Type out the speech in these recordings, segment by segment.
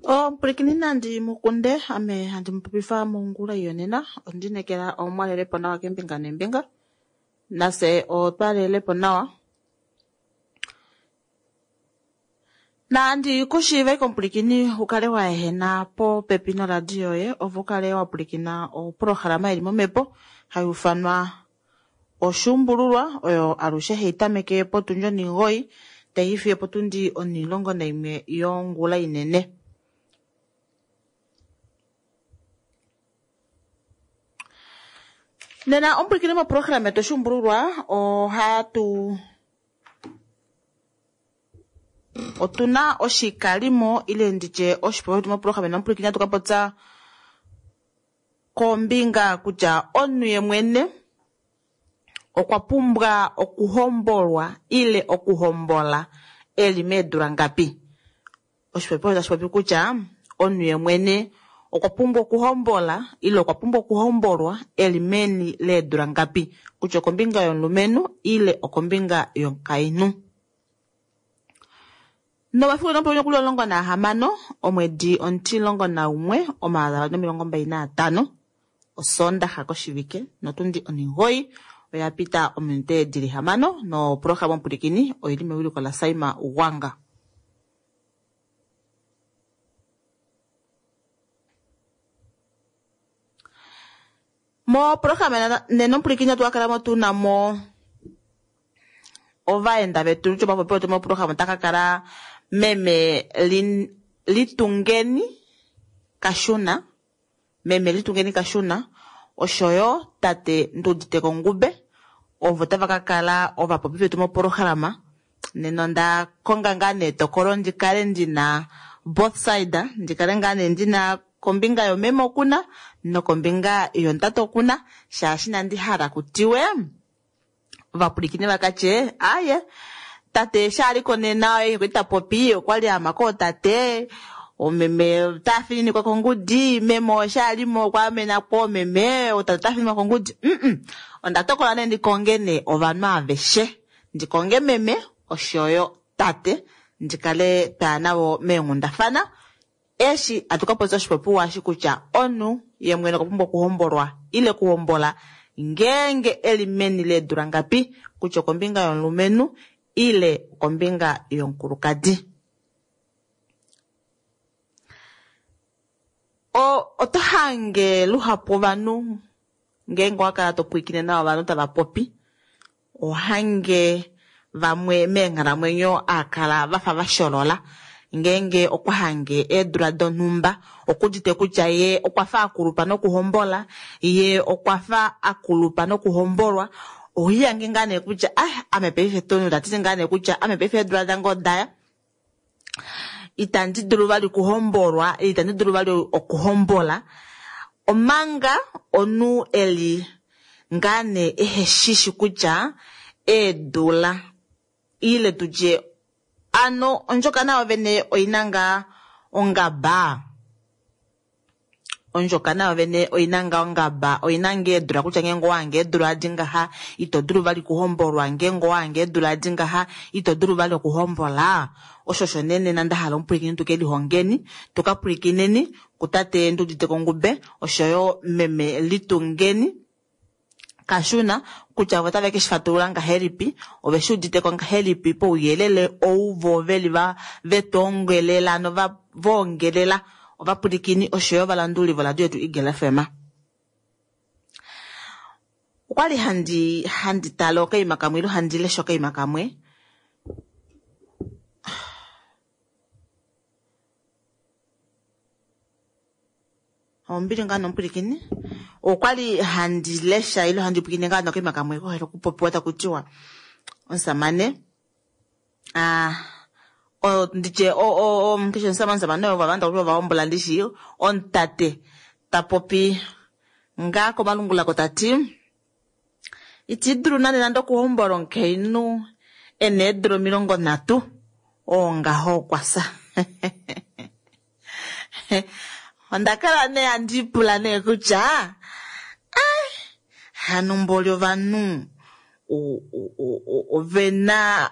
Omupulikini nandi mukunde ame handi mupopifa mongula yonena ondinekela omwalelepo nawa kembinga nembinga nase otwalelepo nawa nandi kushiive komupulikini ukale wa ehena popepi noradio yoye opo ukale wa pulikina oprograma ili momhepo hayi ufanwa oshuumbululwa oyo alushe hayi tameke potundi 9 tayi fiyo potundi 11 yongula inene. Nena omupulikini moprograma yetu oshuumbululwa ohatu otuna oshikalimo ile nditye oshipopiwa shetu moprograma nomupulikini atu kapopya kombinga kutya omunhu yemwene okwa pumbwa okuhombolwa ile okuhombola eli meedula ngapi. Oshipopiwa tashi popi kutya omunhu yemwene okwa pumbwa okuhombola ile okwa pumbwa okuhombolwa eli meni leedula ngapi, kutya okombinga yomulumenhu ile okombinga yomukainhu. Nomafiku nomupululo kuli 16 omwedi 11 2025 osondaxa koshivike notundi 9 oya pita ominute dili 6 noprograma omupulikini oili mewiliko la Saima Ugwanga. Moprograma nena omupulikini otwa kala mo tuna mo ovaenda vetu ovapopi wetu moprograma otaka kala meme Litungeni Kashuna, meme Litungeni Kashuna oshoyo tate Nduditeko Ngube ovo tava ka kala ovapopi vetu moprograma. Nena onda konga ngaa nee etokolo ndi kale ndina both side, ndi kale ngaa nee ndina kombinga yomeme okuna nokombinga yomutate okuna, shaashi inandi hala kutiwe ovapulikini vakatye aye tate eshi aliko nena oye kwali tapopi okwali ama kootate omeme otafininikwa kongudi, meme eshi alimo okwa amena koomeme otate otafininikwa kongudi. Onda tokola nee ndikonge nee ovanhu aveshe, ndikonge meme oshoyo tate ndikale twaya navo meenghundafana eshi atu kapopya oshipopiwa eshi kutya omunhu ye mwene okwa pumbwa okuhombolwa ile okuhombola ngeenge eli meni leedula ngapi, kutya okombinga yomulumenhu ile okombinga yomukulukadi. Oto hange luhapu ovanhu ngeenge owa kala to pwilikine nawa ovanhu tava popi, ohange vamwe meenghalamwenyo akala vafa vasholola ngeenge okwa hange eedula donhumba okudite kutya ye okwa fa akulupa nokuhombola, ye okwa fa akulupa nokuhombolwa. Ohiyange ngaa nee kutya ah ame paife Tony otatiti ngaa nee kutya ame paife eedula dange odaya itandi dulu vali okuhombolwa, itandi dulu vali okuhombola, omanga omunhu eli ngaa nee eheshishi kutya eedula ile tutye ano ondjokana yovene oina ngaa ongaba, ondjokana yovene oina ngaa ongaba, oina ngaa eedula kutya ngeenge owahange eedula adi ngaha ito dulu vali okuhombolwa, ngeenge owahange eedula adi ngaha ito dulu vali okuhombola. Osho osho nee nena nda hala omupulikini tuke lihongeni, tuka pulikineni kutate Nduditeko Ngube oshoyo meme Litungeni Kashuna kutya ovo tave ke shi fatulula ngahelipi, ove shi uditeko ngahelipi pouyelele ou vo veli vetwoongelela nova voongelela ovapulikini oshoyo ovalanduli voradio yetu Eagle FM. Okwali handi tale okaima kamwe ile handi lesha okaima kamwe ombili ngaa nomupulikini okwali handi lesha ile handi pwilikine ngaa nokaima kamwe kohele okupopiwa taku tiwa omusamane nditye keshe omusamane oyo vavanda kutya ovahombola ndishi omutate tapopi ngaa komalungula ko tati iti dulu nande nande okuhombola omukainhu ena eedula 30 oo ngaho okwasa. Onda kala nee handi pula nee kutya hano mboli ovanhu ovena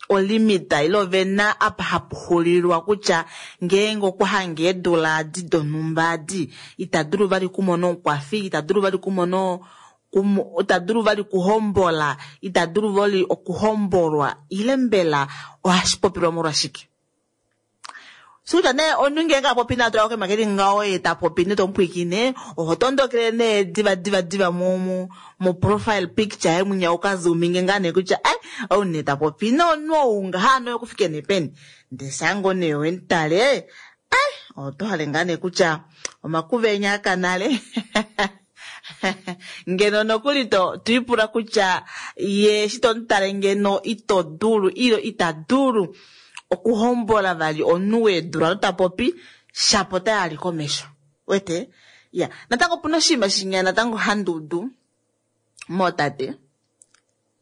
olimita ile ovena apa hapu xulilwa kutya ngeenge okwa hange eedula adi donhumba adi ita dulu vali kumona omukwafi, ita dulu vali kumona ita dulu vali kuhombola, ita dulu vali okuhombolwa, ile mbela ohashi popilwa molwashike? Sikutya nee omunhu ngeenge a popi naye atula okaima keli ngaho ye ta popi nee tomupwiikine, oho tondokele nee diva diva diva mo profile picture yaye mwinya uka zoominge ngaa nee kutya ai ou nee ta popi nomunhu ou ngaha ano okufike nee peni. Ndee shaa ngoo nee wemutale ai oto hale ngaa nee kutya omakuva enya aka nale. Ngeno nokuli to ipula kutya ye eshi tomutale ngeno ito dulu ile ita dulu okuhombola vali omunhu weedula ota popi shapo ota yali komesho. Wete? Ya, natango opuna oshinima shinya natango handi udu mootate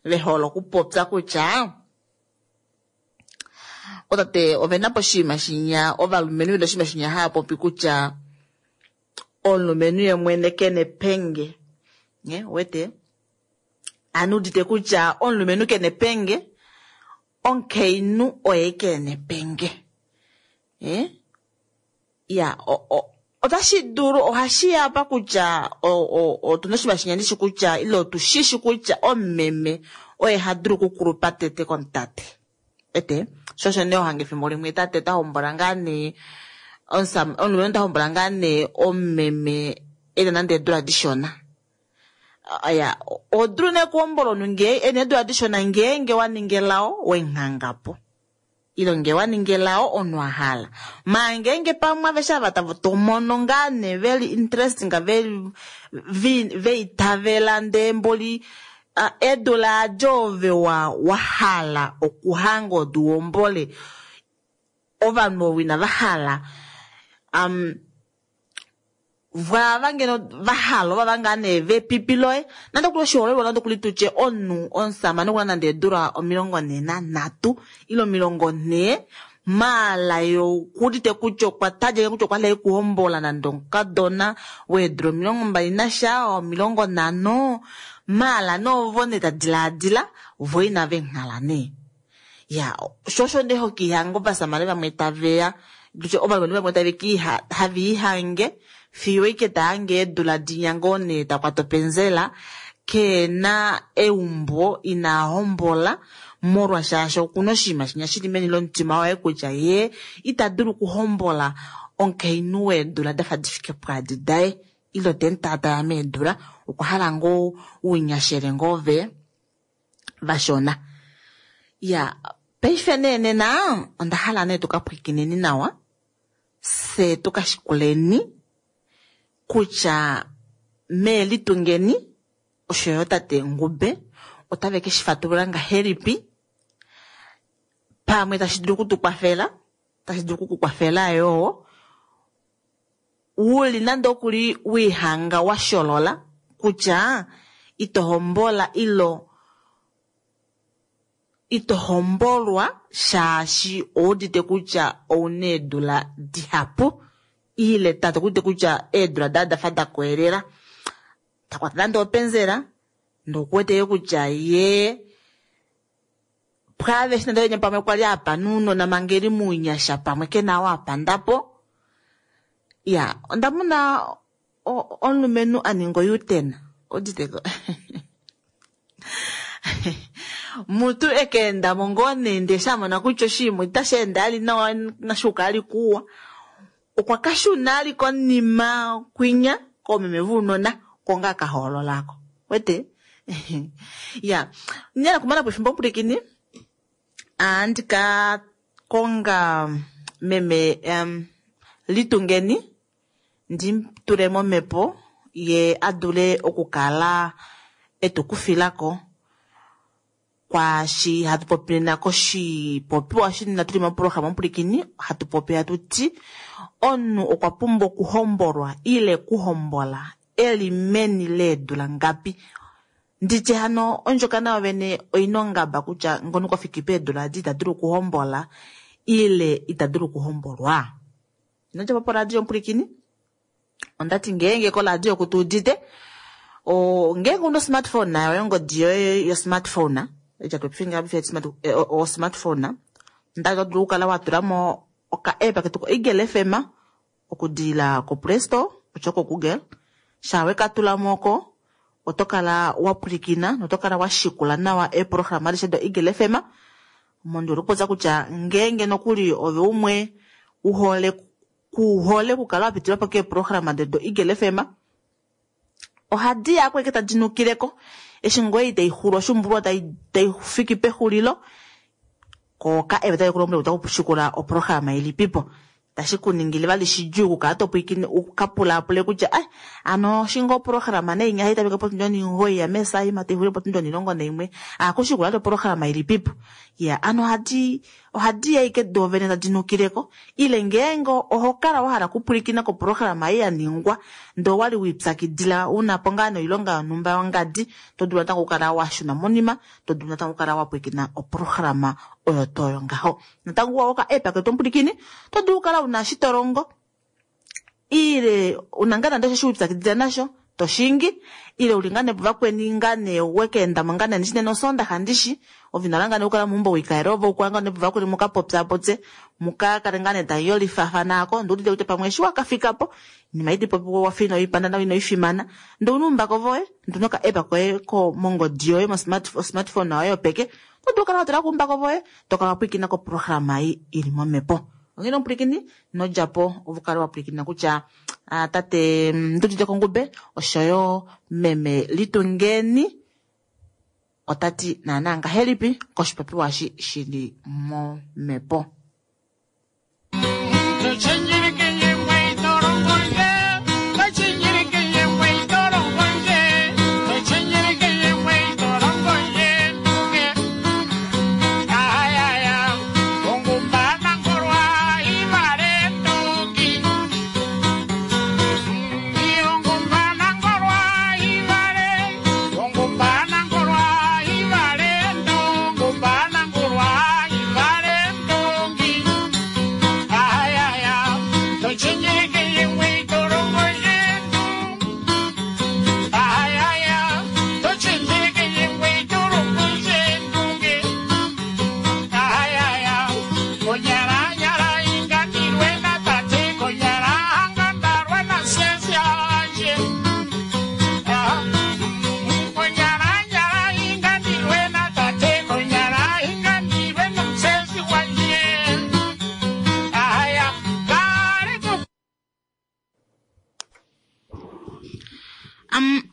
ve hole okupopya kutya otate ovena po oshinima shinya, ovalumenhu vena oshinima shinya hava popi kutya omulumenhu ye mwene kena epenge. Wete? Ano udite kutya omulumenhu kena epenge, omukainhu oye kena epenge. Ya, otashi dulu ohashi ya apa kutya otuna oshinima shinya ndishi kutya ile otushishi kutya omumeme oye ha dulu okukulupa tete komutate. Wete? Sho osho nee ohange efimbo limwe tate ota hombola ngaa nee omulumenhu ota hombola ngaa nee omumeme ena nande eedula dishona. Ya, oho dulu nee okuhombola omunhu ngee ena eedula dishona ngeenge wa ninga elao wemunghangapo. Ile ngee wa ninga elao omunhu a hala. Maa ngeenge pamwe aveshe ava tomono ngaa nee veli interesting veitavela ndee mboli eedula adi ove wa hala okuhanga odi uhombole ovanhu ovo inava hala vaava ngeno vahala ovava ngaa nee vepipi loye nande okuli oshiholelwa nande okuli tutye omunhu omusamane okuna nande eedula 43 ile 40 maala ye okuudite kutya okwa talika kutya okwa hala okuhombola nande omukadona weedula 21 50 maala nee ovo nee tadilaadila vo inava enghala nee. Ya, sho osho nee hokiihanga ovasamane vamwe taveya tutye ovalumenhu vamwe tave have ihange fiyo ike tahange eedula dinya ngoo nee takwata openzela kena eumbo ina hombola molwashaashi okuna oshinima shinya shili meni lomutima waye kutya ye ita dulu okuhombola omukainhu weedula dafa difike pwaadi daye ile temutaataya meedula okwa hala ngoo ounyashele ngoo ve vashona. Ya, paife nee nena onda hala nee tuka pwiikineni nawa fye tuka shikuleni kutya meelitungeni oshoyo tate Ngube otave ke shi fatulula ngahelipi pamwe tashi dulu okutukwafela, tashi dulu okukukwafela yoo uli nande okuli wiihanga wa sholola kutya ito hombola ilo ito hombolwa shaashi oudite kutya ouna eedula dihapu ile tate okuudite kutya eedula daye odafa dakoyelela takwata nande openzela ndee okuwete kutya ye pwaaveshe nande venya pamwe kwali apa nounona manga eli mounyasha pamwe kena oo apandapo. Ya, onda mona omulumenhu a ninga o-U-turn. Ouditeko? Mutu ekeendamo ngoo nee ndee eshi amona kutya oshinima itashi ende ali nawa nashuuka ali kuwa, okwa kashuna ali konima kwinya koomeme vounona oko ngaa kahoolola ako. Wete? Ya, nyala kumana po efimbo omupulikini, ohandi ka konga meme Litungeni ndimutule momhepo ye a dule okukala etukufilako kwaashi hatu popi nena koshipopiwa shinena tuli moprograma omupulikini hatu popi hatu ti omunhu okwa pumbwa okuhombolwa ile kuhombola eli meni leedula ngapi. Nditye hano ondjokana yovene oina ongaba kutya ngono kwa fiki peedula adi ita dulu okuhombola ile ita dulu okuhombolwa. Ino djapo poradio omupulikini, ondati ngeenge koradio oku tuudite ngeenge una osmartphone nayo ongodi yoye yo smartphone. Eja tupifinga o smartphone. Nda dulu kala wa tula mo oka app ketu ko Eagle FM okudila ko Play Store osho ko Google. Shawe ka tula moko oto kala wa pwilikina noto kala wa shikula nawa eeprograma adishe do Eagle FM. Mondulu kupotsa kutya ngeenge nokuli ove umwe uhole kuhole kukala wa pitilwa po keeprograma do Eagle FM. Ohadi ya kweke tadi nukileko eshi ngoye itayi xulu oshumbulwa tayi fiki pexulilo koka eve tayi kulombwele kutya okushikula oprograma ilipipo. Tashi kuningile vali shidjuu okukala to pwilikine ukapulaapule kutya ai ano shinga oprograma nei nyaha itameke potundi onimugoi ya mesaima taixulile potundi onilongo naimwe akushikula ati oprograma ilipipo. Ya ano ohadi ya ike doovene tadi nukileko ile ngeenge oho kala wa hala okupwilikina koprograma ei ya ningwa ndee owali wiipyakidila unapo ngaa noilonga yonhumba yongadi to dulu natango okukala wa shuna monima to dulu natango okukala wa pwilikina oprograma oyo toyo ngaho. Natango wa oka app ketu omupwilikini to dulu okukala una eshi to longo ile una ngaa nande osho wiipyakidila nasho to shingi ile uli ngaa nevakweni ngaa nee wekeendamo ngaa nee ndishi nena osondaxa ndishi ovinala ngaa nee okukala meumbo wikaele ove ukala ngaa nevakweni mukapopyapopye mukakale ngaa nee tayolifafana ako nduudite kutya pamwe eshi wakafikapo inima iti popiwa wafa inoipanda nawa inoifimana ndee una uumbako voye ndee una oka app koye mongodi yoye mo smartphone yoye yopeke oto dulu okukala watula kuumbako voye tokala wapwilikina koprograma ei ili momhepo. Onghee omupwilikini nodjapo ove ukale wapwilikina kutya tate Ndudite Kongube oshoyo meme Litungeni otati naana ngahelipi koshipopiwa eshi shili momhepo.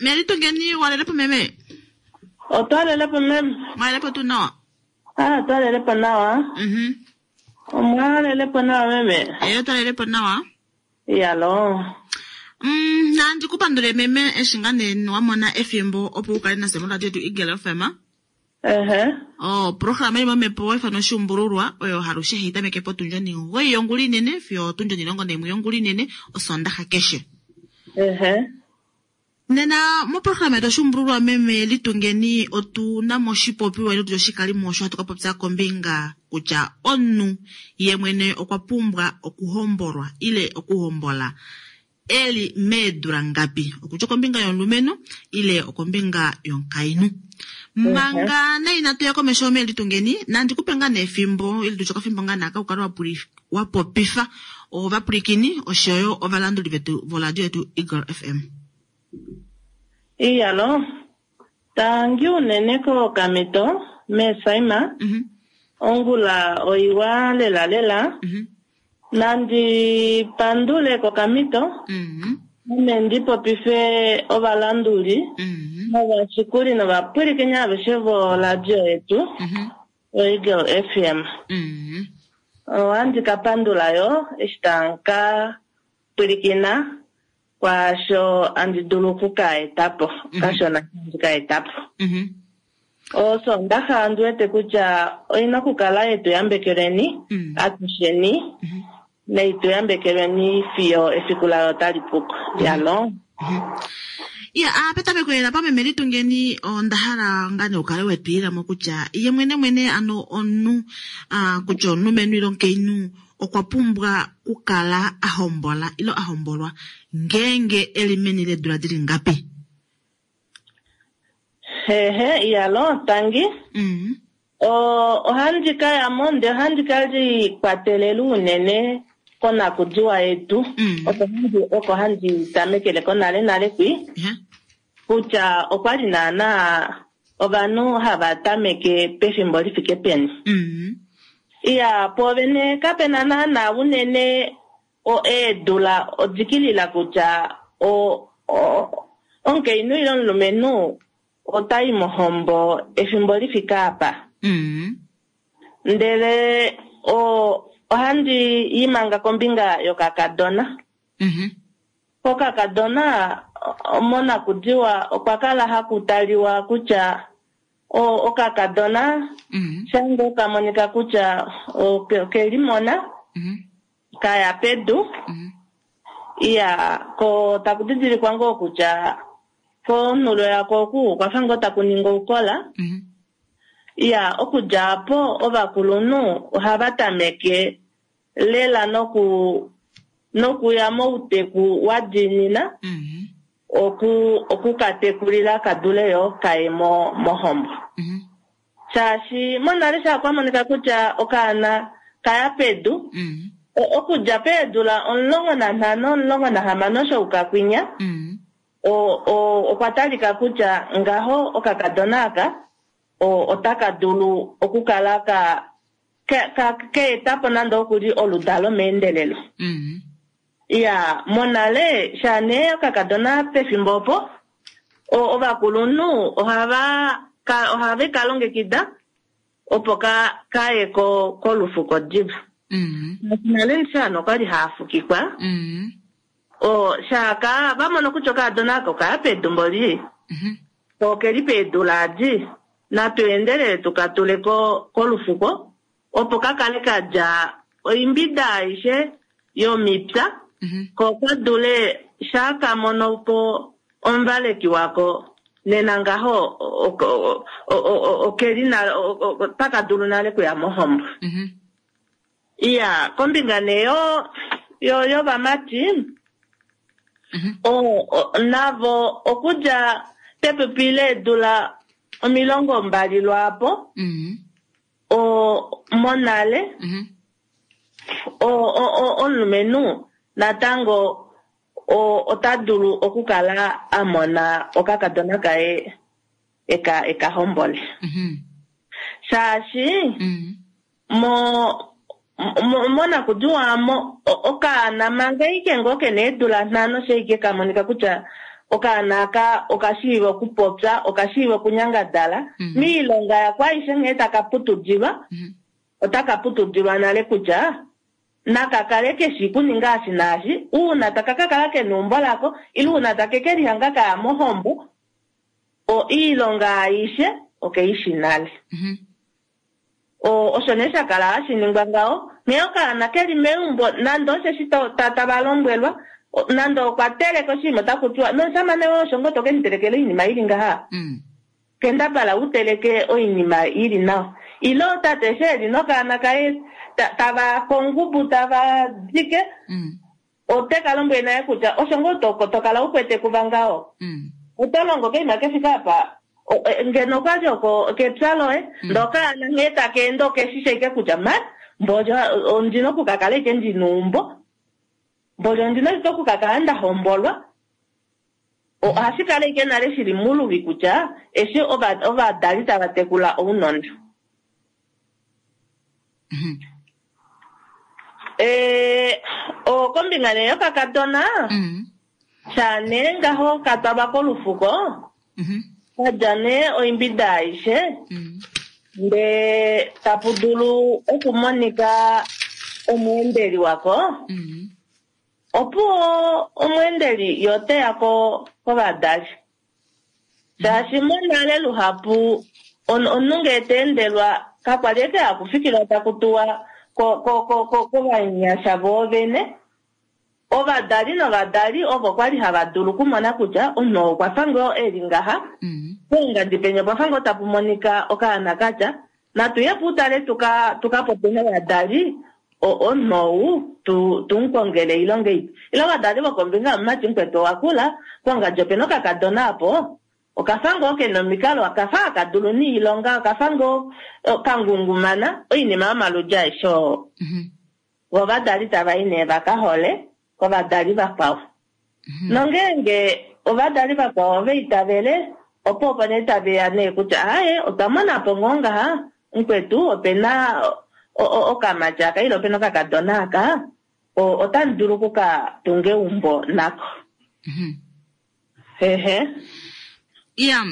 Melitungeni walelepo meme? Otwalelepo meme. Mwalelepo tu nawa? Ah, twalelepo nawa. Omwalelepo nawa meme? Eyo twalelepo nawa. Iyalo. Nandi kupandule meme eshi ngaa nee wamona efimbo opo ukale nase moradio yetu Eagle FM. Ehe. Oh, programa ili momhepo ifano oshumbululwa oyo halushe hai tameke potundi onimugoi yongula inene fiyo otundi onilongo naimwe yongula inene osondaxa keshe. Ehe. Nena moprograma yetu oshumbululwa meme Litungeni otuna mo oshipopiwa ile oshikalimo osho hatu kapopya kombinga kutya omunhu ye mwene okwa pumbwa okuhombolwa ile okuhombola eli meedula ngapi, okutya okombinga yomulumenhu ile okombinga yomukainhu. Manga nee inatu ya komesho meme Litungeni, nandi kupe ngaa nee efimbo ile tutye okafimbo ngaa naaka ukale wapopifa ovapwilikini oshoyo ovalanduli vetu voradio yetu Eagle FM. Iyalo, tangi unene kokamito mesaima ongula oiwa lela lela nandi pandule kokamito ame ndipopife ovalanduli novashikuli novapwilikini aveshe voradio yetu oEagle FM. Ohandi kapandula yo eshi tanka pwilikina kwaasho andi dulu okukaetapo kashona andi kaetapo. Osondaxa andi wete kutya oina okukala yetu yambekeleni atusheni neitu yambekeleni fiyo efiku layo tali puko. Yalo. Ya, petameko lela pameme Litungeni onda hala ngaa nee ukale wetwiilamo kutya ye mwene mwene ano omunhu kutya omulumenhu ile omukainhu okwa pumbwa okukala a hombola ile a hombolwa ngeenge eli meni leedula dili ngapi? Hehe, iyalo, tangi. Ohandi ka yamo ndee ohandi ka likwatelela unene konakudiwa yetu. Oko handi tamekele konale nale kwi. Kutya okwa li naana ovanhu hava tameke pefimbo li fike peni. Iya, poovene kapena naana unene eedula odikilila kutya omukainhu ile omulumenhu otai mohombo efimbo li fike apa. Ndele ohandi imanga kombinga yokakadona. Kokakadona monakudiwa okwa kala haku taliwa kutya okakadona shange okamonika kutya okelimona kaya pedu. Iya, ko taku didilikwa ngoo kutya konhulo yako oku okwafa ngoo taku ningi oukola. Iya, okudja apo ovakulunhu ohava tameke lela nokuya mouteku wa diinina okukatekulila kadule yo kaye mohombo. Shaashi monale sha kwa monika kutya okaana kaya pedu, okudja peedula 15, 16 shoukakwinya, okwa talika kutya ngaho okakadona aka otaka dulu okukala keetapo nande okuli oludalo meendelelo. Iya, monale shane okakadona pefimbo opo ovakulunhu ohave ka longekida opo kaye kolufuko diva. Nale shano okwali haafukikwa. Shaka vamono kutya okakadona ako kaya pedu mboli. Okeli peedula adi natu endelele tukatule kolufuko opo kakale kadja oimbida aishe yomipya ko kadule shaka mono po omuvaleki wako nena ngaho okeli pakadulu nale kuya mohombo. Iya, kombinga nee yovamati navo okudja pepipi leedula 20 lwaapo monale omulumenhu natango ota dulu okukala a mona okakadona kaye ekahombole. Shaashi monakudiwa okaana manga ike ngoo kena eedula 5 sheike kamonika kutya okaana aka okashiiva okupopya, okashiiva okunyangadala, miilonga yako aishe nghee taka putudilwa, otaka putudilwa nale kutya nakakale keshi kuninga ashi naashi, uuna taka kakala kena eumbo lako, ile uuna take kelihanga kaya mohombo, iilonga aishe okeishi nale. Osho nee shakala hashi ningwa ngaho, nghee okaana keli meumbo nande osheshi tava lombwelwa, nande okwa teleka oshinima otaku tiwa nomusamane woye osho ngoo toke mutelekela oinima ili ngaha. Kendabala u teleke oinima ili nawa. Ile tate eshi eli nokaana kaye tava kongubu tava dike, ote ka lombwele naye kutya osho ngoo tokala u kwete kuva ngaho. Oto longo keima kefika apa, ngeno okwali oko kepya loye, ndokaana nghee taka ende okeshisha ike kutya ma mbolyo ondina okukakala ike ndina eumbo, mbolyo ondina ike okukakala nda hombolwa. Ohashi kala ike nale shili muluvi kutya eshi ovadali tava tekula ounona. Kombinga nee yokakadona, shane ngaho katwalwa kolufuko, kadja nee oimbida aishe, ndee tapu dulu okumonika omweendeli wako. Opuwo omweendeli yoteya kovadali. Shaashi monale luhapu omunhu ngee ta endelwa kakwali eke hakufikilwa taku tuwa kovanyasha voovene. Ovadali novadali ovo kwali hava dulu okumona kutya omunhu okwa fa ngoo eli ngaha, poungadi penya opwa fa ngoo tapu monika okaana katya, natu ye puutale tuka popye novadali, omunhu ou tumukongele oilonga ipe. Ile ovadali vokombinga yomumati mukwetu owa kula, pongadi opena okakadona apo, Okafa ngoo ke na omikalo, okafa haka dulu niilonga, okafa ngoo kangungumana, oinima yomaludi aeshe oo. Vo ovadali tava i nee va ka hole kovadali vakwao. Nongeenge ovadali vakwao ova itavele, opo opo nee tave ya nee kutya aaye otwa mona po ngoo ngaha mukwetu ope na okamati aka ile ope na okakadona aka, otamu dulu oku ka tunga eumbo nako. Ehe. Iya,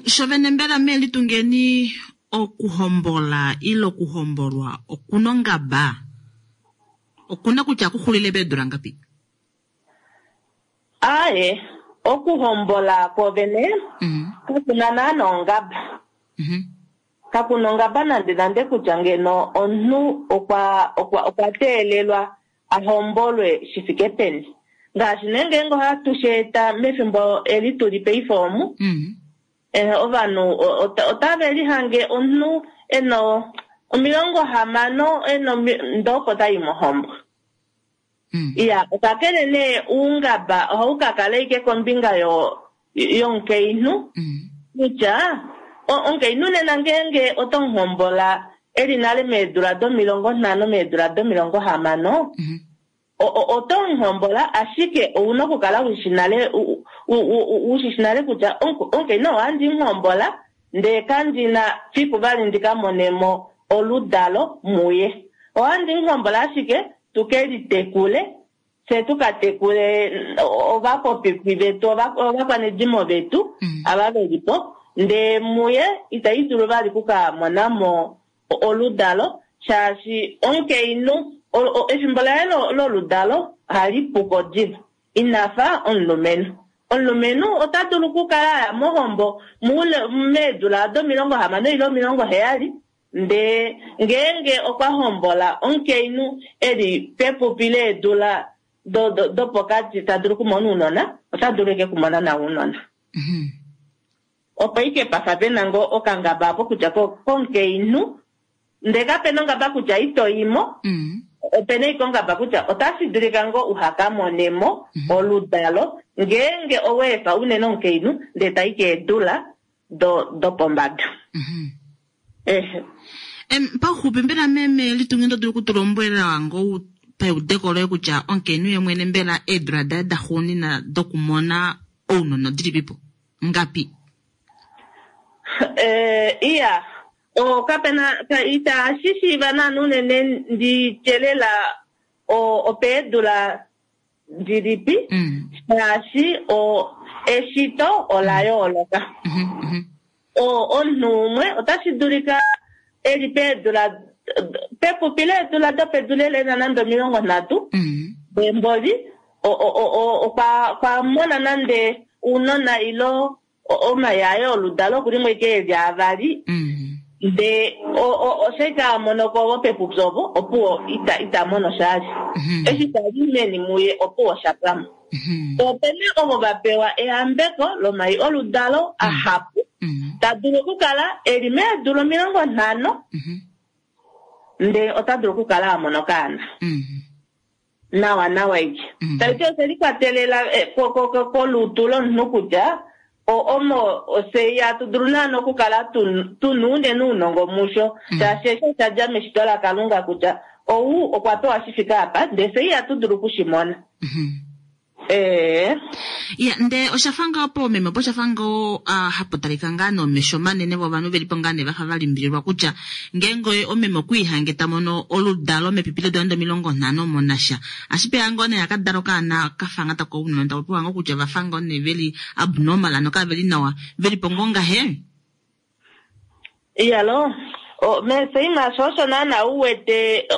shovene mbela mee Litungeni okuhombola ile okuhombolwa okuna ongaba? Okuna kutya kuxulile peedula ngapi? Aaye, okuhombola kwovene kakuna naana ongaba. Kakuna ongaba nande nande kutya ngeno omunhu okwa teelelwa a hombolwe shi fike peni. Ngaashi nee ngeenge ohatu shi eta mefimbo eli tuli paife omu, ovanhu otave lihange omunhu e na 60 e na ndee opo tai mohombo. Iya, kakele nee oungaba ohau ka kala ashike kombinga yomukainhu kutya omukainhu nena ngeenge oto muhombola e li nale meedula do50 meedula do60, oto muhombola ashike ouna okukala ushi nale kutya omukainhu ohandi muhombola ndee kandina fiku vali ndika monemo oludalo muye. Ohandi muhombola ashike tuke litekule, fye tukatekule ovapopipi vetu, ovakwanedimo vetu ava velipo, ndee muye itai dulu vali kukamonamo oludalo, shaashi omukainhu efimbo laye loludalo ohali puko diva, inafa omulumenhu. Omulumenhu ota dulu okukala aya mohombo meedula do60 ile 70, ndee ngeenge okwa hombola omukainhu eli pepupi leedula dopokati ta dulu okumona ounona, ota dulu eke kumona nawa ounona. Opo ike pafa pena ngoo okangaba apo kutya komukainhu, ndee kapena ongaba kutya ito imo, opena ike ongaba kutya otashi dulika ngoo uha monemo oludalo ngeenge oweefa unene omukainhu ndee tai keedula dopombada. Pauxupi mbela meme Litungi ndo dulu okutulombwela ngoo paudeko loye kutya omukainhu ye mwene mbela eedula daye daxuunina dokumona ounona odilipipo ngapi? Iya, kapena itashi shiiva naana unene ndityelela opeedula dilipi, shaashi eshito ola yooloka. Omunhu umwe otashi dulika eli peedula pepupi leedula dopedu lelena nande 30, emboli okwa mona nande ounona ilo omayayo oludalo okulimwe ike eli avali, ndee oshaika monoko ovo pepupi ovo opuwo ita mono shali, eshi tali meni muye opuwo shapwamo. Opena ovo va pewa ehambeko lomai oludalo ahapu, ta dulu okukala eli meedula 50, ndee ota dulu okukala a mona okaana nawa nawa ike. Taiti oshe likwatelela kolutu lomunhu kutya omo ose ihatu dulu naana okukala tuna unene ounongo musho, shaashi eshi osha dja meshito laKalunga kutya ou okwa pewa shi fike apa, ndee fye ihatu dulu okushimona. Ya, ndee oshafa ngoo po meme opo oshafa ngoo hapu talika ngaa nomesho manene vovanhu velipo ngaa nee vafa valimbililwa kutya ngeenge omeme okwiihange ta mono oludalo mepipi leedula nande 50 monasha, ashipeya ngoo nee akadala okaana kafa nga taka ounona tava pewa ngoo kutya vafa ngoo nee veli abnormal ano kaveli nawa, velipo ngoo ngahe? Iyalo, meseima sho osho naana uwete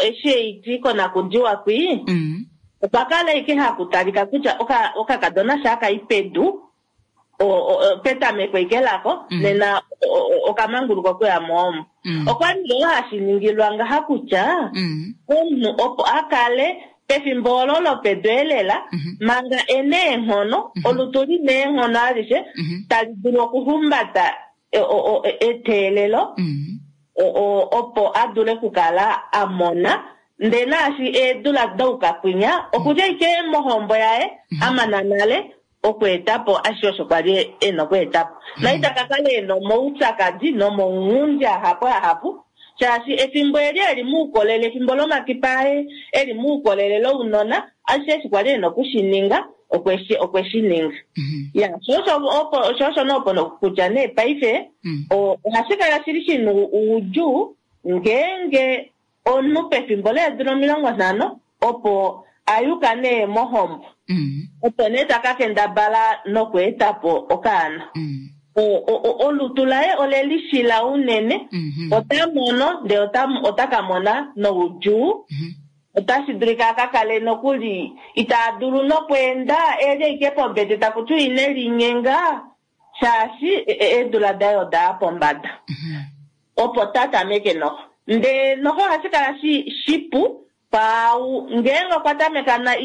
eshi eiti konakudiwa kwi, okwa kala ike hakutalika kutya okakadona sha kai pedu, petameko ike lako, nena okamanguluka okuya mohombo. Okwa li ngoo hashi ningilwa ngaha kutya omunhu opo a kale pefimbo olo lopedu elela, manga ena eenghono, olutu lina eenghono alishe, tali dulu okuhumbata eteelelo, opo a dule okukala a mona. Ndee naashi eedula daukakwinya, okudja ike mohombo yaye, a mana nale, okweeta po ashishe osho kwa li e na okweeta po. Na ita ka kala e na omaupyakadi nomaunghundi ahapu ahapu, shaashi efimbo eli e li moukolele, efimbo lomakipa aye e li moukolele lounona, ashishe eshi kwa li e na oku shi ninga, okwe shi ninga. Ya, sho osho opo, sho osho nee opo kutya nee paife, ohashi kala shili shi na oudjuu ngeenge omunhu pefimbo leedula 50 opo a yuka nee mohombo. Opo nee ta ka kendabala nokweeta po okaana. Olutu laye ole lishila unene, ota mono ndee ota ka mona noudjuu. Otashi dulika a ka kale nokuli ita dulu nokweenda, e li ashike pombete taku tiwa ine linyenga, shaashi eedula daye oda ya pombada. Opo ta tameke noho. Ndee noho ohashi kala shipu kwaau ngeenge okwa tameka na,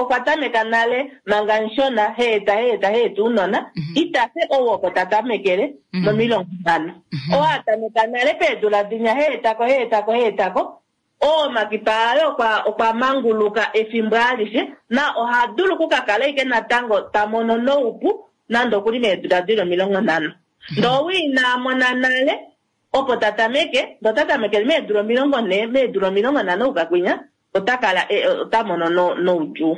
okwa tameka nale manga mushona, heeta, heeta, heeta ounona, ita fe ou opo ta tamekele mo50. Ou a tameka nale peedula dinya, heetako, heetako, heetako, oo omakipa aye okwa manguluka efimbo alishe, na oha dulu okukakala ashike natango ta mono noupu nande okuli meedula dili 50. Ndee ou ina mona nale, opo ta tameke, ndee ota tamekele meedula 40, meedula 50 oukakwinya, ota kala, ota mono noudjuu.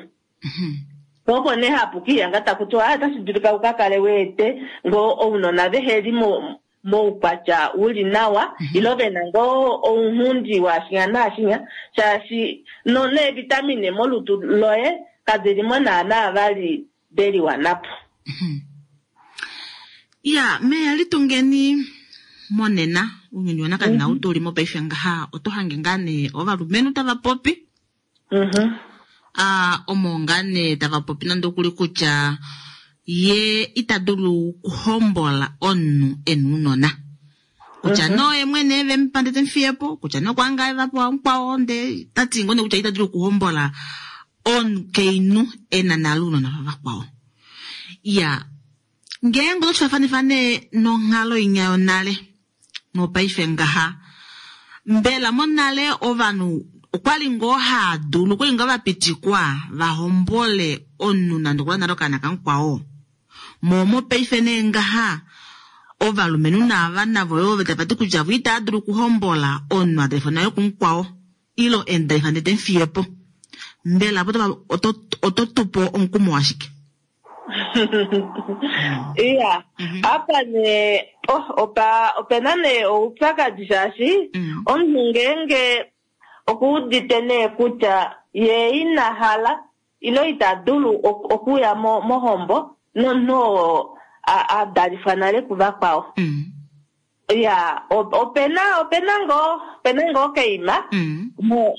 Opo nee hapu kiiyanga taku tiwa, otashi dulika u ka kale weete ngoo ounona vehe li moukwatya u li nawa, ile ve na ngoo ounghundi waashinya naashinya, shaashi neevitamine molutu loye kadi li mo naanaa vali de liwana po. Ya, meya litungeni monena, ounyuni wanakanena ou tu li mopaife ngaha, oto hange ngaa nee ovalumenhu tava popi. Omo ngaa nee tava popi nande okuli kutya ye ita dulu okuhombola omunhu e na ounona. Kutya no ye mwene ve mu pa ndele te mu fiye po, kutya no kwa ngaa va pewa mukwao, ndele ta ti ngoo nee kutya ita dulu okuhombola omukainhu e na nale ounona vavakwao. Ya, ngeenge oto faafanifa nee nonghalo inya yonale nopaife ngaha, mbela monale ovanhu okwali ngoo haa dulu, okwali ngoo va pitikwa va hombole omunhu nande okwa nale okaana kamukwao? Mo mopaife nee ngaha ovalumenhu naava navo yo tava ti kutya vo itava dulu okuhombola omunhu a dalifwa naye kumukwao ile e mu dalifa ndele te mu fiye po. Mbela opo oto tu po omukumo washike? Iya, apa nee, oh, opa, opena nee oupyakadi shaashi omunhu ngeenge okuudite nee kutya ye ina hala ile ita dulu okuya mohombo nomunhu oo a dalifwa nale kuvakwao. Ya, opena, opena ngoo, opena ngoo keima,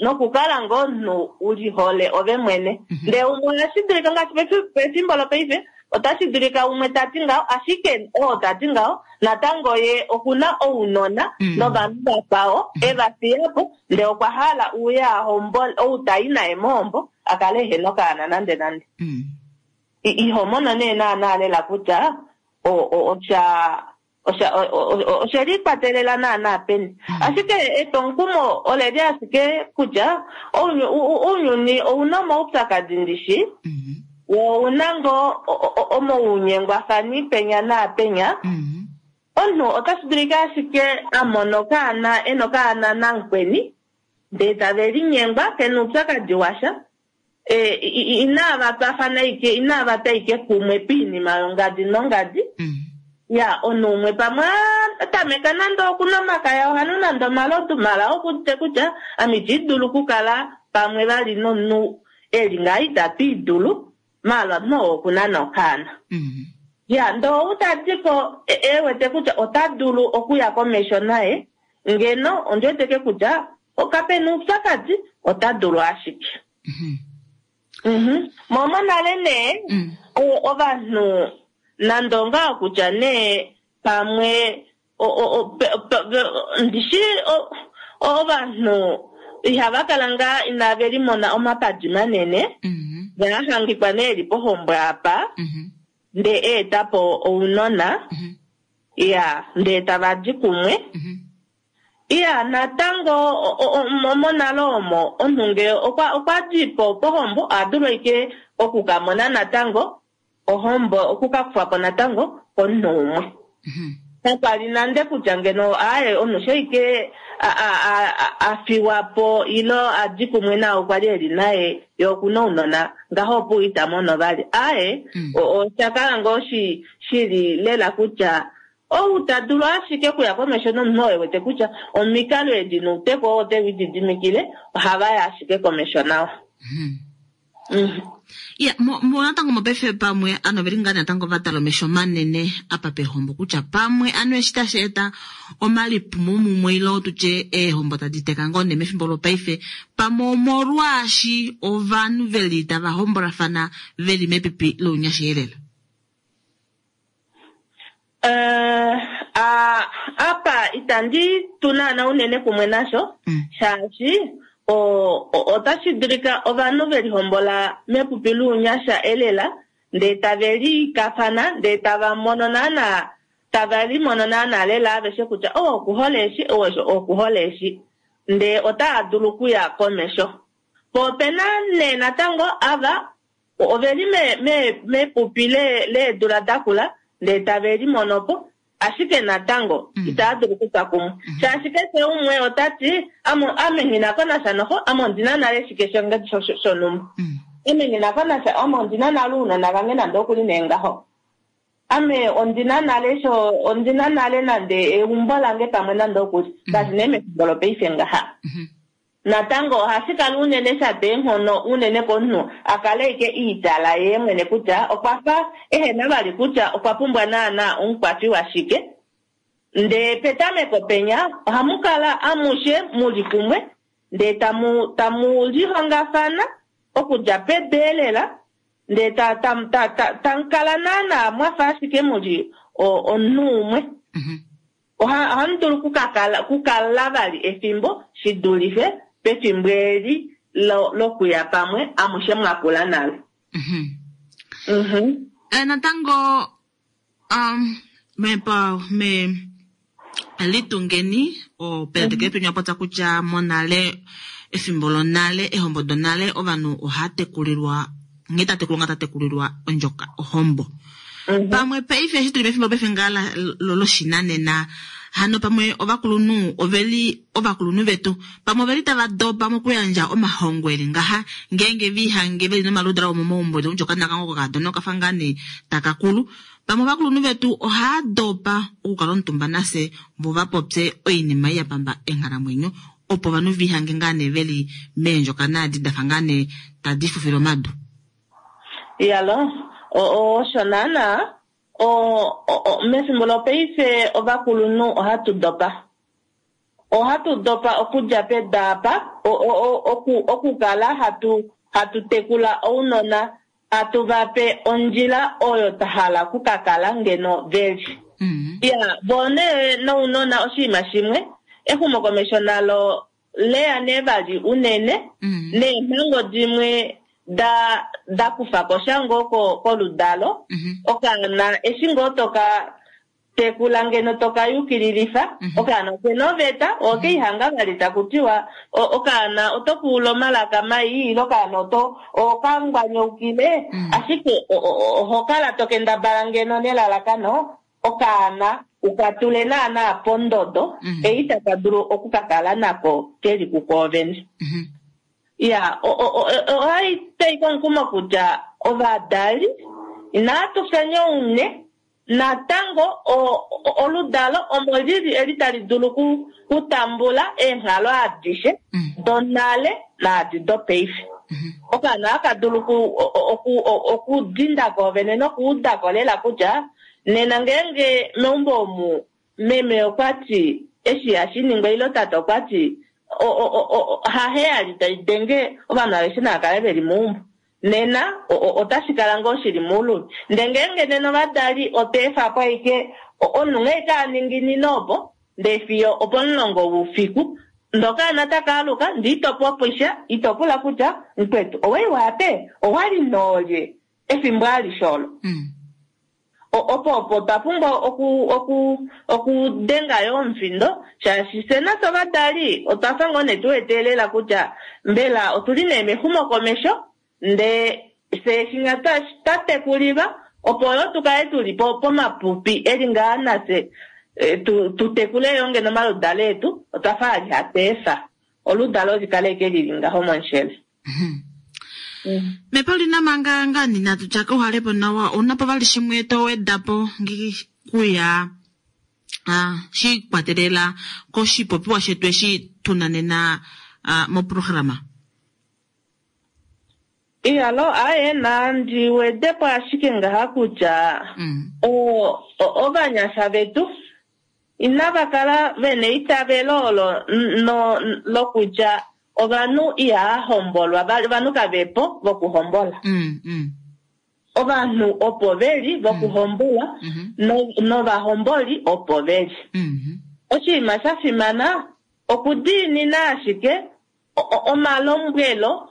nokukala ngoo omunhu u lihole ove mwene. Ndele umwe ohashi dulika ngaashi pefimbo lopaife, otashi dulika umwe ta ti ngaho, ashike oo ta ti ngaho, natango ye okuna ounona novanhu vakwao e va fiya po, ndele okwa hala uye a hombole, ou ta i naye mohombo, a kale ehe nokaana nande nande. Iho mono nee naanaa lela kutya osha oshe likwatelela naanaa peni. Ashike etwomukumo ole li ashike kutya ounyuni ouna omaupyakadi ndishi, wo ouna ngoo omaunyengwafani penya naapenya. Omunhu otashi dulika ashike a mona okaana, e na okaana namukweni, ndee tave linyengwa, ke na oupyakadi washa. Inava twafana ike, inava twa ike kumwe piinima yongadi nongadi. Ya, omunhu umwe pamwe a tameka nande okunwa omakaya, oha nu nande omalodu, mala okuudite kutya ame iti dulu okukala pamwe vali nomunhu e li ngaha itatu idulu, maala omunhu oo oku na nokaana. Ya, ndee ou ta di ko e wete kutya ota dulu okuya komesho naye, ngeno ondi wete ke kutya kape na oupyakadi, ota dulu ashike. Mo monale nee, ovanhu nande ongaho kutya nee pamwe ndishi ovanhu ihava kala ngaa inave limona omapadi manene, va hangikwa nee li pohombo apa, ndee eeta po ounona, ya, ndee tava di kumwe. Iya, natango monale omo omunhu ngee okwa di po pohombo, oha dulu ashike okukamona natango ohombo okukakufwa po natango komunhu umwe. Kakwali nande kutya ngeno aaye omunhu sheike a fiwa po ilo a di kumwe naye okwa li eli naye ye okuna ounona ngaho opo ita mono vali. Aaye osha kala ngoo shili lela kutya ou ta dulu ashike okuya komesho nomunhu oo e wete kutya omikalo edi nouteko oo ote lididimikile ohava ya ashike komesho nawa. Ya mo natango mopaife pamwe ano veli ngaa natango va tala omesho manene apa pehombo kutya pamwe ano eshi tashi eta omalipumo mumwe ilo tutye eehombo tadi teka ngoo nee mefimbo lopaife pamwe omolwaashi ovanhu veli tava hombolafana veli mepipi lounyasha elela. Apa itandi tu naana unene kumwe nasho shaashi otashi dulika ovanhu velihombola mepupi lounyasha elela ndee tave likafana ndee tava mono naana tava limono naana lela aveshe kutya oo okuhole eshi oo okuhole eshi ndee otaa dulu okuya komesho. Po opena nee natango ava oveli mepupi leedula dakula ndee tave limono po ashike natango itaa dulu okutwa kumwe shaashi keshe umwe otati ame nghinako nasha noho ame ondina nale shike shonhumba ame nghinako nasha ame ondina nale ounona vange nande okuli nee ngaho ame ondina nale ondina nale nande eumbo lange pamwe nande okuli ngaashi nee mefimbo lopaife ngaha. Natango ohashi kala unene sha eenghono unene komunhu akale ike iitala ye mwene kutya okwa fa ehena vali kutya okwa pumbwa naana omukwafi washike. Ndee petameko penya ohamu kala amushe muli kumwe ndee tamu lihongafana okudja pedu elela ndee tamukala naana mwafa ashike muli omunhu umwe. Ohamu dulu kukala vali efimbo shidulife pefimbo eli lokuya pamwe amushe mwakula nalo. Natango me litungeni opeleteke penywa popya kutya monale efimbo lonale ehombo donale ovanhu oha tekulilwa nghee tatekulwa nga tatekulilwa ondjoka ohombo. Pamwe paife eshi tuli mefimbo paife ngaa loshinanena hano pamwe ovakulunhu oveli ovakulunhu vetu pamwe oveli tava dopa mokuyandja omahongo eli ngaha ngeenge vihange veli nomaludala omomaumbo ondjoka nakango kokadona okafa ngaa nee takakulu pamwe ovakulunhu vetu ohaa dopa okukala omutumba nase vo va popye oinima ya pamba enghalamwenyo opo ovanhu vihange ngaa nee veli meendjoka naadi dafa ngaa nee tadi fufile omadu. Yalo osho naana mefimbo lopaife ovakulunhu ohatu dopa. Ohatu dopa okudja pedu apa okukala hatu tekula ounona hatu vape ondjila oyo tahala kukakala ngeno veli. Ya vone nounona oshinima shimwe exumokomesho nalo leya nee vali unene neemhango dimwe da kufa ko shango koludalo okaana eshi ngoo toka tekula ngeno toka yukililifa okaana okena oveta okeihanga vali takutiwa okaana oto kuula omalaka mai ilo okaana oto okangwanyaukile ashike oho kala tokendabala ngeno nelalakano okaana ukatule naana pondodo ei taka dulu okukakala nako keli kukoovene. Ya ohai tei komukumo kutya ovadali inatu fya oune natango oludalo omo lili eli tali dulu kutambula eenghalo adishe donale naadi dopaife. Okaana aka dulu okudinda koovene nokuudako lela kutya nena ngeenge meumbo omu meme okwati eshi hashiningwa ilo tata okwati haheyali tai denge ovanhu aveshe nava kale veli meumbo nena otashi kala ngoo shili mouluvi. Ndee ngeenge nena ovadali oteefa po aike omunhu nghee kaninginine opo ndee fiyo opomulongo woufiku ndokaana taka aluka ndee itopopisha itopula kutya mukwetu owai wape owali noolye efimbo alishe olo. Opo otwa pumbwa okudenga yo omufindo shaashi fye nafye ovadali otwa fa ngoo nee tuweteelela kutya mbela otuli nee mexumokomesho ndee fye shinya twa tekulilwa Opo yo tu kale tuli pomapupi eli ngaa nafye tu tekule yo ngeno omaludalo etu, otwa fa ali hatu efa oludalo likale eke lili ngaho momushele. Mepaulina manga ngani natu tya kauhalepo nawa, ounapo vali shimwe to wedapo kuya shiikwatelela koshipopiwa shetu eshi tuna nena moprograma? Iyalo, aye, nandi wedepo ashike ngaha kutya ovanyasha vetu inava kala vena eitavelo olo lokutya ovanhu ihava hombolwa, ovanhu kavepo vokuhombola. Ovanhu opo veli vokuhombolwa novahomboli opo veli. Oshinima sha fimana okudiinina ashike omalombwelo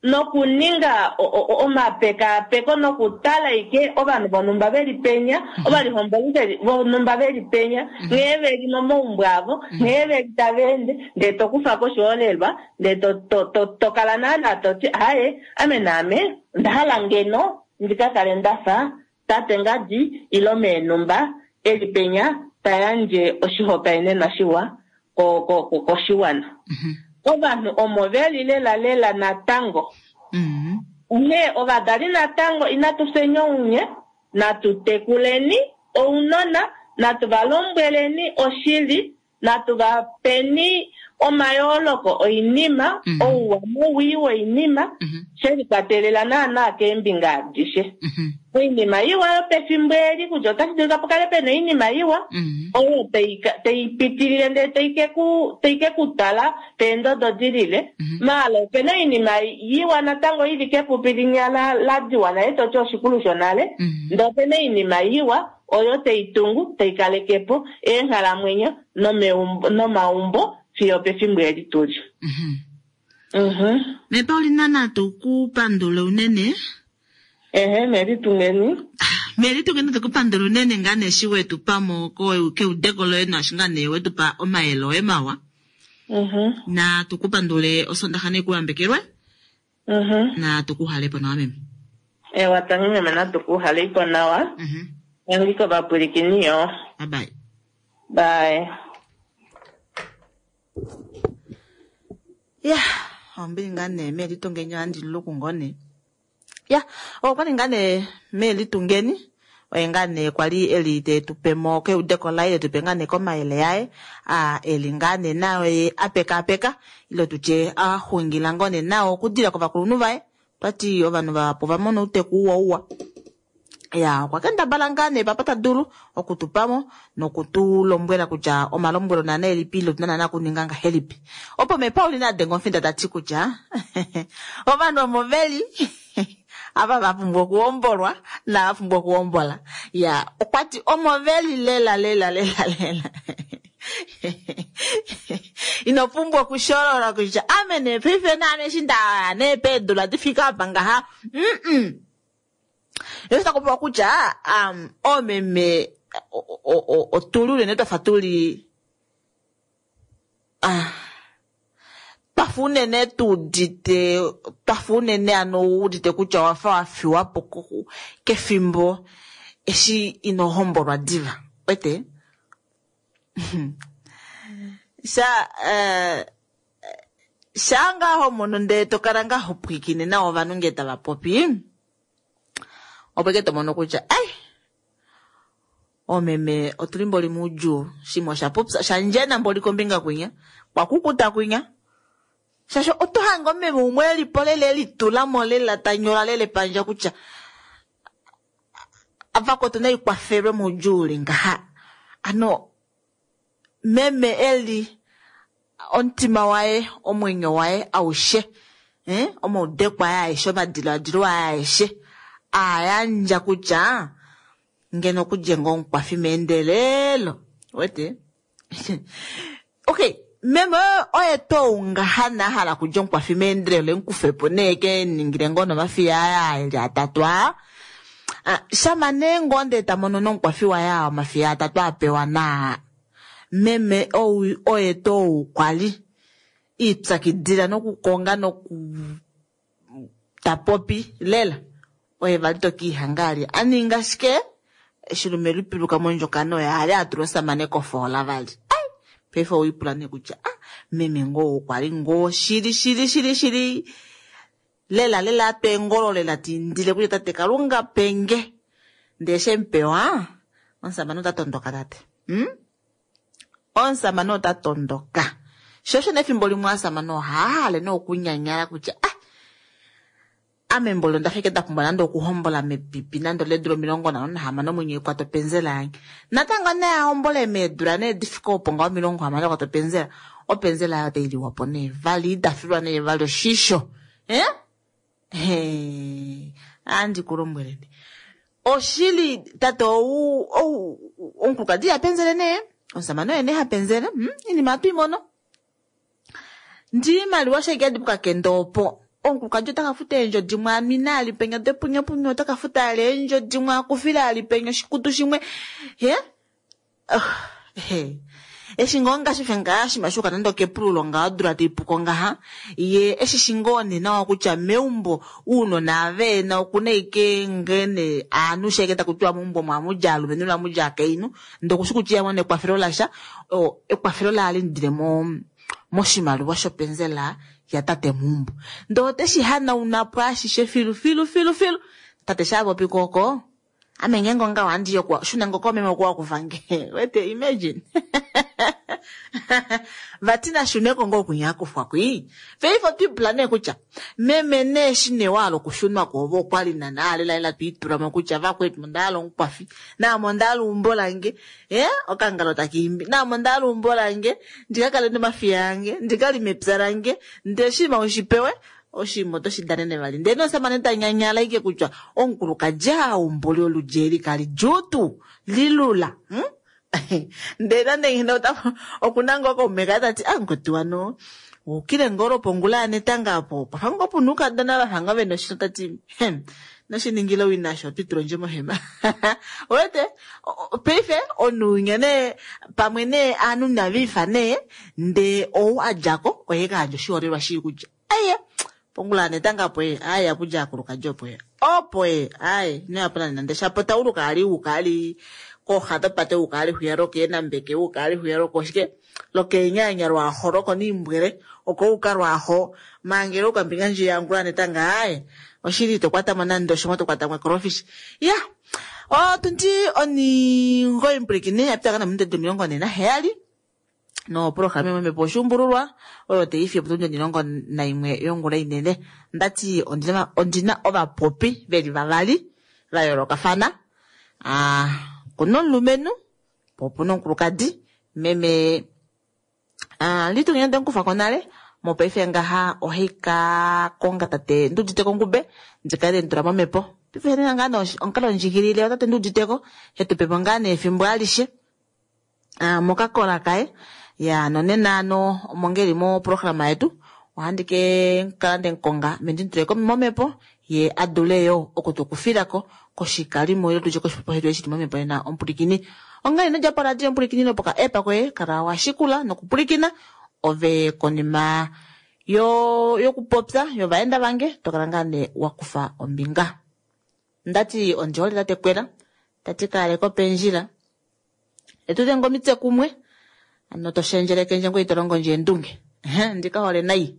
nokuninga omapekapeko nokutala ike ovanhu vonhumba veli penya, ovalihomboli vonhumba veli penya, nghee veli momaumbo avo, nghee veli tava ende, ndee to kufa ko oshiholelwa, ndee to kala naana toti aye, ame naame onda hala ngeno ndika kale ndafa tate ngadi ilo meenhumba eli penya ta yandje oshihopaenenwa shiwa koshiwana. Ovanhu omo veli lela lela natango. Onghee ovadali natango inatu fyeni ounye, natu tekuleni ounona, natu va lombweleni oshili, natu va peni omayooloko oinima, ouwa nowii woinima, she likwatelela naana keembinga adishe. Oinima iwa yopefimbo eli kutya otashi dulika pukale pena oinima iwa oyo tai pitilile ndele tai ke kutala peendodo dilile, maala opena oinima iwa natango ili kepupi linya la diwa nale toti oshikulu shonale, ndee opena oinima iwa oyo tai tungu tai kalekepo eenghalamwenyo nomaumbo fiyo pefimbo eli tuli. Mepaulina natu kupandule unene. Ehe, melitungeni. Melitungeni tukupandule unene ngaa nee eshi wetu pamo keudeko loye naashi ngaa nee wetu pa omayele oye mawa. Na tukupandule osondaxa nee kuyambekelwe. Na tukuhalepo nawa meme. Ewa, tangi meme, natukuhaleipo nawa. Tangi kovapwilikini yo. Bye bye. Bye. Ya, ombili ngaa nee melitungeni ohandi luku ngoo ya okwali ngaa nee melitungeni oye ngaa nee kwali eli te tupemo keudeko laye, te tupe ngaa nee komayele yaye eli ngaa nee naye apekaapeka ile tutye axungila ngoo nee nao okudila kovakulunhu vaye. Twati ovanhu vahapu ovamona outeku uwa uwa. Ya, okwa kendabala ngaa nee papa ta dulu okutupamo nokutulombwela kutya omalombwelo naana elipi ile otuna naana okuninga ngahelipi. Opo mePaulina adenga omufinda tati kutya ovanhu omo veli ava va pumbwa okuhombolwa nava pumbwa okuhombola. Ya, okwati omo veli lela lela lela lela. Ino pumbwa okusholola kutya ame nee paife naame eshi nda nee peedula difika apa ngaha. Yo takupewa kutya oomeme otuli unene twafa tuli twafa unene tuudite twafa unene ano wuudite kutya owafa wafiwapo kefimbo eshi ino hombolwa diva. Wete? Sha sha ngaho mono ndee tokala ngaho pwiikine nawa ovanhu ngee tava popi, opo ike tomono kutya ai omeme otuli mboli muudjuu, shimwe osha popya shandjena mboli kombinga kwinya kwakukuta kwinya, shaashi oto hange omeme umwe elipo lela elitulamo lela tanyola lela epandja kutya avakwetu naikwafelwe moudjuu uli ngaha. Ano meme eli omutima waye omwenyo waye aushe omaudeko aye aeshe omadiladilo aye aeshe ayandja kutya ngeno okudje ngoo omukwafi meendelelo. Wete? Okay, meme oye tou ngaha na hala kudja omukwafi meendelelo emukufepo nee ke ningile ngoo nomafiya aya eli atatu aa. Shama nee ngoo ndee ta mono nomukwafi waye aa omafiya atatu apewa naa meme ou oye tou kwali ipyakidila nokukonga noku tapopi lela. Oye vali to kiihanga ali a ninga shike eshi lume lipiluka mondjokana oye ali a tula omusamane kofoola vali. Ai, paife owiipula nee kutya ah, meme ngoo okwa li ngoo shili shili shili shili lela lela atwa eengolo lela tiindile kutya tate Kalunga penge ndee shemupewa omusamane ota tondoka tate. Omusamane ota tondoka. Sho osho nefimbo limwe ovasamane ohava hale nee okunyanyala kutya ah, ame mboli onda fike nda pumbwa nande okuhombola mepipi nande leedula 56 omwenyo ekwata openzela yange. Natango nee ahombole meedula nee difike opo ngaho 60 ekwata openzela, openzela yaye otai liwa po nee vali, ita filwa nee vali oshisho. Eh? Hee, andi ku lombweleni. Oshili tate ou ou omukulukadi iha penzele nee, omusamane oye nee ha penzele. Iinima ohatu i mono. Ndi iimaliwa shaike yadi pokakende opo. Omukulukadi ota ka futa eendjo dimwe amina ali penya depunyapunya, ota ka futa ali eendjo dimwe akufile ali penya oshikutu shimwe. He? He. Eshi ngoo ngaashi fe ngaa shima shuka nande okepululo ngaa odula taipuko ngaha, ye eshi shi ngoo nee nawa kutya meumbo uunona ave na okuna ike ngene aanhu sheke taku tiwa meumbo omo amu dja aalumenhu noamu dja aakainhu, ndee okushi kutya iha mono ekwafelo lasha, ekwafelo laye ohali mudile moshimaliwa shopenzela yatate meumbo. Ndee ote shi hanauna po ashishe filu filu filu filu. Tate sha popi ko oko, ame ngeenge ongaho ohandi yi oku shuna ngoo koomeme oku wakufa nge. Wete, imagine. Vati nashuneko ngoo okunya akufwa kwii. Paife otwiipula nee kutya meme nee eshi nee wa hala okushunwa ko ove okwali naana lela lela twiitula mo kutya vakwetu onda hala omukwafi, naame onda hala eumbo lange, okangalo taka imbi, naame onda hala eumbo lange, ndika kale nomafiya ange, ndika lime epya lange, ndele oshinima ushipewe oshinima oto shi danene vali. Ndele nomusamane ta nyanyala ike kutya omukulukadi aumbuli oludi eli kali djuu tuu, lilula. Ndele nande nghene okuna ngoo kaume kaye tati, ah, mukwetu wano, ukile ngoo lwopongula yanetanga opo, pafa ngoo puna oukadona vafa ngoo vena oshito tati, noshiningile owina osho, otwitula ondje mohema. Wete, paife omunhu nee, pamwe nee aanhu inaviifa nee, ndee ou a djako oye ka yandja oshiholelwa shii kutya, aye, pongula yanetanga opo ye, aye, apudja akulukadi opo ye. Opo ye, aye, ino yapo nande nande shapo tauluka ali uka ali kooxa dopate uka ali hwiya lokeenambeke uka ali hwiya lokoshike lokeenyanya lwaaho lokoniimbwele oko uka lwaaho mangele uka mbinga ndji yangula netanga aye oshili ito kwatamo nande oshimwe to kwatamo ecrawfish. Ya, otundi oningoyi mpwilikine yapitaka nominute 47 noprograma imwe mepo oshuumbululwa oyo taifi opo tundi 11 yongula inene. Ndati ondina ovapopi veli vavali va yoolokafana. Kuna omulumenhu po opuna omukulukadi meme Litungeni ndemukufa ko nale mopaife ngaha ohai ka konga tate Nduuditeko Ngube ndikale ndemutula momhepo. Paife nena ngaa nee omukalo ndjikilile watate Nduuditeko hetupepo ngaa nee efimbo alishe mokakola kaye. Ya nonena ano omo ngeli moprograma yetu ohandi ke kala ndemukonga ame ndimutule momhepo ye adule yo okutukufilako koshikalimo ile tutye koshipopiwa shetu eshi shili momhepo nena omupulikini. Onghee ino dja poradio omupulikini lopoka app koye kala wa shikula nokupulikina ove konima yokupopya yovaenda vange tokala ngaa nee wakufa ombinga. Ndati ondihole tate Kwela tati kaaleko pendjila etu denge omitse kumwe ano to shendjelekendje ngoye ito longo ndje eendunge. Ndika hole nai.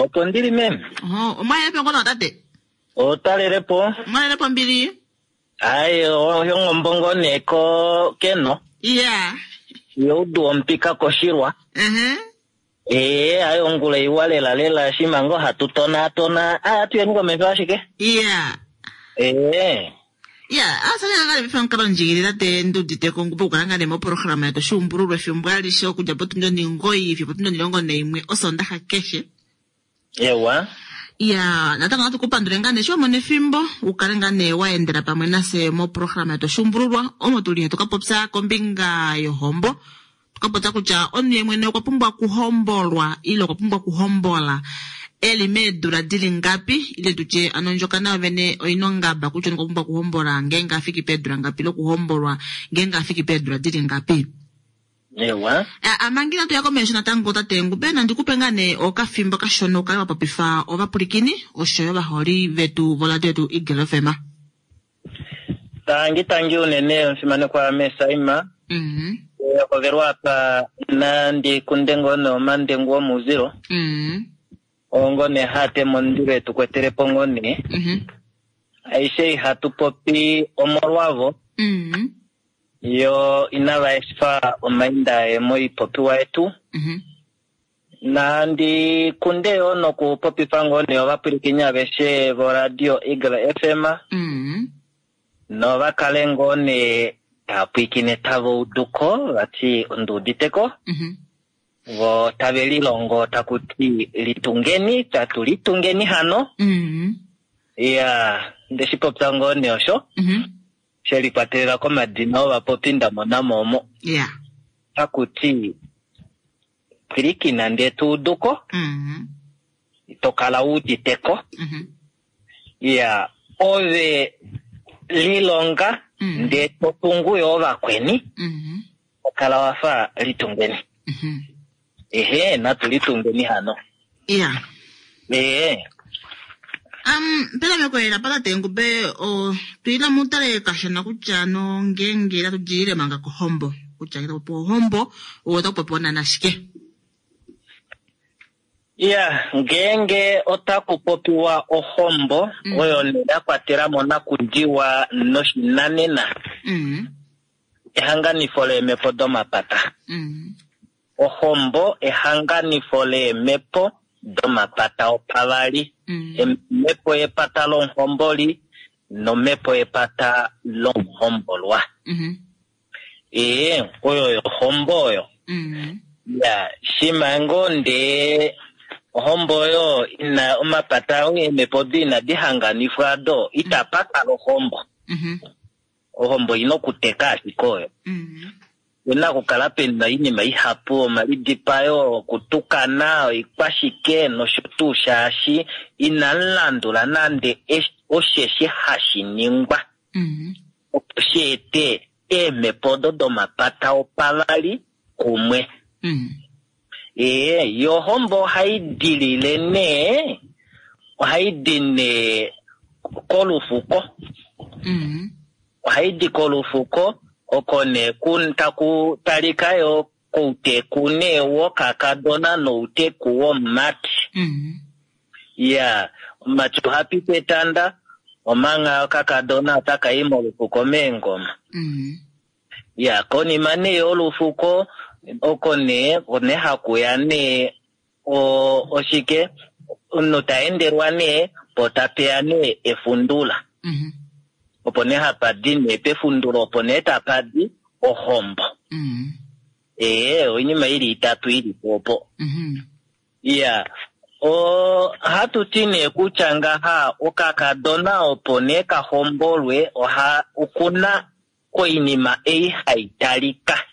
Opo ndili meme. Oho, omwalelepo ngono tate? Otalelepo. Omwalelepo mbili? Ai, oyongombo ngo nee ko keno. Iya. Youdu omupika koshilwa. Ee, ayi ongula iwa lela lela shima ngo hatu tonaatona. Aya tuyeni komesho ashike. Iya. Ee. Ya, asanya ngale bifa nkalo njigirira te ndudite ko ngupo kukala ngane mo programa yetu shumbululwe efimbo alishe okudja potundi 9 fiyo potundi 11 osondaxa keshe. Ewa. Ya, natango natu kupandule ngane sho mone efimbo ukale ngane waendela pamwe nase mo programa yetu shumbululwa omo tuli hatu kapopya kombinga yohombo. Tukapopya kutya omunhu ye mwene okwa pumbwa kuhombolwa ile okwa pumbwa kuhombola eli meedula dili ngapi ile tutye ano ndjokana yovene oina ongaba kutya okwa pumbwa kuhombola ngeenge afiki peedula ngapi ile okuhombolwa ngeenge afiki peedula dili ngapi. Ewa. Amangi natu ya komesho natango tate Ngube nandi kupe ngaa nee okafimbo kashona ukale wa popifa ovapulikini oshoyo ovaholi vetu voradio yetu Eagle FM. Tangi tangi unene omufimanekwa Mesaima. Hovelwa apa nandi kunde ngoo nee omandengu omuuzilo. Ongo nee hate mondilo etu kwetelepo ngoo nee. Aishe ihatu popi omolwavo. Yo inava efa omainda aye moipopiwa yetu. Nandi kunde yo nokupopifa ngoo nee ovapwilikini aveshe voradio Eagle FM. Nova kale ngoo nee tava pwilikine tava uduko vati onduuditeko. Vo tave lilongo taku ti litungeni, tatu litungeni hano. Ya, ndeshi popya ngoo nee osho. She likwatelela komadina ovapopi nda mona mo omo. Taku ti pwilikina ndee tu uduko. To kala u uditeko. Ya, ove lilonga ndee to tungu yo ovakweni. To kala wafa litungeni. Ehe, natu litungeni hano. Ee. Pena mekolela pa tate Ngube, tuila mutale kashona kutya no ngeenge tatu dilile manga kohombo. Kutya ngee taku popiwa ohombo, otaku popiwa nana shike? Ya, ngeenge otaku popiwa ohombo, oyo nee ya kwatela mo nakudiwa noshinanena. Ehanganifo leemhepo domapata. Ohombo ehanganifo leemhepo domapata opavali. Omhepo yepata lomuhomboli nomhepo yepata lomuhombolwa. Ee, oyo yohombo oyo. Ya, shima ngoo ndee ohombo oyo ina omapata eemhepo do inadi hanganifwa do, itapa kala ohombo. Ohombo ina okuteka ashike oyo. Ina okukala pena oinima ihapu, omalidipayo, okutukana, oikwashike nosho tuu, shaashi inamu landula nande osheshi hashi ningwa. Opo shi ete eemhepo odo domapata opavali kumwe. Ee, yo ohombo ohai dilile nee, ohai di nee kolufuko. Ohai di kolufuko, oko nee taku talika yo kouteku nee wokakadona nouteku womumati. Ya, omumati oha piti etanda, omanga okakadona otaka i molufuko meengoma. Ya, konima nee yolufuko, oko nee, one hakuya nee, oshike, omunhu ta endelwa nee, po tapeya nee efundula. Opo nee hapa di nee pefundulo, opo nee tapa di ohombo. Ee, oinima ili itatu ili po opo. Ya, ohatu ti nee kutya ngaha okakadona opo nee ka hombolwe, okuna oinima ei hai talika.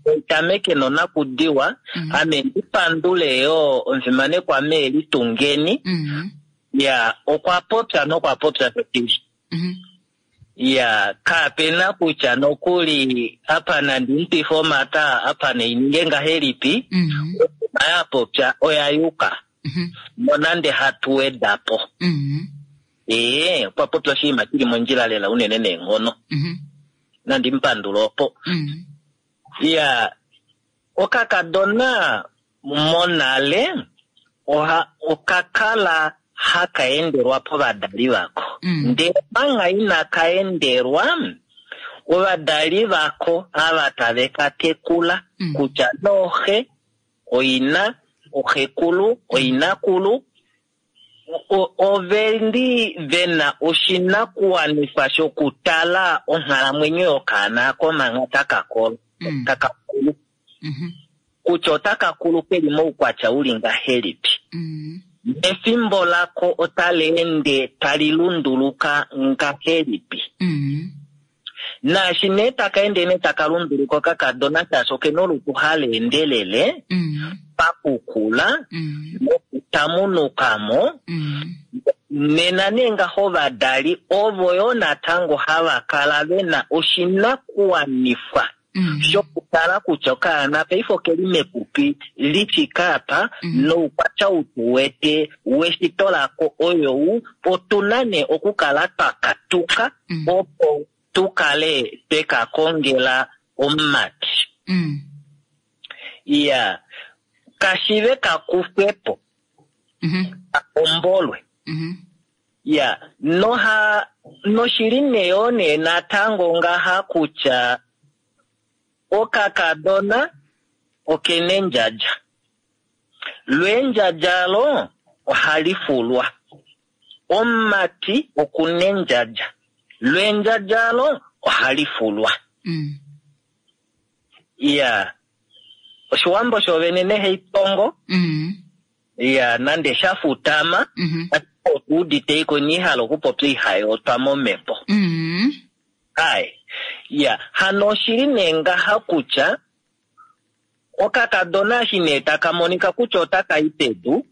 Oitameke nonakudiwa, ame ndi pandule yo omufimanekwa mee Litungeni. Ya, okwa popya nokwa popya shili. Ya, kapena kutya nokuli apa nandi mutwife omata, apa neininge ngahelipi, oinima ya popya oya yuka. Nonande hatu weda po. Ee, okwa popya oshinima shili mondjila lela unene neenghono. Nandi mupandule opo. Ya, okakadona monale Oka kala haka endelwa povadali vako. Ndele manga inaka endelwa, ovadali vako ava tave ka tekula, kutya nooxe, oina, oxekulu, oinakulu, ove li ve na oshinakuwanifwa shokutala onghalamwenyo yokaana ako manga taka kolo, taka kulu. Kutya otaka kulu ke li moukwatya u li ngahelipi. Nefimbo lako otali ende tali lunduluka ngahelipi. Naashi nee taka ende nee taka lunduluka okakadona shaashi oke na olutu hali endelele pakukula nokutamunuka mo, nena nee ngaho ovadali ovo yoo natango hava kala ve na oshinakuwanifwa shokutala kutya okaana paife oke li mepupi li fike apa noukwatya ou tu wete weshito lako oyou, otu na nee okukala twa katuka opo tu kale twe ka kongela omumati. Iya, kashive ka kufwe po, ka hombolwe. Ya, noha, noshili nee yoo nee natango ngaha kutya okakadona okena endjadja. Lo endjadja alo ohali fulwa. Omumati okuna endjadja. Lo endjadja alo ohali fulwa. Ya, Oshiwambo shoovene neheitongo. Ya, nande sha futama, ashike otu udite iko inii hala okupopya ihayootwa momhepo. Ai. Ya, hano oshili nee ngaha kutya, okakadona eshi nee taka monika kutya otaka i pedu,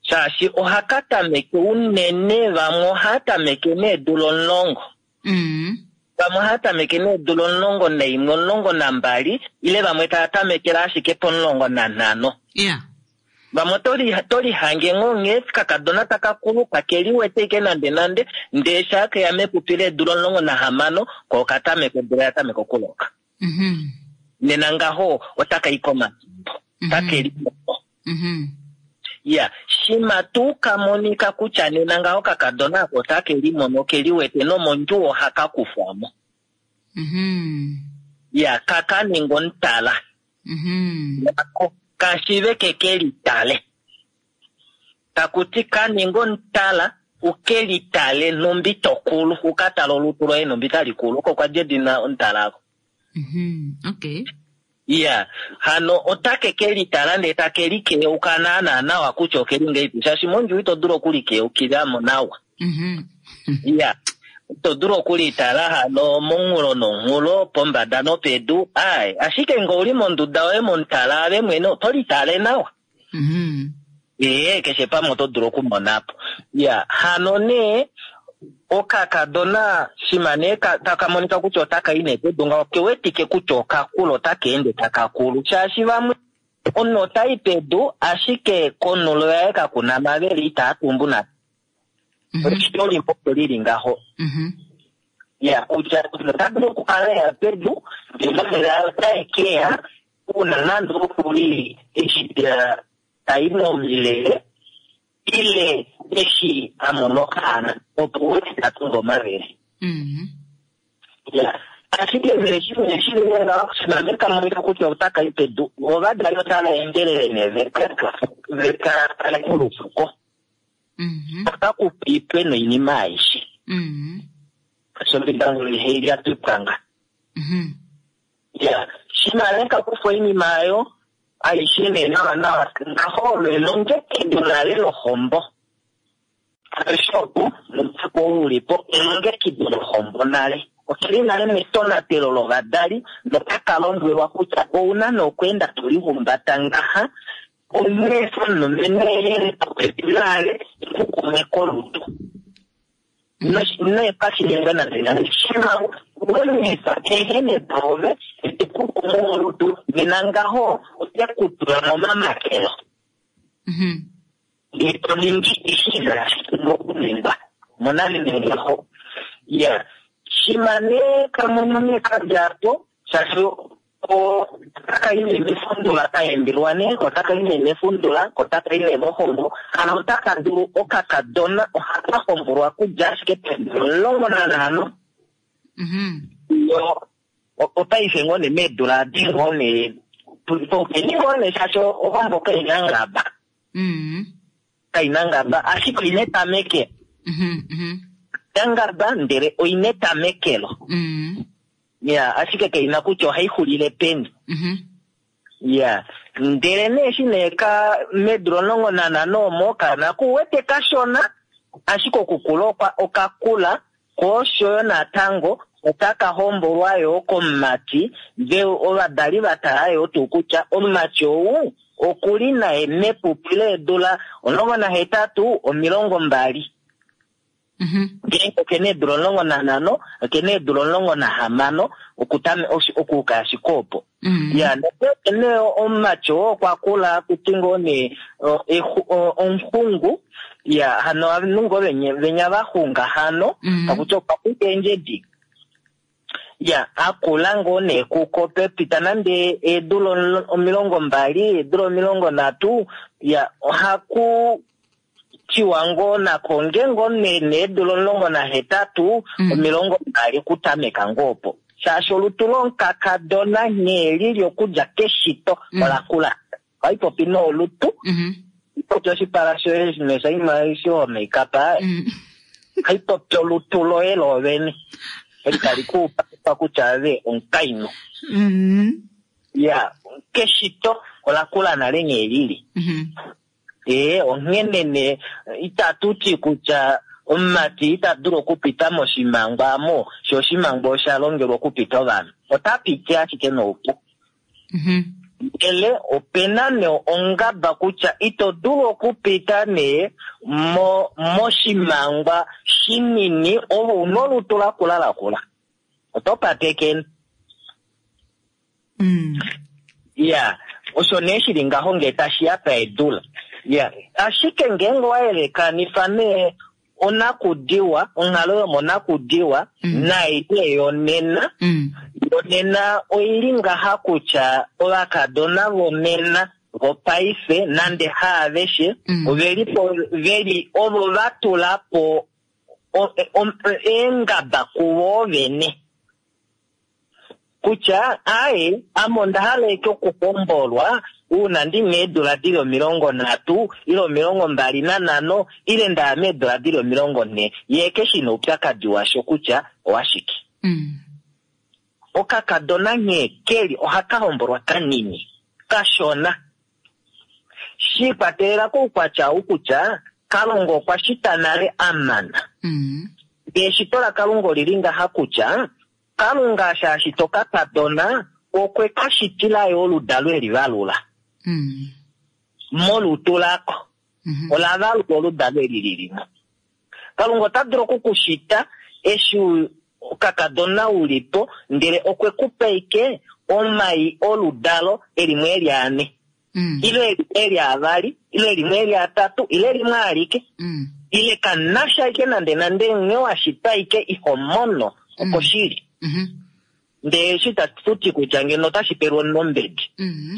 shaashi ohaka tameke unene, vamwe ohaa tameke needula 10. Vamwe ohava tameke needula 11, 12, ile vamwe tava tamekele ashike po15. Vamwe oto lihange ngoo nghee kakadona taka kulu, kake liwete ashike nande nande, ndee shaa keya mepupi leedula 16, ko oka tameka odula ya tameka okuloka. Nena ngaho otaka i komatimbo, take limono. Ya, shima tuu ka monika kutya nena ngaho kakadona ako otake limono ke liwete nomondjuwo ohaka kufwa mo. Ya, kaka ninga omutala. Nako kashive ke ke litale. Taku ti ka ninga omutala u ke litale nhumbi to kulu, u ka tale olutu loye nhumbi tali kulu. Oko kwa dja edina omutala ako. Iya, hano otake ke litala ndee take likeyeuka naanaa nawa kutya oke li ngahelipi, shaashi mondjuwo ito dulu okulikeukila mo nawa. Iya, ito dulu okulitala hano monghulo nonghulo, pombada nopedu, ae, ashike nge ouli monduda yoye momutala ave mwene oto litale nawa. Ee, keshe pamwe oto dulu okumona po. Ya, hano nee, okakadona shima nee taka monika kutya otaka i nee pedu ngaho, oke wetike kutya okakula, otaka ende taka kulu. Shaashi vamwe, omunhu ota i pedu, ashike konhulo yaye kaku na mavele, itaa tumbu nande. Eshito limwe opo li li ngaho. Ya, kutya ota dulu okukala ya pedu, ndele mavele aye otae ke ya, Uuna nande okuli eshi ta yi momilele ile eshi a mona okaana opo wete ta tumbu omavele. Ya, ashike vele shimwe shi li ngaho, shimha ka monika kutya otaka i pedu, ovadali otava endelele nee ve ka tale kolufuko. Otaku pipwe noinima aishe. Osho mbitango ihai lya twipwanga. Ya, shimha nee ka kufwa oinima oyo aishe nee nawa nawa, ngaho olo elongekido nale lohombo. Aveshe opo, nomufuko ou u li po, elongekido lohombo nale. Oke li nale metonatelo lovadali, notaka lombwelwa kutya ou na nee okweenda to lihumbata ngaha, onghee omulumenhu e li popepi naave e ku kume kolutu. Noitashi ningwa nande nande. Shimha we lifa ehene doove e te ku kumu molutu, nena ngaho ote ku tula momamakelo. Ndee to ningi eshi inashi pumbwa okuningwa. Mona nee ngaho. Ya, shimha nee ka mono nee ka dja po, shaashi Otaka i nee mefundula ka embilwa nee, otaka i nee mefundula, otaka i nee mohombo. Hano otaka dulu okakadona ohaka hombolwa kudja ashike peedula 15. Yo opaife ngoo nee meedula adi ngoo nee topeni ngoo nee shaashi ohombo kaina ngaba. Kaina ngaba ashike oina etamekelo. Kaina ngaba ndele oina etamekelo. Ya, ashike kaina kutya ohai xulile peni. Ya, ndele nee eshi nee ka meedula 15 omo okaana ku wete kashona, ashike okukula okwa okakula, ko oshoyo natango otaka hombolwa yoo komumati, ve ovadali va tala yoo tuu kutya omumati ou okuli naye mepupi leedula 18, 20. Ngeenge oke na eedula 15, oke na eedula 16, okutame okuuka ashike opo. Ya, nongeenge nee omumati oo okwa kula akuti ngoo nee omuxungu, ya, hano ovanhu ngoo venya va xunga hano, takuti okwa xunga eendjedi. Ya, a kula ngoo nee kuko pepita nande eedula 20, eedula 30, ya, ohaku tiwa ngoo nako nge ngoo nee needula 18, 20 kutameka ngoo opo. Shaashi olutu lomukakadona nghee lili okudja keshito ola kula. Ohai popi nolutu. Popi oshipala shoye noshaima eshi ho make-up. Ohai popi olutu loye loovene. Eli tali ku pa kutya ove omukainhu. Ya, keshito ola kula nale nghee lili. Ee, onghene nee itatu ti kutya omumati ita dulu okupita moshimangwa amo, sho oshimangwa osha longelwa okupita ovanhu. Ota piti ashike noupu. Ndele ope na nee ongaba kutya ito dulu okupita nee mo, moshimangwa shinini ove una olutu lakula lakula. Oto patekene. Ya, osho nee shili ngaho ngee tashi ya paedula. Ya, ashike ngeenge owa yelekanifa nee onakudiwa, onghalo yomonakudiwa nai nee yonena, yonena oili ngaha kutya ovakadona vonena vopaife nande haaveshe oveli po veli ovo va tula po eengaba kuvo vene. Kutya, aaye, ame onda hala eke okuhombolwa uuna ndi na eedula di li 30, ile 25, ile nda ya meedula di li 40. Ye ke shi na oupyakadi washo kutya owashike. Okakadona nghee ke li ohaka hombolwa kanini, kashona. Shi ikwatelela koukwatya ou kutya Kalunga okwa shita nale a mana. Ndele eshito laKalunga oli li ngaha kutya, Kalunga eshi a shita okakadona, okwe ka shitila yo oludalo e li valula molutu lako. Ola valula oludalo eli li li mo. Kalunga ota dulu oku ku shita eshi okakadona u li po, ndele okwe ku pa ike omai oludalo e limwe e li ane, ile e li avali, ile limwe e li atatu, ile limwe alike. Ile kanasha ike nande nande nghee wa shitwa ike iho mono oko shili. Ndele eshi itatu ti kutya ngeno otashi pelwa omunhu ombedi.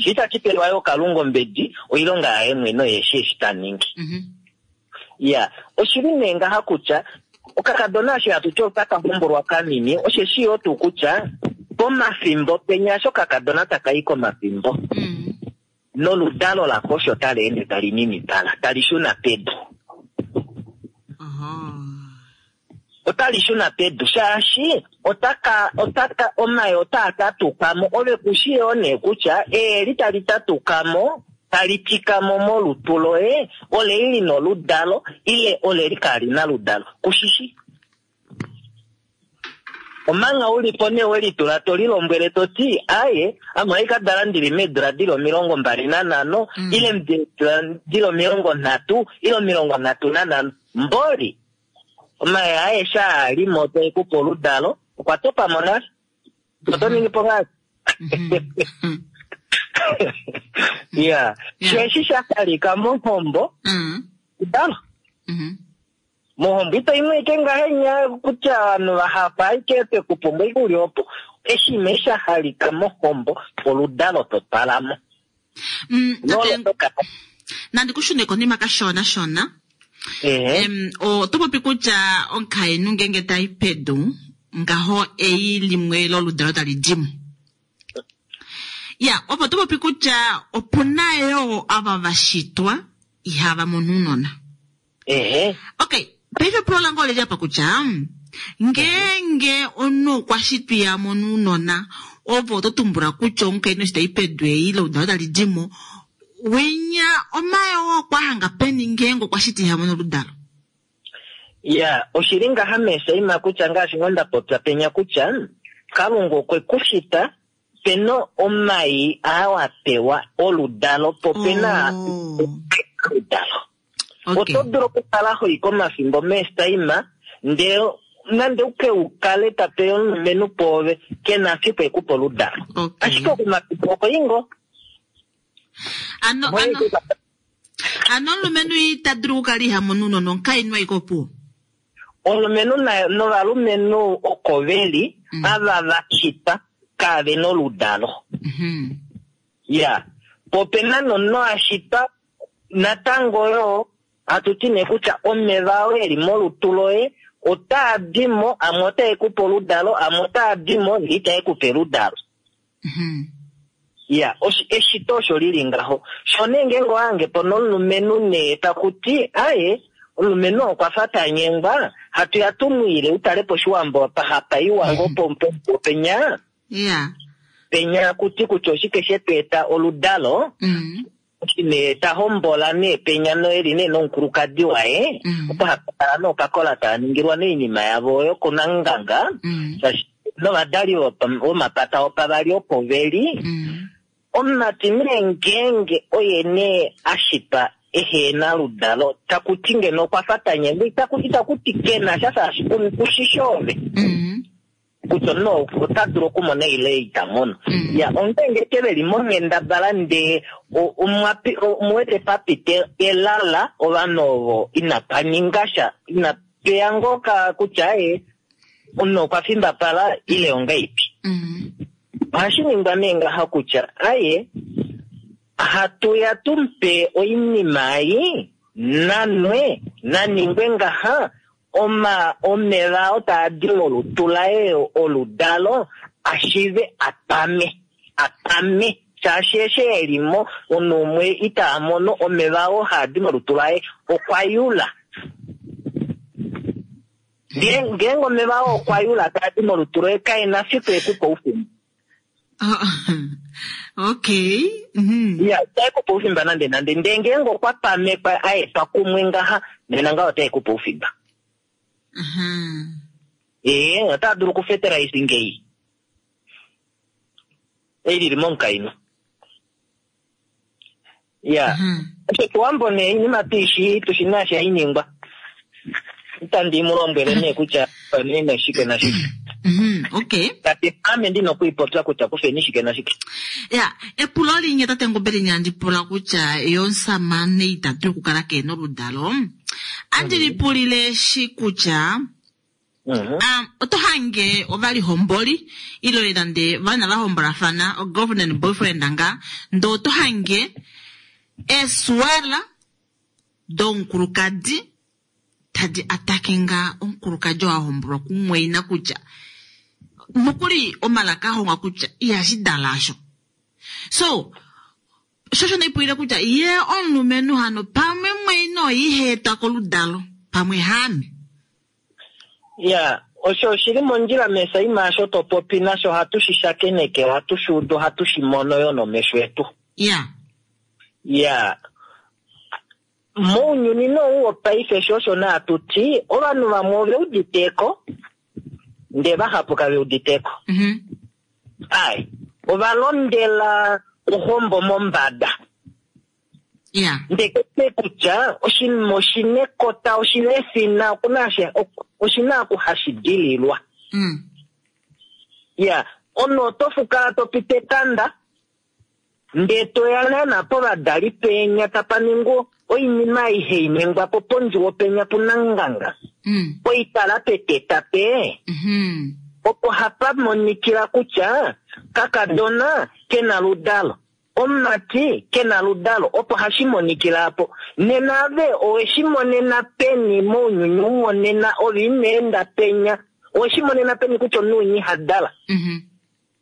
Shi itashi pelwa yo Kalunga ombedi, oilonga yaye mwene oye eshi eshi ta ningi. Ya, oshili nee ngaha kutya okakadona eshi hatu ti otaka hombolwa kanini, osheshi yoo tuu kutya pomafimbo penya eshi okakadona taka i komafimbo, noludalo lako osho tali ende tali ninipala, tali shuna pedu. Otali shuna pedu shaashi otaka, otaka, omai otaa tatuka mo. Ove ku shi yoo nee kutya eeli tali tatuka mo, tali tika mo molutu loye, ole li na oludalo, ile ole li kaali na oludalo. Ku shi shi. Omanga u li po nee we litula to lilombwele to ti, Aye, ame ohandi ka dala ndi li meedula di li 25, ile meedula di li 30, ile 35. Mboli, omai aeshe aa a li mo tae ku pe oludalo, okwa topa mo nale. Oto ningi po ngahelipi? Ya, sho eshi sha talika mohombo, oludalo. Mohombo ito imwe ike ngahenya kutya ovanhu vahapu aike twe ku pumbwa ike uli opo. Eshi nee sha halika mohombo, oludalo to twala mo. Tate, nandi ku shune konima kashona shona. Oto popi kutya omukainhu ngeenge ta i pedu, ngaho ei limwe loludalo tali di mo. Ya, opo oto popi kutya opu na yoo ava va shitwa ihava mono ounona. Ehe. Okay, paife epulo lange oleli apa kutya ngeenge omunhu okwa shitwa iha mono ounona, ovo oto tumbula kutya omukainhu eshi tai pedu ei ile oludalo tali di mo, winya omayoo okwa hanga peni ngeenge okwa shitwa iha mono oludalo? Ya, oshi li ngaha meesaima kutya ngaashi ngoo nda popya penya kutya Kalunga okwe ku shita pe na omai aa wa pewa oludalo po pe na oludalo. Oto dulu okukala ho i komafimbo meestaima ndele nande u ke u kale ta pe omulumenhu pwoove ke na fiku e ku pe oludalo. Ashike komafimbo oho i ngoo. Ano, ano, ano omulumenhu ita dulu okukala iha mono ounona omukainhu aike opuwo? Omulumenhu novalumenhu oko ve li ava va shitwa kaave na oludalo. Ya, po ope na nomunhu a shitwa natango yoo hatu ti nee kutya omeva oo e li molutu loye otaa di mo, amwe otae ku pe oludalo, amwe otaa di mo ndee itae ku pe oludalo. Ya, eshito osho li li ngaho. Sho nee ngeenge owa hange po nomulumenhu nee taku ti, aye, omulumenhu oo okwa fa ta nyengwa, hatu ya tu mu ile u tale pOshiwambo apa hapa iwa ngoo penya. Penya aku ti kutya oshike she tu eta oludalo, eshi nee ta hombola nee penya noye li nee nomukulukadi waye, opo hapa kala nee okakola taa ningilwa nee oinima yavo oyo kunanganga, shaashi novadali vomapata opavali opo ve li. Omumati nee ngeenge oye nee a shitwa ehe na oludalo, taku ti ngeno okwa fa ta nyengwa, itaku ti ke na sha shaashi ku shi shoove. Kutya omunhu ota dulu okumona ile ita mono. Ya, ongeenge ke ve li monghendabala ndee omu wete pa pite elala ovanhu ovo inapa ninga sha, ina peya ngoo ka kutya aye omunhu okwa fimbapala ile ongaipi. Ohashi ningwa nee ngaha kutya aye hatu ya tu mu pe oinima ei nanwe na ningwe ngaha Oma, omeva oo taa di molutu laye oludalo, a shive a pame, a pame, shaashi eshi e li mo, omunhu umwe ita mono omeva oo haa di molutu laye, okwa yula. Nge, ngeenge omeva oo okwa yula taa di molutu loye, kae na fiku e ku pe oufimba. Okay. Ya, itae ku pe oufimba nande nande. Ndele ngeenge okwa pamekwa a etwa kumwe ngaha, nena ngaho otae ku pe oufimba. Ee, otaa dulu okufetelaifa ngei. Ei li li momukainhu. Ya. Oshiwambo nee oinima tu shi tu shi naashi hai ningwa. Itandi mu lombwele nee kutya nina shike nashike. Okay. Tati ame ndi nokuipopya kutya kufeni shike nashike. Ya, epulo linye tate Ngombe linya andi pula kutya ye omusamane ita dulu okukala kee na oludalo. Andi lipulile shi kutya Oto hange ovalihomboli ile nande vana va hombolafana, o-girlfriend and boyfriend nga, ndee oto hange eesuwala domukulukadi tadi atake nga omukulukadi oo a hombolwa kumumwaina kutya nokuli omalaka a hongwa kutya ihashi dala asho. So, sho osho ndaipulile kutya ye omulumenhu hano pamwe mumwaina oye iha etwa koludalo pamwe haame. Ya, osho oshi li mondjila mesaima asho to popi nasho ohatu shi shakeneke, ohatu shi udu, ohatu shi mono yo nomesho etu. Ya. Ya. Mounyuni nou wopaife sho osho nee hatu ti, ovanhu vamwe ove udite ko, ndee vahapu kave udite ko. Ai, ova londela ohombo mombada. Yeah. Ndekete kutya oshinima oshina ekota, oshina efina, okuna oshina oku hashi dililwa. Ya, omunhu oto fukala to piti etanda, ndee to ya naana povadali penya tapa ningwa oinima aihe iningwa po pondjuwo penya punanganga. Poitala peteta pe. Opo hapa monikila kutya kakadona ke na ludalo, omumati ke na ludalo, opo hashi monikila apo. Nena ave owe shi monena peni mounyuni ou wonena ove ino enda penya, owe shi monena peni kutya omunhu winya iha dala?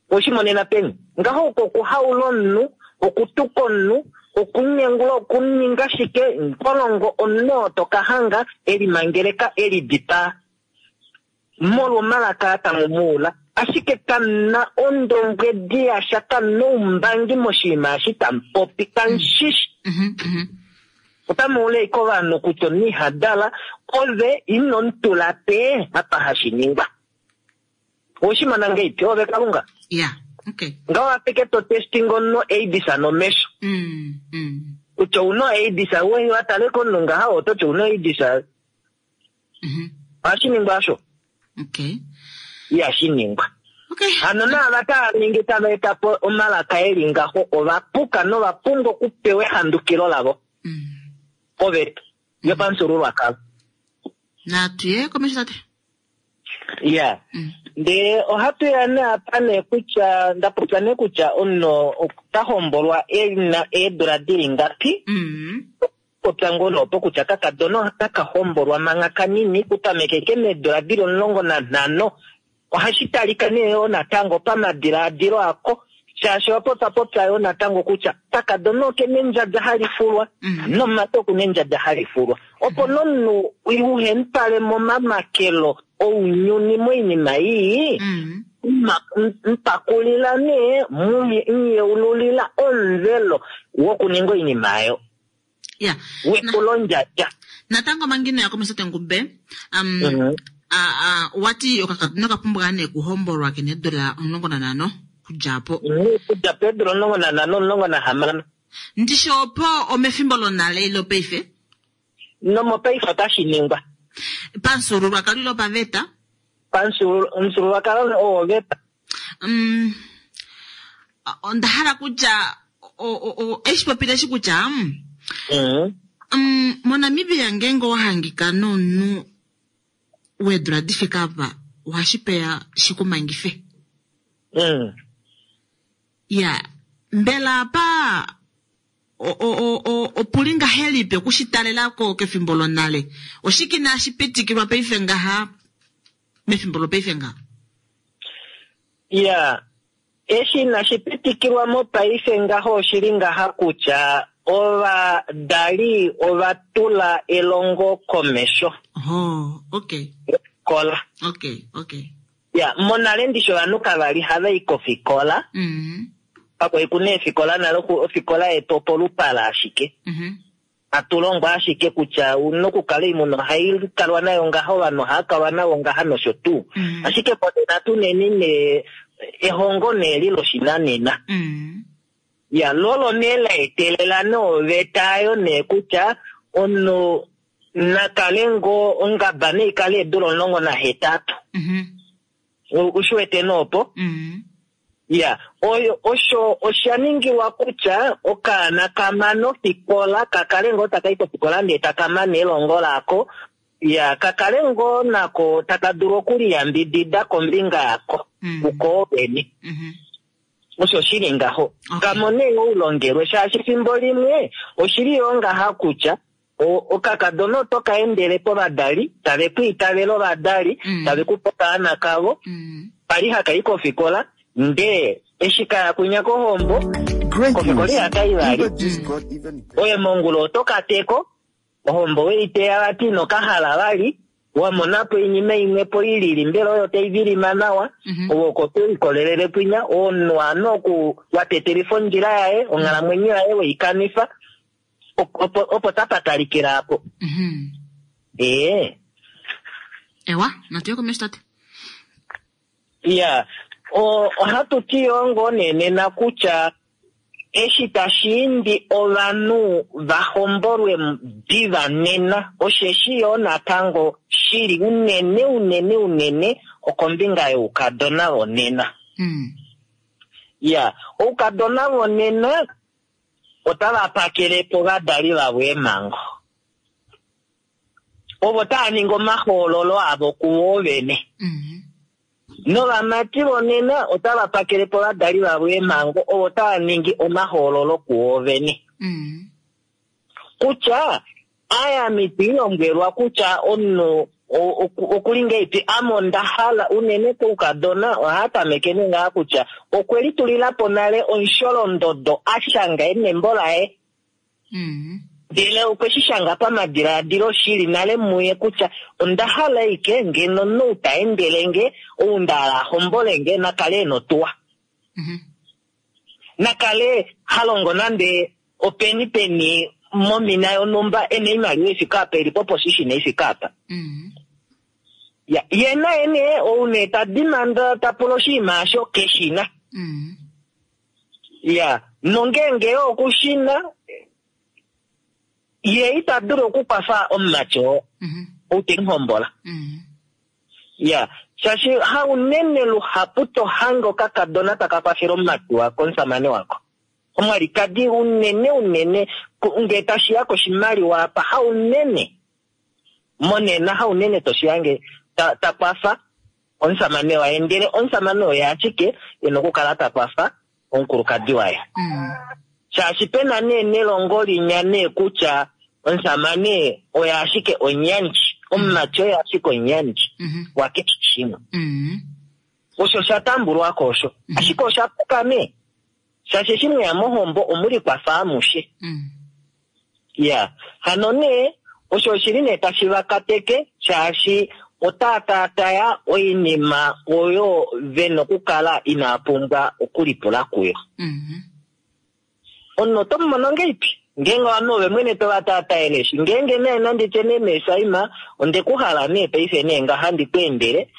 Owe shi monena peni? Ngaho oko okuhaula omunhu, okutuka omunhu, okunyengula, okuninga shike, nkolongo omunhu oo to ka hanga e limangeleka, e lidipaa. Molwa omalaka aa tamu mu ula, ashike kamu na ondombwedi yasha, kamu na oumbangi moshinima eshi tamu popi, kamu shi shi. Otamu ula ashike ovanhu kutya omunhu iha dala, ove ino mu tula pe apa hashi ningwa. Owe shi mona ngeipi, ove Kalunga? Yeah, okay. Ngaho apeke to testing omunhu AIDS nomesho. Kutya ouna AIDS, wa tale komunhu ngaha oto ti ouna AIDS. Ohashi ningwa osho? Okay. Ihashi ningwa. Okay. Hano naava tava ningi tava eta po omalaka e li ngaho ova puka nova pumbwa okupewa ehandukilo lavo koveta yopamufyuululwakalo. Natu ye komesho tate. Ya. Ndee ohatu ya nee apa nee kutya nda popya nee kutya omunhu ota hombolwa e na eedula di li ngapi. Popya ngoo nee opo kutya kakadona otaka hombolwa mangha kanini, kutameke ke meedula dili 15. Ohashi talika nee yoo natango pamadilaadilo ako, shaashi owa popya popya yoo natango kutya kakadona oke na endjadja hali fulwa, nomumati oku na endjadja hali fulwa. Opo nee omunhu uhe mu twale momamakelo ounyuni moinima ii, mu pakulila nee, mu yeululila omuvelo wokuninga oinima oyo. ya wekulondjadja natango manga ino ya komesho Tengube um, mm -hmm. a, a, wati okakadona oka pumbwa nee kuhombolwa kena eedula 15 kudja po kudja peedula 15 16 ndishi opo omefimbo lonale ile opaife nomopaife otashi ningwa pamufyuululwakalo ile opaveta pamufyuululwakalo owoveta um, onda hala kutya eshi popile eshi kutya mm, mm. mm, moNamibia ngeenge owa hangika nomunhu weedula di fike apa ohashi peya shi ku mangife. Mm. Ya, mbela apa opu li ngahelipi oku shi talela ko kefimbo lonale? Oshike inashi pitikilwa paife ngaha mefimbo lopaife ngaha? Ya, Eshi inashi pitikilwa mopaife ngaho oshi li ngaha kutya ovadali ova tula elongo komesho. Oh, okay. Ofikola. Okay, okay. Ya, monale ndishi ovanhu kava li hava i kofikola. Mm. Pakwa ku na eefikola nale, ofikola yetu opolupala ashike. Mm-hmm. Hatu longwa ashike kutya una okukala oimuna ohai kalwa nayo ngaha, ovanhu ohava kalwa navo ngaha nosho tuu. Mm. Ashike monena tuneni nee ehongo nee li loshinanena. Mm. Ya, lolo nee la etelela nee oveta ayo nee kutya omunhu na kale ngoo ongaba nei kale eedula 18. Mm-hmm. U shi wete nee opo? Mm. Ya, oyo osho osha ningilwa kutya okaana ka mane ofikola, ka kale ngoo taka i kofikola ndee taka mane elongo lako, ya, ka kale ngoo nako taka dulu okuliyambidida kombinga yako Mm. kuko vene. Mm-hmm. Osho shi li ngaho. Okay. Ka mone oulongelwe, shaashi fimbo limwe oshi li yoo ngaha kutya okakadona oto ka endele povadali, tave ku itavele ovadali, Mm. tave ku pe okaana kavo, Mm. pali haka i kofikola, ndee eshi ka ya kwinya kohombo, Great kofikola news. ihaka i vali. Uber just got even better. Oye mongula oto ka teko, ohombo we i teya vati ino ka hala vali, wa mona po oinima imwe po i lili, mbela oyo tai vilima nawa, Mhm. ove oko to likolelele kwinya, omunhu ano oku wa tetelifa ondjila yaye, onghalamwenyo yaye we i kanifa, opo, opo tapa talikila apo. Mhm. Ee. Ewa, natu ye komesho tate. Ya, ohatu ti yoo ngoo nee nena kutya eshi tashi imbi ovanhu va hombolwe diva nena, osheshi yoo natango shili unene unene unene okombinga youkadona vonena. Mm. Ya, oukadona vonena otava pakele po ovadali vavo eemhango. Ovo tava ningi omahoololo avo kuvo vene. Mm. Novamati vonena otava pakele po ovadali vavo eemhango ovo tava ningi omahoololo kuo vene. Kutya ame itwi lombwelwa kutya omunhu okuli ngeipi, ame onda hala unene koukadona ohaa tameke nee ngaha kutya okwe litulila po nale omusholondodo a shanga nembo laye. Ndele okwe shi shanga pamadilaadilo shili nale muye kutya onda hala ike ngeno omunhu ou ta endele nge, ou nda hala a hombole nge, na kale e na otuwa. Na kale ha longo nande openi peni momina yonhumba e na oimaliwa ifike apa, e li poposition ifike apa. Ya, ye naye nee ou nee ta dimanda ta pula oshinima osho keshi na. Ya, nongeenge yo oku shi na, ye ita dulu okukwafa omumati oo, ou te mu hombola. Ya, shaashi haunene luhapu to hange okakadona taka kwafele omumati wako, omusamane wako. Omwalikadi unene unene, nge tashi ya koshimaliwa apa, haunene monena, haunene to shi hange ta, ta kwafa omusamane waye, ndele omusamane oye ashike e na okukala ta kwafa omukulukadi waye. Shaashi pe na nee nelongo linya nee kutya omusamane oye ashike omuyandji, omumati oye ashike omuyandji wakeshe shimwe. Osho osha tambulwa ko osho. Ashike osha puka nee, shaashi eshi mweya mohombo omulikwafa amushe. Ya, hano nee, osho oshi li nee tashi va kateke, shaashi otaa taataya oinima oyo ve na okukala inaa pumbwa okulipula kuyo. Omunhu oto mu mono ngeipi? Ngeenge ovanhu ove mwene to va taataele eshi. Ngeenge nee nandi tye nee meeSaima, onde ku hala nee paife nee ngaha handi ku endele,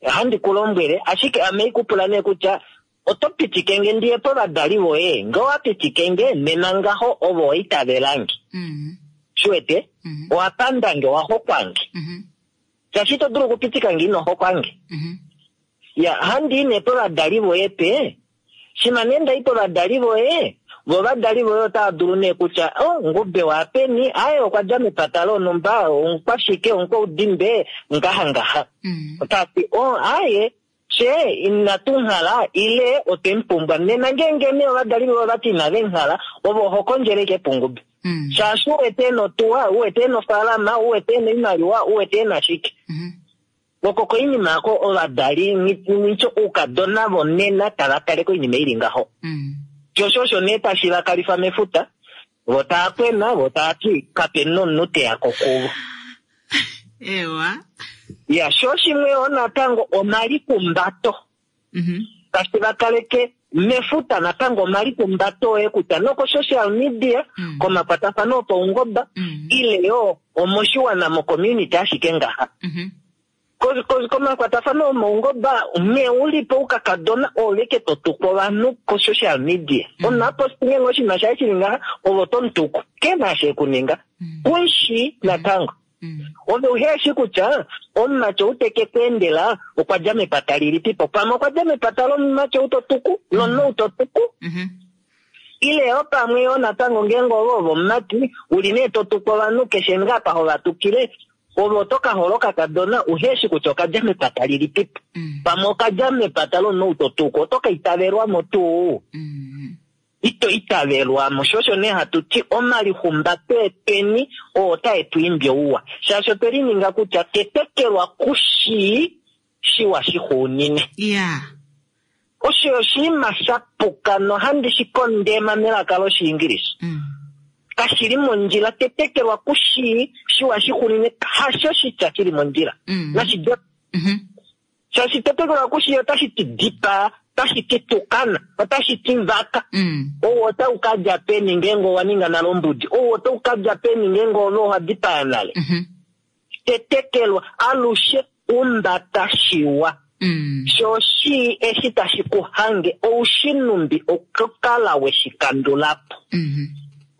handi ku lombwele, ashike ame iku pula nee kutya Oto pitike nge ndi ye povadali voye? Nge owa pitike nge, nena ngaho ove owa itavela nge. Shi wete? Owa panda nge, owa hokwa nge. Shaashi ito dulu okupitika nge ino hokwa nge. Ya, handi i nee povadali voye pe. Shima nee nda i povadali voye, vo ovadali voye otava dulu nee kutya, Oh, Ngube waapeni? Aaye, okwa dja mepata lonhumba, omukwashike, omukwaudimbe, ngaha ngaha. Otava ti, Oh, aaye, Fye inatu nghala ile otwe mu pumbwa. Nena ngeenge nee ovadali voye ova ti inave nghala, ove oho kondjele ashike pungube. Shaashi u wete e na otuwa, u wete e na ofaalama, u wete e na oimaliwa, u wete e na shike. Oko koinima oko ovadali nghi oukadona vonena tava tale koinima i li ngaho. Sho osho osho nee tashi va kalifa mefuta, vo tava kwena, vo tava ti kape na omunhu te ya ko kuvo. Ewa. Ya, sho shimwe yo natango omalikumbato. Tashi va kaleke mefuta natango omalikumbato oye kutya noko social media, komakwatafano opaungoba, ile yo omoshiwana mocommunity ashike ngaha. Komakwatafano omaungoba, nghee u li po oukakadona oove ke to tuku ovanhu ko-social media. Omunhu a post ngeenge oshinima shaye shi li ngaha, ove oto mu tuku. Ke na eshi e ku ninga. Ku mu shii natango. Ove uhe shi kutya omumati ou te ke ku endela okwa dja mepata lilipi po. Pamwe okwa dja mepata lomumati ou to tuku, lomunhu ou to tuku. Ile yo pamwe yo natango ngeenge ove ove omumati, u li nee to tuku ovanhu keshe ngaa apa ho va tukile, Ove oto ka hola okakadona uhe shi kutya oka dja mepata lilipipo. Pamwe oka dja mepata lomunhu ou to tuku. Oto ka itavelwa mo tuu? Ito itavelwa mo. Sho osho nee hatu ti omalihumbato etweni oo otae tu imbi ouwa. Shaashi otwe lininga kutya tetekelwa ku shii shiwa shixuunine. Osho oshinima sha puka nohandi shi kondema melaka lOshiingilisa. Kashi li mondjila. Tetekelwa ku shii shiwa shixunine hasho oshitya shi li mondjila. Nashi dwe. Shaashi tetekelwa ku shii otashi ti dipaa, otashi ti tukana, otashi ti vaka. Ou otau ka dja peni ngeenge owa ninga nale ombudi? Ou otau ka dja peni ngeenge ove owa dipaya nale? Tetekelwa alushe umbata shiwa. Sho shii eshi tashi ku hange, ou shi numbi okukala we shi kandula po.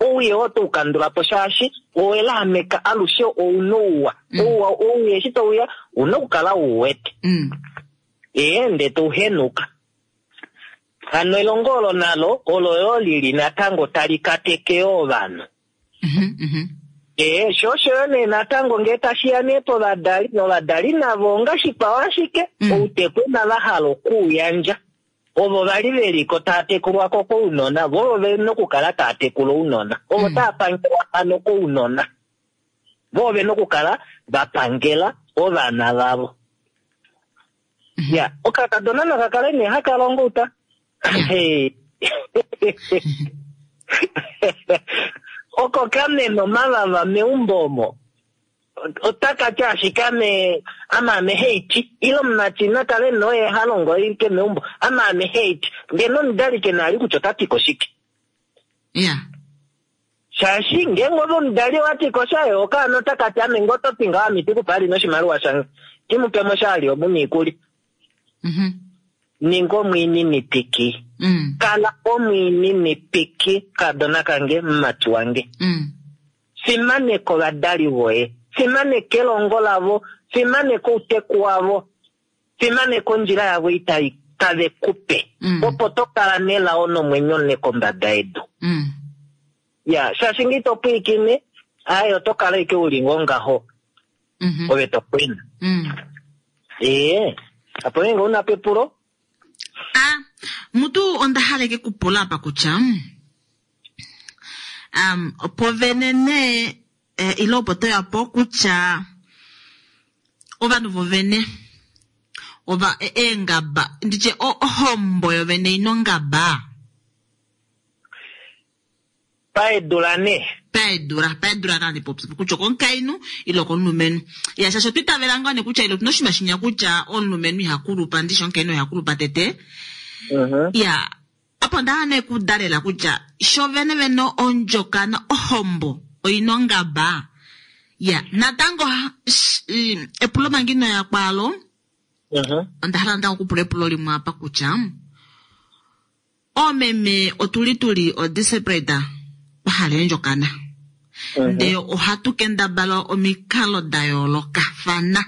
Owii oto u kandula po shaashi owe laameka alushe ou na ouwa. Ouwa owii eshi tau ya, ou na okukala u wete. Ee, ndee to u henuka. Hano elongo olo nalo olo yo li li natango tali kateke yo ovanhu. Ee, sho osho yo nee natango ngee tashi ya nee povadali, novadali navo ongashikwao ashike, outeku inava hala okuuyandja. Ovo va li ve li ko taa tekulwa ko kounona, vo ovo ve na okukala taa tekula ounona. Ovo tava pangelwa hano kounona, vo ove na okukala va pangela ovana vavo. Ya, okakadona naka kale nee haka longo outa. Oko ka mena omavava meumbo omo. Otaka ti ashike ame ame ame haiti ile omumati na kale nee oye ha longo oike meumbo ame ame haiti ndee nomudali ke na ali kutya ota ti ko shike. Ya. Shaashi ngeenge ove omudali owa ti ko sha ye okaana otaka ti ame ngee oto ti ngaho ame iti ku pe ali noshimaliwa shange ti mu pe mo sha ali omu na iikulya. Ninga omwiininipiki. Kala omwiininipiki kadona kange mumati wange. Fimaneka ovadali voye. Fimaneka elongo lavo. Fimaneka outeku wavo. Fimaneka ondjila yavo ei tai tave ku pe. Opo to kala nelao nomwenyo mule kombada yedu. Ya, shaashi nge ito pwilikine, aaye oto kala ashike u li ngoo ngaho. Ove to kwena. Ee, apo ngeenge u na po epulo? A, mutu onda hala eke ku pula apa kutya, um, opo vene nee eh, ile opo to ya po kutya ovanhu vovene ova e, eengaba nditye ohombo yovene ino ngaba paedula nee paedula paedula nandi popi kutya okomukainhu ile okomulumenhu ya shaashi otwa itavela ngoo nee kutya ile otuna oshinima shinya kutya omulumenhu iha kulupa ndishi omukainhu iha kulupa tete ya Apa onda hala nee okudalela kutya sho vene vene ondjokana ohombo oina ongaba. Ya, natango epulo manga ino ya kwaalo, onda hala natango okupula epulo limwe apa kutya oomeme otu li tu li odesperate twa hala eendjokana. Ndee ohatu kendabala omikalo da yoolokafana.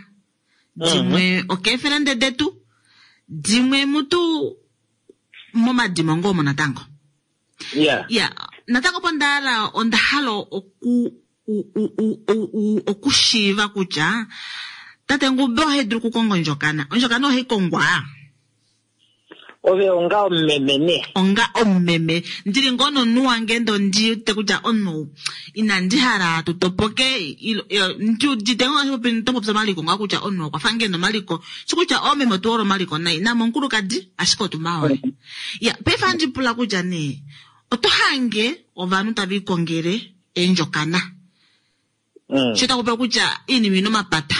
Dimwe okeefelende detu, dimwe mutu momadimo ngoo omo natango. Yeah. Ya, natango opo nda hala onda hala oku okushiiva kutya tate Ngube oha dulu okukonga ondjokana. Ondjokana ohai kongwa. Ove onga omumeme nee. Onga omumeme. Ndili ngoo nomunhu wange ndee ondi wete kutya omunhu ou inandi hala tu topoke ndi udite ngoo ngaashi to popi omaliko ngaho kutya omunhu okwa fa ngoo ena omaliko. Shi kutya oomeme otu hole omaliko nai. Naame omukulukadi ashike otu ma hole. Ya, paife ohandi pula kutya nee oto hange ovanhu tave ikongele eendjokana. Sho taku pula kutya iinima ina omapata.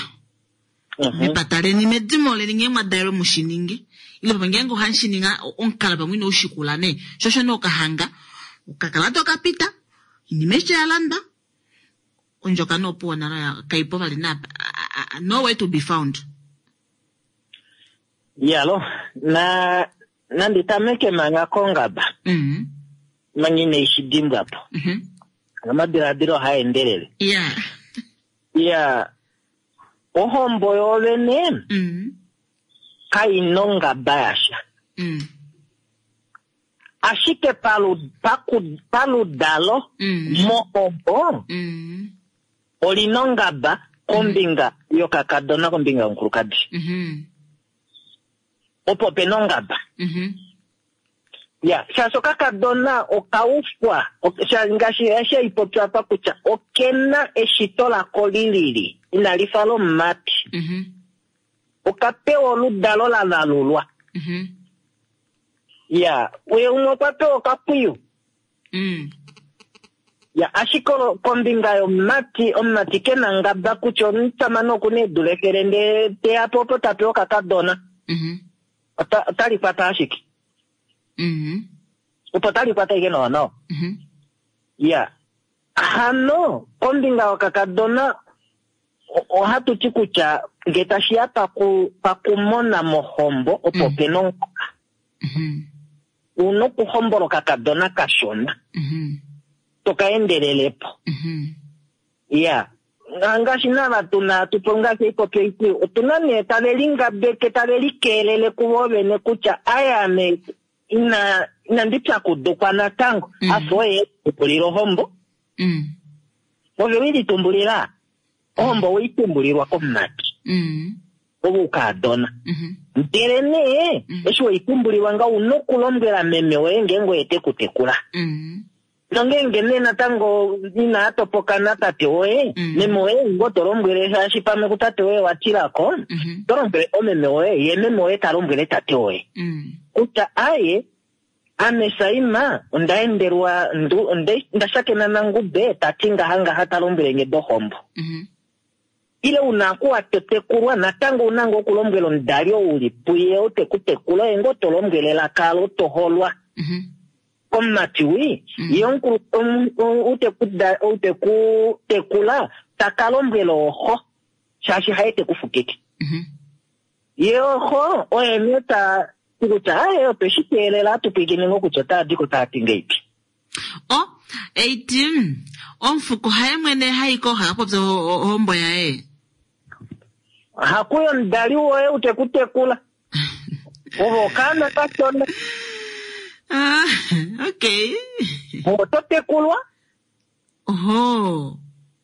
Mepata leni medimo leni ngee mwa dalelwe mu shi ninge ile pamwe ngeenge ohamu shi ninga omukalo pamwe ino u shikula nee sho osho nee okahanga okakalata okapita inima eshi ya landwa ondjokana opuwo nalo ya kaipo vali na nowhere to be found. Yalo na nandi tameke manga kongaba mm. manga inai shi dimbwa po mm -hmm. Omadiladilo ohaa endelele. Yeah. Ya, ohombo yoovene mm. kai na ongaba yasha. Mm. Ashike palu, paku, paludalo mm. mohombo mm. oli na ongaba kombinga mm. yokakadona kombinga yomukulukadi. Mm -hmm. Opo pe na ongaba. Mm -hmm. Ya, shaashi okakadona oka ufwa, ngaashi eshi hai popi apa kutya oke na eshito lako li lili, inali fa lomumati. Mm-hmm. Oka pewa oludalo la valulwa. Mm-hmm. Ya, uye umwe okwa pewa okapwiyu. Mm. Ya, ashike kombinga yomumati, omumati ke na ngaba kutya omusamane oku na eedula efele ndee te ya po opo ta pewa okakadona. Mm-hmm. Ota, otali kwata ashike. Mm-hmm. Opo tali kwata ashike nawa nawa. Mm-hmm. Ya. Hano, kombinga yokakadona, ohatu ti kutya nge tashi ya paku, pakumona mohombo, opo mm. pe na ongoka. Mm-hmm. U na okuhombola okakadona kashona. Mm-hmm. To ka endelele po. Mm-hmm. Ya. Ngaashi nava tu na, tu po ngaashi oipopi oiti, otu na nee tave lingabeke, tave likeelele kuvo vene kutya, aye ame ina, inandi pyakudukwa natango. Mm. Afa oye e lipulila ohombo. Mm. Ove we litumbulila ohombo we itumbulilwa komumati. Ove ukaadona. Ndele nee eshi we itumbulilwa nga una okulombwela meme woye ngeenge oye te ku tekula. Nongeenge nee natango inaa topoka natate woye, meme woye ngoo to lombwele shaashi pamwe kutate woye wa tilako, to lombwele omeme woye, ye meme woye ta lombwele tate woye. Kutya aye, ame Saima onda endelwa nda shakena naNgube ta ti ngaha ngaha ta lombwele nge dohombo. Ile una aku wa tetekulwa natango una ngoo okulombwela omudali ou uli puye ou te ku tekula oye ngoo to lombwele elaka alo to holwa. Komumati wi, ye omukulu ou te ku tekula ta ka lombwela oxo shaashi haye te ku fukike. Ye oxo oye nee ta ti kutya aye otwe shi teelela atu pwilikine ngoo kutya otaa di ko taa ti ngeipi. O, eiti, omufuko haye mwene ha i ko ha popya ohombo yaye. Hakuye omudali woye ou te ku tekula. Ove okaana kashona. Ah, okay. Oto tekulwa. Oho.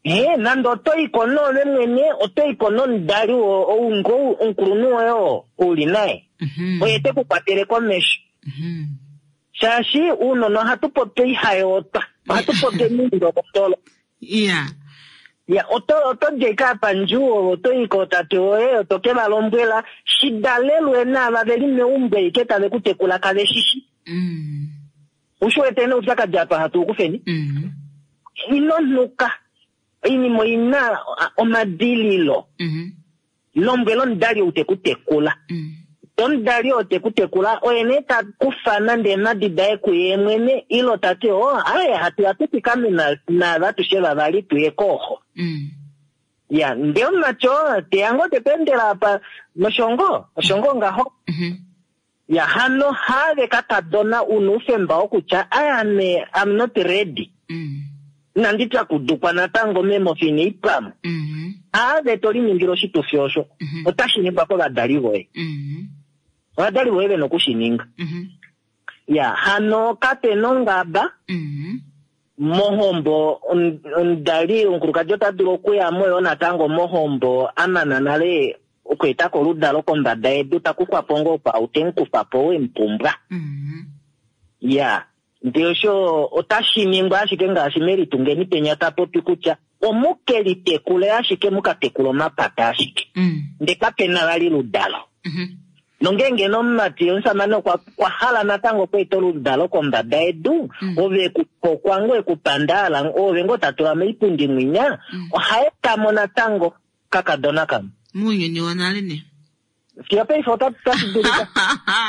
He, nande oto i ko noove mwene, oto i ko nomudali ou ngoo omukulunhu woye oo u li naye. Oye te ku kwatele komesho. Shaashi uunona ohatu popi oihayootwa, ohatu popi omiindolotolo. Ya. Ya, oto oto di ashike apa ndjuwo, oto i kootate woye, oto ke va lombwela, shi dalelwe naava ve li meumbo ashike tave ku tekula kave shi shi. U shi wete nee oupyakadi apa hatu u kufeni? Ino nhuka. Oinima oi na omadililo. Lombwela omudali ou te ku tekula. Omudali oo te ku tekula oye nee ta kufa nande eemhadi daye kuye mwene ile ta ti oh aye hatu ya tu fikame naave atushe vavali tu ye kooxo. Ya ndee omumati oo teya ngoo te ku endela apa noshongo oshongo ngaho. Ya hano haave kakadona una oufemba wokutya aye ame I'm not ready. Inandi pyakudukwa natango meemofi inai pama. Haave to liningile oshitufi osho. Otashi ningwa kovadali voye. Ovadali voye vena oku shi ninga. Ya hano kape na ongaba. Mohombo omudali omukulukadi ota dulu okuya mo yoo natango mohombo a mana nale okweeta ko oludalo kombada yedu, ta kufwa po ngoo kwaau te mu kufa po ou e mu pumbwa. Ya, ndee osho otashi ningwa ashike ngaashi Melitungeni penya ta popi kutya omu ke litekule ashike mu ka tekule omapata ashike, ndee kape na vali oludalo. Nongeenge nee omumati omusamane okwa hala natango okweeta oludalo kombada yedu, ove e ku hokwa ngoo e ku panda, oove ngoo ta tula moipundi mwinya, oha eta mo natango kakadona kamwe. Mounyuni wonale nee. Fiyo paife otashi dulika.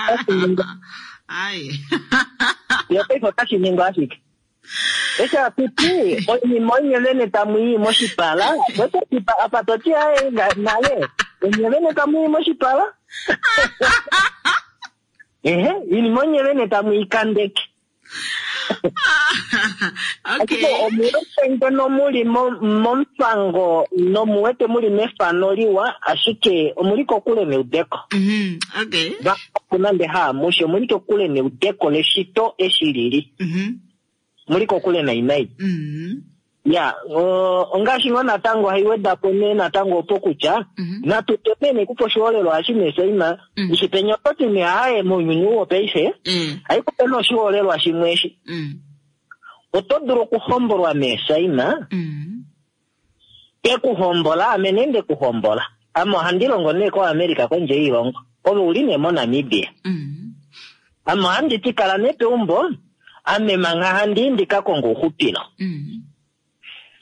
Otashi ningwa. Ai. Fiyo paife otashi ningwa ashike. Eshi hatu ti, oinima onye vene tamu i moshipala, apa to ti aye nale, onye vene tamu i moshipala. Ehe, oinima onye vene tamu i kandeke. Ashike omuwete ngeno muli momufango nomuwete muli mefano liwa, ashike omuli kokule neudeko. Vahapu nande haamushe, omuli kokule neudeko leshito eshi lili. Muli kokule nai nai. Ya, ongaashi ngoo natango ohai weda po nee natango opo kutya natu teme nee kupa oshiholelwa eshi nee Saima, eshi penya oto ti nee aaye mounyuni ou wopaife, ohai kupe nee oshiholelwa shimwe eshi. Oto dulu okuhombolwa mee Saima, te ku hombola, ame nee nde ku hombola. Ame ohandi longo nee koAmerica kondje yoilongo, ove u li nee moNamibia. Ame ohandi ti kala nee peumbo, ame mangha handi i ndi ka konge ouxupilo.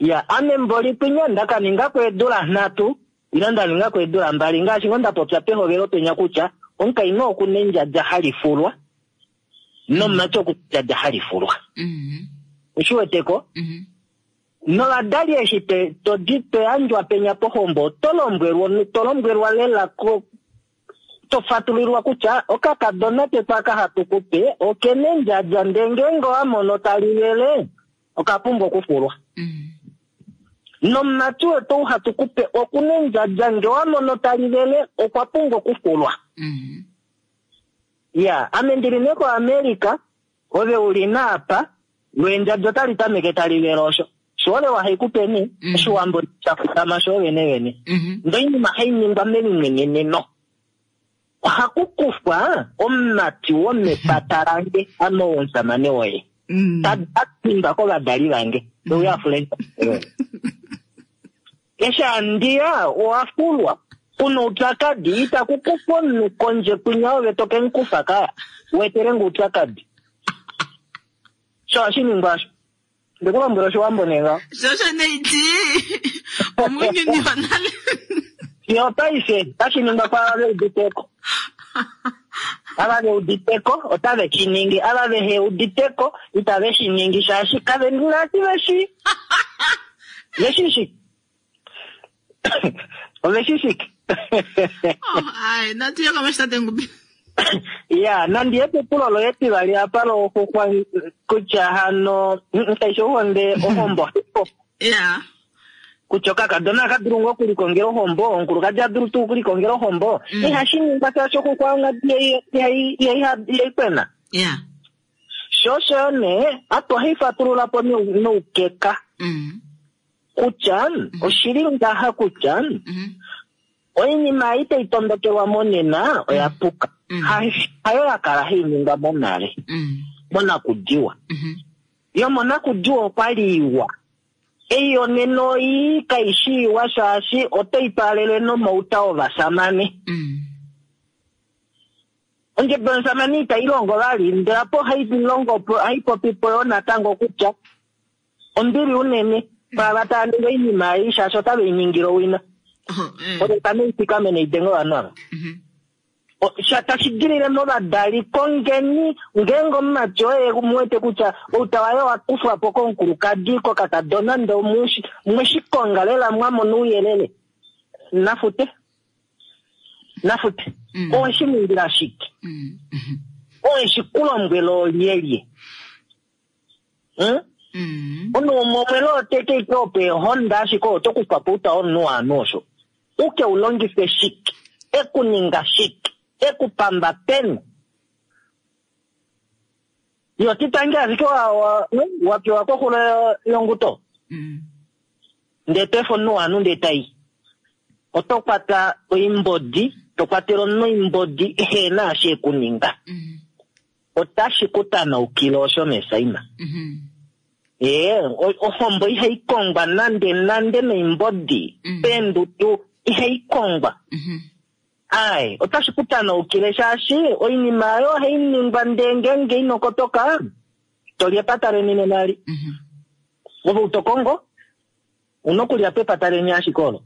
Ya, ame mboli kwinya nda ka ninga ko eedula nhatu, ile nda ninga ko eedula mbali, ngaashi ngoo nda popya pehovelo penya kutya omukainhu oku na endjadja hali fulwa, nomumati oku na endjadja hali fulwa. Oshi wete ko? Novadali eshi to di to yandjwa penya pohombo, oto lombwelwa, to lombwelwa lela ko, to fatulilwa kutya okakadona ketu aka hatu ku pe oke na endjadja ndee ngeenge owa mono tali vele oka pumbwa okufulwa. Nomumati wetu ou hatu ku pe oku na endjadja ngee owa mono tali vele okwa pumbwa okufulwa. Ya, ame ndili nee koAmerica, ove uli naapa, loo endjadja otali tameke tali vele osho. Oshiholelwa haikupeni Oshiwambo sha kutama sho vene vene. Ndee oinima hai ningwa melimweneneno. Ohaku kufwa omumati womepata lange, ame womusamane woye. Ta dingwa kovadali vange. Uye a fule Eshi andiya owa fulwa. Kuna oupyakadi, itaku kufwa omunhu kondje kwinya ove to ke mu kufa kaya. Wetele nge oupyakadi. Sho ohashi ningwa osho. Nde ku lombwela Oshiwambo nee ngaho. Sho osho nee iti omunyuni wonale. Fiyo paife otashi ningwa kwaava ve udite ko. Ava ve udite ko otave shi ningi, ava vehe udite ko itave shi ningi shaashi kave na eshi ve shii. Ve shii shike? Ove shii shike? Oh, ai, natu ye komesho tate Ngubi. Ya, nandi ye kepulo loye etivali apa loxuxwa kutya hano kaishi ohonde ohombo. Ya. Kutya okakadona aka dulu ngoo okulikongela ohombo, omukulukadi a dulu tuu okulikongela ohombo. Ihashi ningwa shaashi oxuxwa ongadi ihai kwena. Ya. Sho osho yo nee, atu ohai fatulula po noukeka. Kutya oshili ngaha kutya oinima ei tai tondokelwa monena oya puka. Hayo ya kala hai ningwa monale, monakudiwa. Yomonakudiwa okwa li iwa. Ei yonena oi kai shi iwa shaashi otai twaalele nomauta ovasamane. Ondjebo yomusamane itai longo vali, ndele apo ohai longo po, ohai popi po yo natango kutya ombili unene kwaava tava ningi oinima ei shaashi otave i ningile owina. Ove tame i fikamene i denge ovanhu ava. Sha tashi dilile movadali, kongeni ngeenge omumati oye mu wete kutya outa waye owa kufwa po komukulukadi, kokakadona, ndee mwe shi konga lela mwa mona ouyelele, nafute. Nafute. Owe shi ningila shike? Owe shi ku lombwela olyelye? Omunhu umwe omwele otete ike opo eehonda ashike oto kufa po outa womunhu waanhu osho. U ke u longife shike? E ku ninga shike? E ku pamba peni? Yo titange ashike wa pewa koxulo yonguto. Ndee to efa omunhu waanhu ndee ta i. Oto kwata oimbodi, to kwatele omunhu oimbodi ehe na eshi e ku ninga. Otashi ku tanaukile osho meesaima. Ee, ohombo ihai kongwa nande nande noimbodi, peendudu ihai kongwa. Ai, otashi ku tanaukile shaashi oinima oyo ohai ningwa ndee ngeenge ino kotoka, to li epata leni nena eli. Ove ou to kongo, una okulya pepata leni ashike olo.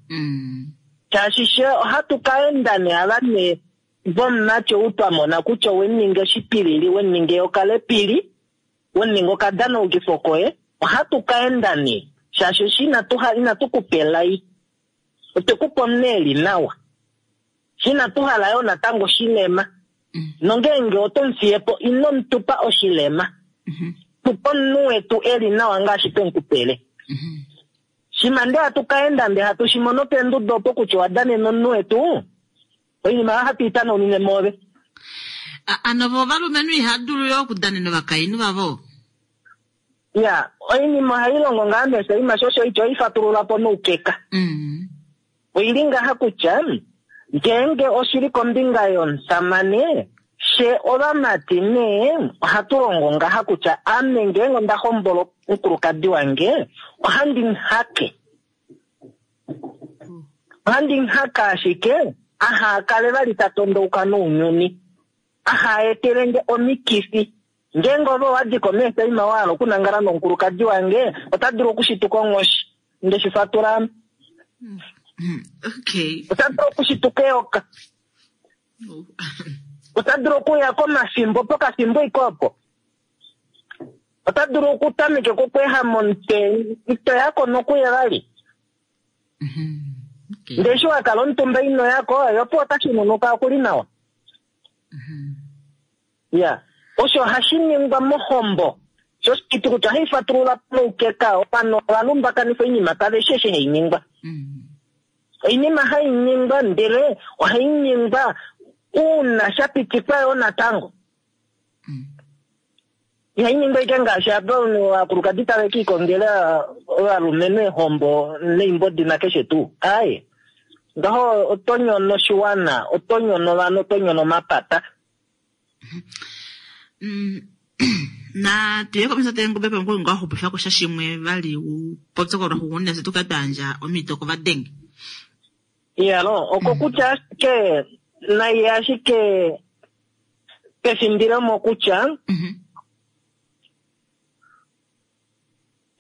Shaashi she ohatu ka enda nee ava nee vomumati ou twa mona kutya owe mu ninga oshipilili, we mu ninga eyoka lepili, we mu ninga okadanaukifo koye, ohatu ka enda nee shaashi eshi inatu inatu ku pa elai, otwe ku pa omunhu e li nawa. Fye inatu hala yoo natango oshilema. Nongeenge oto mu fiye po, ino mu tu pa oshilema. Tu pa omunhu wetu e li nawa ngaashi twe mu ku pele. Shima ndee hatu ka enda ndee hatu shi mono peenduda opo kutya owa danena omunhu wetu, oinima oyo ohatu i tanaunine moove. Ano vo ovalumenhu iha dulu yo okudanena ovakainhu vavo? Ya, oinima ohai longo ngaa meesaima sho osho ityo i fatulula po noukeka. Oi li ngaha kutya, ngeenge oshi li kombinga yomusamane, fye ovamati nee ohatu longo ngaha kutya ame ngeenge onda hombola omukulukadi wange, ohandi mu hake. Ohandi mu hake ashike aha kale vali ta tondouka nounyuni, aha etele nge omikifi. Ngeenge ove owa di ko meesaima wa hala okunangala nomukulukadi wange, ota dulu okushituka onghoshi. Nde shi fatula ame. Okay. Ota dulu okushituka eyoka. Ota dulu okuya komafimbo pokafimbo iko opo. Ota dulu okutameka okweehama omutwe, ito ya ko nokuye vali. Ndele eshi wa kala omutumba ino ya ko, ye opo ota shinunuka oku li nawa. Ya, osho hashi ningwa mohombo. Sho osho kutya ohai fatulula noukeka, ovanhu ova lumbakanifa oinima kave shi eshi hai ningwa. Oinima hai ningwa ndele ohai ningwa uuna sha pitikwa yoo natango. Ihai ningwa ashike ngaashi apa ovakulukadi tave ke ikongela ovalumenhu eehombo neimbodi nakeshe tuu. Aaye. Ngaho oto nyono oshiwana, oto nyono ovanhu, oto nyono omapata. Na tuye komesho teengobe pamwe ngoo xupifa ko sha shimwe vali u popye ko lwaxugunina fye tu kale twa yandja omhito kovadenge. Iyalo, oko kutya ashike nai ashike pefimbilomo kutya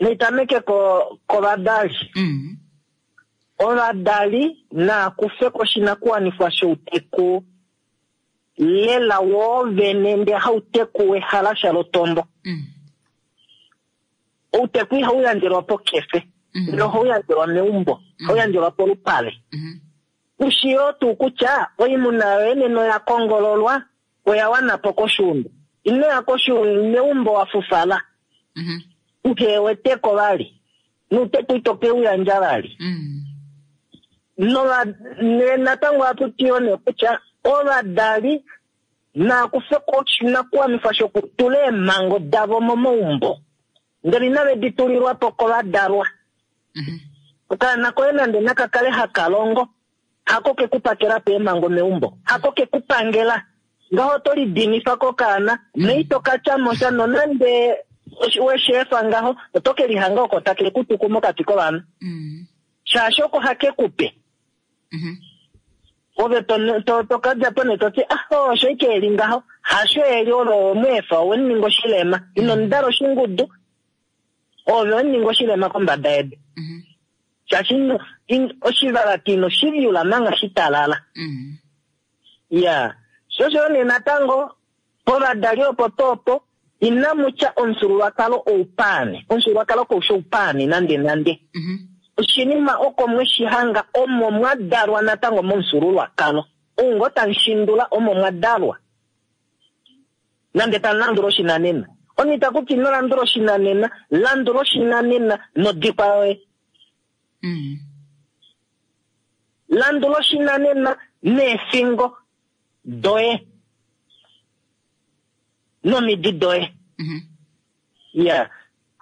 naitameke ko kovadali. Ovadali naa kufe ko oshinakuwanifwa shouteku lela woovene ndee hauteku wehalasha lotombo. Outeku ihau yandjelwa pokefe, ndele ohau yandjelwa meumbo, ohau yandjelwa polupale. Ushi yoo tuu kutya oimuna yoye nena oya kongololwa, oya wana po koshuunda. Ino ya koshuunda meumbo wa fufala, uhe wete ko vali, nouteku ito ke u yandja vali. Nova, ne natango ohatu ti yoo nee kutya ovadali naa kufe ko oshinakuwanifwa shokutula eemhango davo momaumbo, ndele inave di tulilwa po kovadalwa. Okaana koye nande naka kale haka longo, hako ke ku pakela po eemhango meumbo, hako ke ku pangela. Ngaho oto lidinifa kokaana, noito ka tya mo sha nonande we shi efa ngaho, oto ke lihanga oko take ku tuku mokati kovanhu. Shaashi oko hake ku pe. Ove to, to ka dja po nee to ti, ah, osho ike e li ngaho. Hasho e li, ove owe mu efa, owe mu ninga oshilema. Ino mu dala oshingudu. Ove owe mu ninga oshilema kombada yedu. Shaashi ino, in, oshivalati ino shi vyula manga shitalala. Ya. Sho osho nee natango, povadali opo tuu opo, inamu tya omufyuululwakalo oupaani. Omufyuululwakalo kau shi oupaani nande nande. Oshinima oko mwe shi hanga omo mwa dalwa natango momufyuululwakalo. Ou ngoo tamu shindula omo mwa dalwa. Nande tamu landula oshinanena. Omunhu ita kuti ino landula oshinanena, landula oshinanena nodikwa yoye. Landula oshinanena neefingo doye nomidi doye. Ya.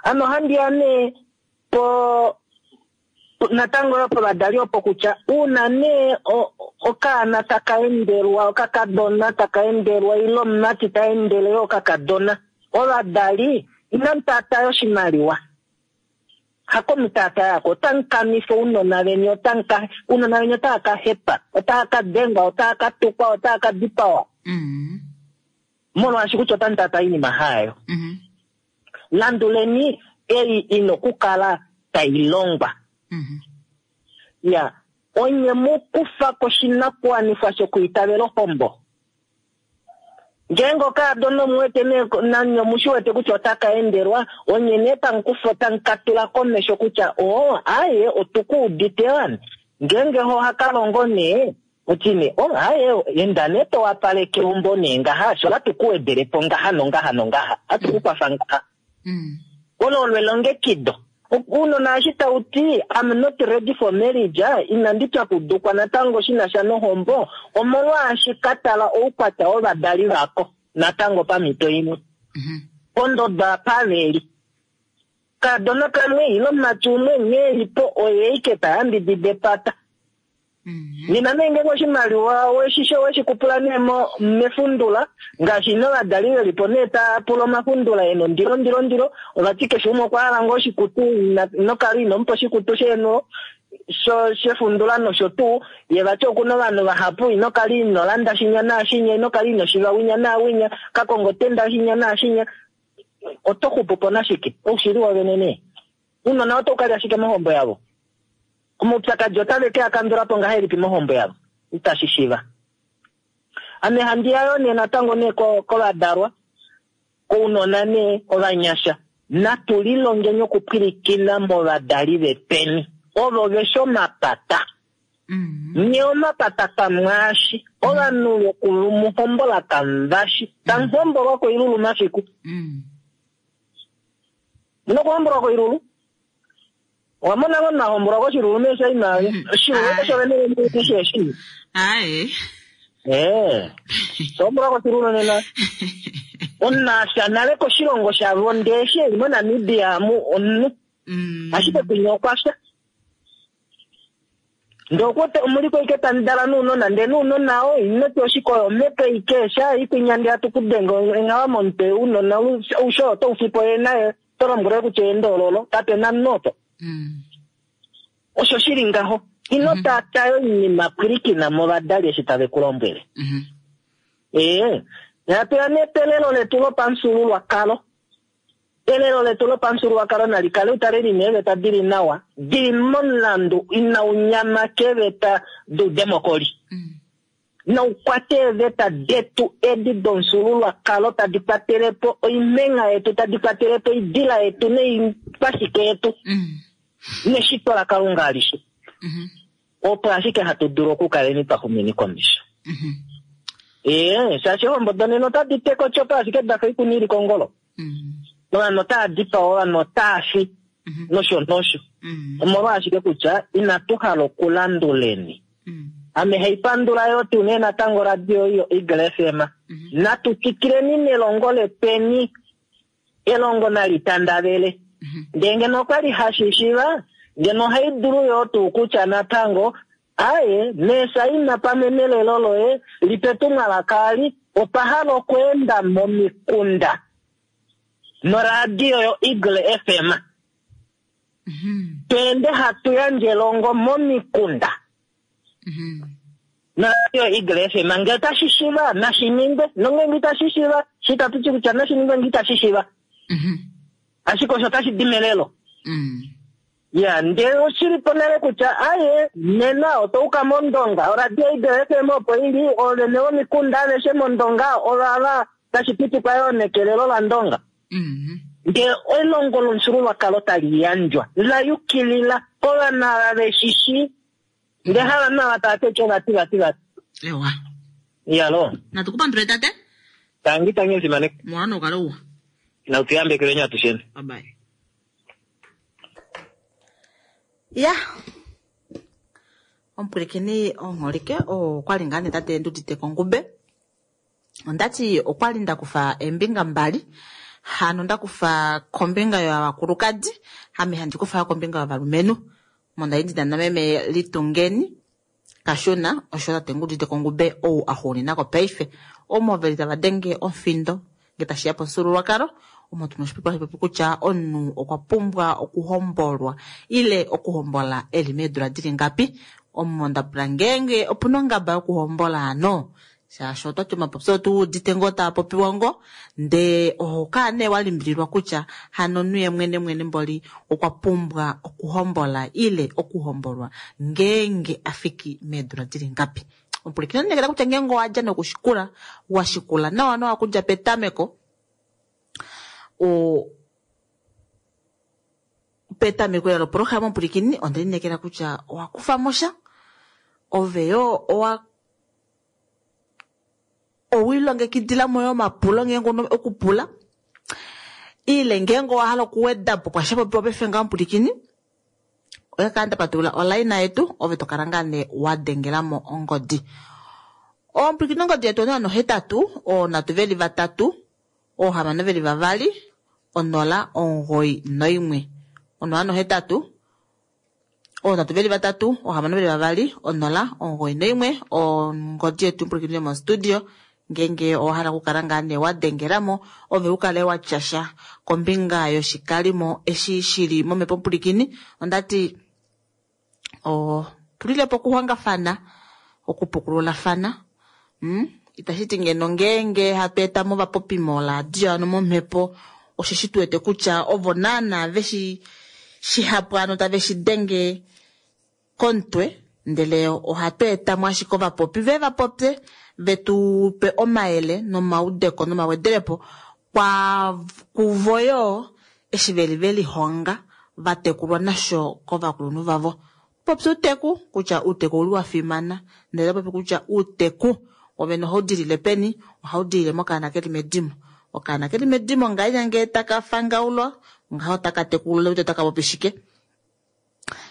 Ano ohandi ya nee po natango yo povadali opo kutya uuna nee okaana taka endelwa, okakadona taka endelwa ile omumati ta endele yo okakadona, ovadali inamu taataya oshimaliwa. Hako mu taataya ko, otamu kanifa ounona veni, otamu ka, ounona veni otava ka hepa, otava ka dengwa, otava ka tukwa, otava ka dipawa. Molwaashi kutya otamu taataya oinima hayo. Landuleni ei i na okukala tai longwa. Ya, onye mu kufa koshinakuwanifwa shokwiitavela ohombo. Ngeenge okaadona omu wete nee nanye omu shi wete kutya otaka endelwa, onye nee tamu kufa tamu ka tula komesho kutya oo aye otu ku udite wani. Ngeenge ho ohaka longo nee, oti nee oh aye enda nee to wapaleke eumbo nee ngaha, fye ohatu ku wedele po ngaha nongaha nongaha, ohatu ku kwafa ngaha. Olo olo elongekido. Ounona eshi tau ti I'm not ready for marriage, inandi pyakudukwa natango shi na sha nohombo, omolwaashi ka tala oukwatya wovadali vako natango pamhito imwe. Pondodo apa ve li. Kaadona kamwe ile omumati umwe nghee e li po oye ike ta yambidida epata. Nena nee ngeenge oshimaliwa weshi oweshi kupula nee mo mefundula, ngaashi ina ovadali ve li po nee taa pula omafundula e na ondilo ndilo ndilo, ova ti keshe umwe okwa hala ngoo oshikutu, ina ino kala ino mupa oshikutu sheeno sho shefundula nosho tuu, ye vati oku na ovanhu vahapu, ino kala ino landa shinya naashinya, ino kala ino shiva winya naawinya, ka konga otenda shinya naashinya, oto xupu po nashike? Oushili wovene nee. Ounona otau ka lya shike mohombo yavo? Omaupyakadi otave ke a kandula po ngahelipi mohombo yavo? Itashi shiva. Ame handi ya yoo nee natango nee kovadalwa, kounona nee ovanyasha, natu lilongeni okupwilikina movadali vetweni, ovo ve shi omapata. Nye omapata kamwaashi, ovanhu vokumuhombola kamuvashi, tamu hombolwa koilulu mafiku. Muna okuhombolwa koilulu? Owa mona ngoo na hombolwa koshilulu meesha ina oshilulu osho vene vene shi eshi. Aye. Eh. Hombolwa koshilulu nena. Omunhu afya nale koshilongo shavo ndee eshi eli moNamibia amu omunhu. Ashike kwinya okwa fya. Ndee okuwete omuliko ike tamu dala nounona ndee nounona oo inoti oshikoya omhepo ike sha ikwinya ndee hatu kudenge enghava momutwe ounona oushe otau fipo ye naye to lombwele kutya eendoololo kape na omunhu opo. Osho shi li ngaho. Ino taataya oinima pwilikina movadali eshi tave ku lombwele. Ee, natu ya nee pelelo letu lopamufyuululwakalo. Elelo letu lopamufyuululwakalo nali kale utale li na eeveta di li nawa, di li momulandu inau nyama keeveta doudemokoli. Nau kwate eeveta detu edi domufyuululwakalo tadi kwatele po oimengha yetu, tadi kwatele po oidila yetu noikwashike yetu neshito laKalunga alishe. Opo ashike hatu dulu okukaleni twa xumeni komesho. Ee, shaashi eehombo donena otadi teka otyopa ashike da fa oikuni i li kongolo. Ovanhu otava dipawa, ovanhu otava fi, nosho nosho. Omolwaashike kutya inatu hala okulanduleni. Ame haipandula yoo tuu nee natango oradio ei yoEagle FM. Natu twikileni nelongo letweni. Elongo nali tandavele. Ndee ngeno okwali hashi shiva, ngeno ohai dulu yoo tuu kutya natango, Aye, meesaina pamwe nelelo loye lipe etumwalaka ali, otwa hala okweenda momikunda noradio yoEagle FM. Tweende hatu yandje elongo momikunda. Noradio Eagle FM ngee otashi shiva nashi ningwe, nongeenge itashi shiva, shi itatu ti kutya nashi ningwe ngee itashi shiva. Ashike osho otashi di melelo. Ya, ndele oshi li po nale kutya aye, nena otwa uka mOndonga, oradio Eagle FM opo i li, oovene vomikunda aveshe mOndonga ovava tashi pitikwa yoo nekelelo laNdonga. Ndele elongo lomufyuululwakalo tali yandjwa la yukilila kovanhu ava ve shi shii. Ndele havanhu ava tava ti osho vati vati vati. Ewa. Iyaloo. Natu ku pandule tate. Tangi tangi omufimanekwa. Mona noukale uwa. Natu yambekelweni atusheni. Bye bye. Ya. Omupwilikini omuholike okwali ngaa nee tate Ndudite Kongube. Ondati okwali nda kufa eembinga mbali. Hano nda kufa kombinga yovakulukadi, ame handi kufa yo kombinga yovalumenhu. Omo ndali ndina nameme Litungeni Kashuna osho tate Ngudite Kongube ou a xuuninako paife. Omo veli tava denge omufindo nge tashi ya pomufyuululwakalo, omo tuna oshipopiwa hashi popi kutya omunhu okwa pumbwa okuhombolwa ile okuhombola eli meedula dili ngapi. Omo nda pula ngeenge opuna ongaba yokuhombola hano shaashi otwati omapopyo otu udite ngoo taa popiwa ngoo ndee oho kala nee wa limbililwa kutya hano omunhu ye mwene mwene mboli okwa pumbwa okuhombola ile okuhombolwa ngeenge a fiki meedula dili ngapi. Omupwilikini olinekela kutya ngeenge owa dja nokushikula wa shikula nawa nawa okudja petameko o petameko lela lopolohalama omupwilikini onde linekela kutya owa kufa mo sha ove yoo owa Owiilongekidila mo yo omapulo ngeenge una okupula ile ngeenge owa hala okuweda po kwasha popiwa paife ngaho omupwilikini oya kala nda patulula olaina yetu ove to kala ngaa nee wa dengela mo ongodi. Omupwilikini ongodi yetu 081 323 622 091 081 Oonhatu veli vatatu, oohamano veli vavali, onola, omugoyi noimwe, ongodi yetu pwilikini yomostudio ngeenge owa hala okukala ngaa nee wa dengela mo ove u kale wa tya sha kombinga yoshikalimo eshi shi li momhepo pwilikini. Onda ti otulile po okuhongafana, okupukululafana mm? Itashi ti ngeno ngeenge hatu eta mo ovapopi moradio ano momhepo osheshi tu wete kutya ovo naana veshi shihapu ano tave shi denge komutwe ndele ohatu eta mo ashike ovapopi ve va popye ve tu pe omayele nomaudeko nomawedelepo kwa kuvo yoo eshi veli ve lihonga va tekulwa nasho kovakulunhu vavo. Popya outeku, kutya outeku ouli wa fimana, ndele oto popi kutya outeku wovene ohau dilile peni? Ohau dilile mokaana ke li medimo. Okaana ke li medimo ngahenya ngee taka fangaulwa, ngaho otaka tekululwa kutya otaka popi shike.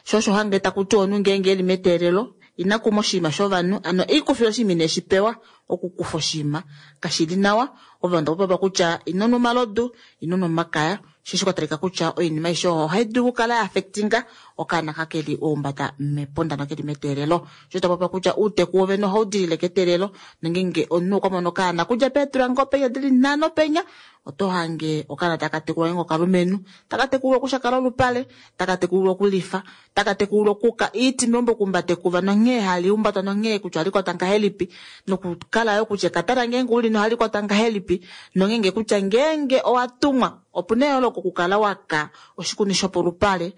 Sho osho hange taku ti omunhu ngeenge e li meteelelo, Ina kuma oshinima shovanhu, ano eikufila oshinima ine shi pewa, okukufa oshinima kashi li nawa. Ovanhu tava popiwa kutya ino nwa omalodu, ino nwa omakaya, osheshi kwa talika kutya oinima aishe oyo ohai dulu okukala ya affectinga okaana ka keli oumbada mepunda nokeli meteelelo. Osho ta popiwa kutya uuteku wovene ohau dilile keteelelo, nongeenge omunhu okwa mono okaana kudja peedula ngoo penya dili nhano penya, oto hange okaana taka tekulwa ngeenge okalumenhu, taka tekulwa okushakala olupale, taka tekulwa okulifa, taka tekulwa okuka iiti meumbo okumbata ekuva nonghee hali humbatwa nonghee kutya ohali kwatwa ngahelipi, nokukala yo kutya ekatana ngeenge uli nohali kwatwa ngahelipi, nongeenge kutya ngeenge owa tumwa opuna eyooloko okukala waka oshikuni shopolupale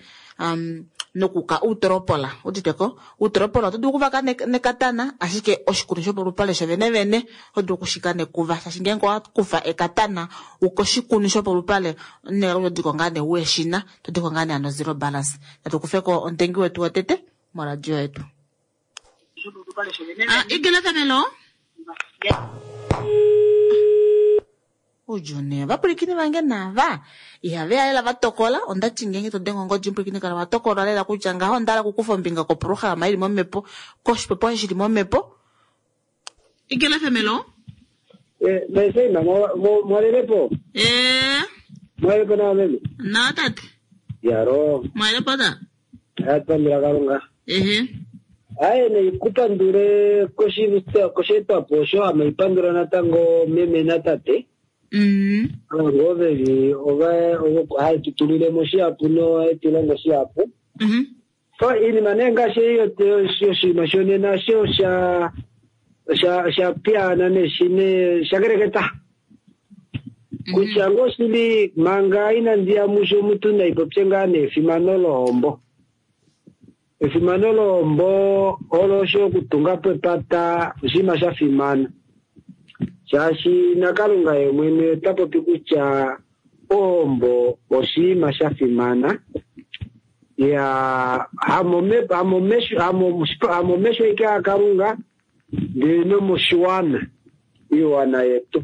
nokuka uutolopola. Uditeko uutolopola oto dulu okuvaka nekatana, ashike oshikuni shopolupale shovenevene oto dulu okushika nekuva, shaashi ngeenge owa kufa ekatana uka oshikuni shopolupale neka todiko ngaa nee ueshina, todiko ngaa nee ano zero balance. Natu kufeko omutengi wetu wotete moradio yetu. Igila Thamelo. Ujune, vapulikini vange nava ihave ya lela vatokola. Ondati ngeenge to denge ongodi mupulikini kala watokola lela kutya ngaho onda hala okukufa ombinga koprograma ili momhepo, koshipopiwa shili momhepo. Igila Thamelo. Meseima mwalelepo. Mwalelepo nawa meme. Nawa tate. Yaro. Mwalelepo ta. Atwambila Kalunga. Ehe. Aye neikupandule kosheetwapo osho ameipandula natango meme natate. Avo veli ova haitutulile mo shihapu nohaitulongo shihapu. So iinima nee ngaashi yoshinima shonena sho sha piyaana neshine shakeleketa. Kutya ngoo shili manga inandi ya musho omuntu naipopye ngaa neefimano lohombo. Efimano lohombo olo osho okutunga po epata oshinima sha fimana. Shaashi naKalunga ye mwene ota popi kutya ohombo oshinima sha fimana. Ya hamomesho ike aKalunga ndele nomoshiwana iwana yetu.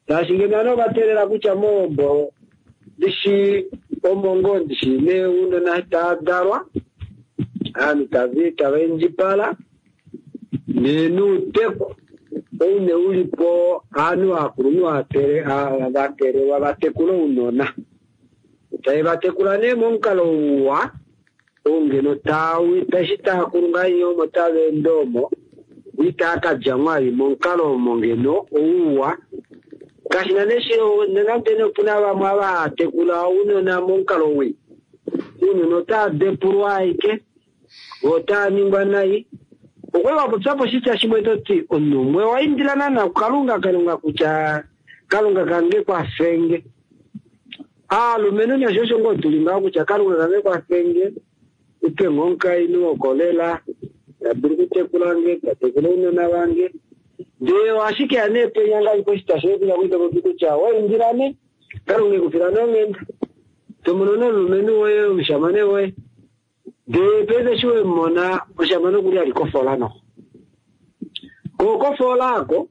Shaashi ngeno ovanhu ova teelela kutya mohombo ndishi omongo ndishi neunona tadalwa aanhu tava indjipala nuuteku oune ulipo aanhu aakulunhu vateelelwa vatekule ounona. Tave vatekula nee momukalo uwa oungeno tashi taakulu ngaa omo tava ende omo itaa kadja mwali momukalo omo ngeno ouwa. Kashina nande opuna vamwe ava haatekula ounona momukalo wii. Ounona otaa depulwa aike otaa ningwa nai. Okwe wapopyapo oshitya shimwe toti omunhu umwe owaindila naana kuKalunga Kalunga kutya Kalunga kange kwafenge. Aalumenhu nasho osho ngoo tuli ngaho kutya Kalunga kange kwafenge upe ngo omukainhu wokolela ta dulu okutekula nge, ta tekula ounona vange. Ndele ashike ya nee penya ngaashi koshitya shoye kutya kuitopopi kutya waindila ne Kalunga ekufila nonghenda. Tomono nomulumenhu woye omushamane woye. Ndele paife eshi wemona omushamane okuli ali kofola noho. Ko kofola ako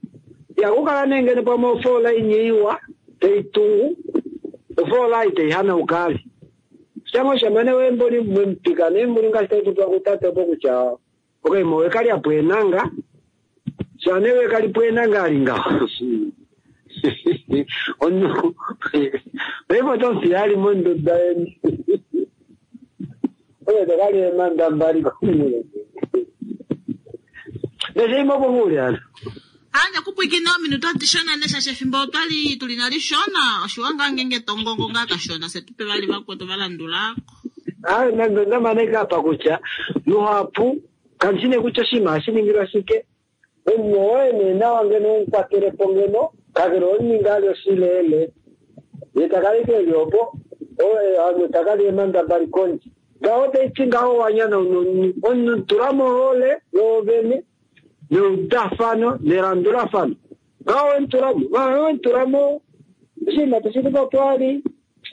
yakukala nee ngeno pamwe ofola inye iwa tei tungu ofola itei hanauka ali. Shango oshamane woye mboli mwemupika nee mboli ngaashi taipopwa kutate opo kutya okaima wekali apo enanga shane wekali po enanga ali ngaho. Omunhu paife otomufiya ali monduda yeni. Oye tokali eemanda mbali komulungu. Nesheima opo nguli ano. Ande kupwikina ominute odishona neshasha efimbo otwali tuli nalishona oshiwa ngaa ngeenge tongongo ngaa kashona se tupe vali vakwetu valandulako. Aye nande ondamane kapa kutya luhapu kandishi kutya oshinima hashi ningilwa shike. Omunhu woye nee nawa ngeno omukwatelepo ngeno kakele omuninga ali oshileele ye takali keli opo ame takali eemanda mbali kondje. Ngaho taiti ngaho wanyana omunhu tula mohole yoovene neudafano nelandulafano. Ngaho wemutulamo wemutulamo oshinima tashi twali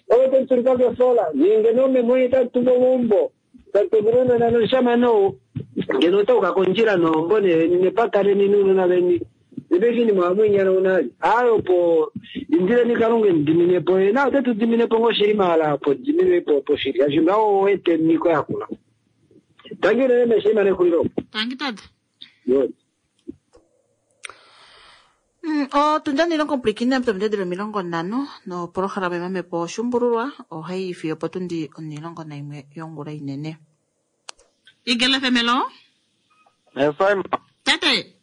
owe temutulika kefola nenge nomemwenye tamutumba meumbo tamutumba noshamane ou ngeno otauka kondjila nohombo nepata leni nounona veni nepeshinima wamwenyana unali. Aye opo indileni Kalunga emudiminepo ye na ote tu diminepo ngoo shili mahala opo diminepo opo shili shaashi ngaho owete niko yakula. Tangi unene meshima nexulilo. Tangi tate. Yo. Otundi onilongo pwilikina pamidedelo 50 nopolohalama yomamhepo oshumbululwa ohayi fiyo potundi 11 yongula inene. Igele FM hello. Esaima, Tate.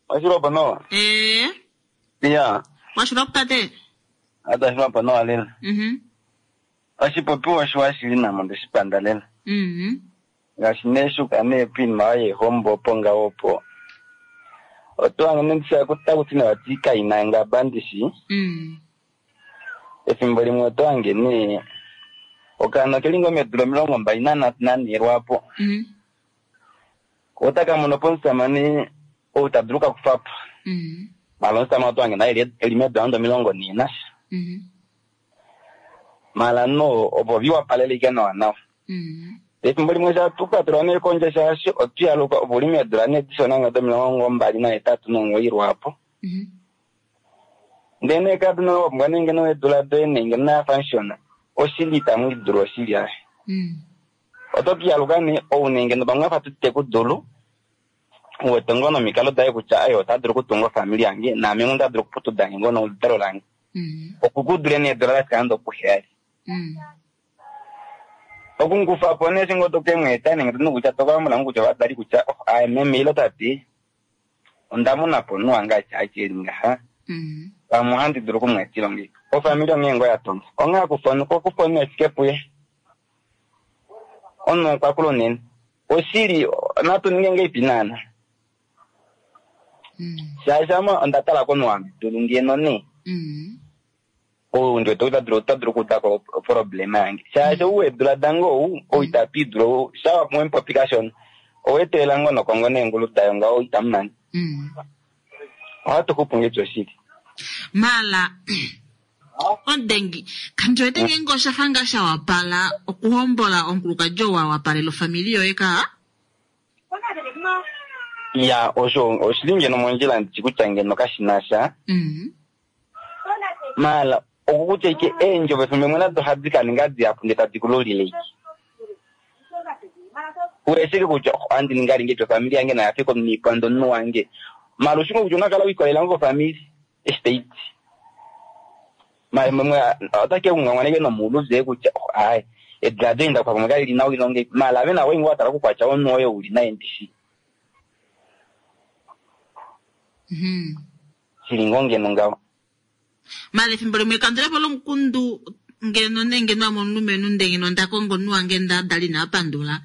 washilopo nowa? Eh, Iya, washilopo tate. ata shilopo nowa lela. Mhm. Oshipopiwa oshiwa shili namo ndeshipanda lela. Mhm. Ngaashi neeshuka neepinima yeehombo opo ngaho opo. Otwa ndisha takuti vati kaina ngaba ndishi. Efimbo limwe oto hange nee okaana keli ngoo meedula 24 lwaapo. Otaka mono po omusamane ou ta dulu okukakufa po. Mala omusamane oto hange naye eli meedula nande 40 nasha. Mala no opo viwapalele ike nawa nawa. Efimbo limwe shatukwatelwa nee kondje shaashi otwiyaluka opo uli meedula nee dishona ngoo do28 lwaapo. Ndele nee kaduna wapumbwa nee ngeno eedula doye nee ngeno nayafa nshona oshili itamu idulu oshili aye. Oto kiyaluka nee ou nee ngeno pamwe afa tutekudulu uwete ngoo nomikalo daye kutya aye ota dulu okutunga ofamili yange naame ngoo nda dulu okuputuda nge ngoo noludalo lange. Okukudule nee eedula dafika nande okuheyali. Okungufa po nee shingo tokemweeta nenge tonu kutya tokamona kutya ovadali kutya oh, aye meme ilo tate onda mona po omunhu wange atya eli ngaha. Pamwe ohandi dulu okumweetila onge. Ofamili onghee ngoo ya tonga. Onghee akufa okufa omunhu efike puye. Omunhu okwa kula unene. Oshili natu ninge ngeipi naana. Shaashi ame onda tala komunhu wange dulu ngeno nee. Ou ndi wete ota dulu okuuda ko oproblema yange. Shaashi ou weedula dange ou, ou itapi idulu, shawa pamwe mupopi kashona. Oweetelela ngoo nokongo neengulu dayo ngaho itamu nani. Ohatu xupu ngeti oshili. Mala omudengi kandi wete ngeenge oshafa ngaa sha wapala okuhombola omukulukadi oo wa wapalela ofamili yoye ka? Ya, osho oshili ngeno mondjila ndishi kutya ngeno kashina sha. Mala okukutya ike eendjovo efimbo limwe nado ohadi ka ninga dihapu ndee tadi kululile ike. Uweshike kutya ohandi ninga lingi ofamili yange naya fike omiipando omunhu wange. Mala ushingo kutya unakala wikolela ngo ofamili eshi taiti. Mala mwe otake ungangwaneke nomuuluze kutya aye ediladilo inda kwa pamwe kali nawa ilonge. Mala ave nawe ngo watala kukwatya omunhu oye uli naye ndishi. Shili ngoo ngeno ngaho. Mala efimbo limwe ekandulepo lomukundu ngeno nenge ngeno omulumenhu nde ngeno nda kongo omunhu wange nda dali ina pandula.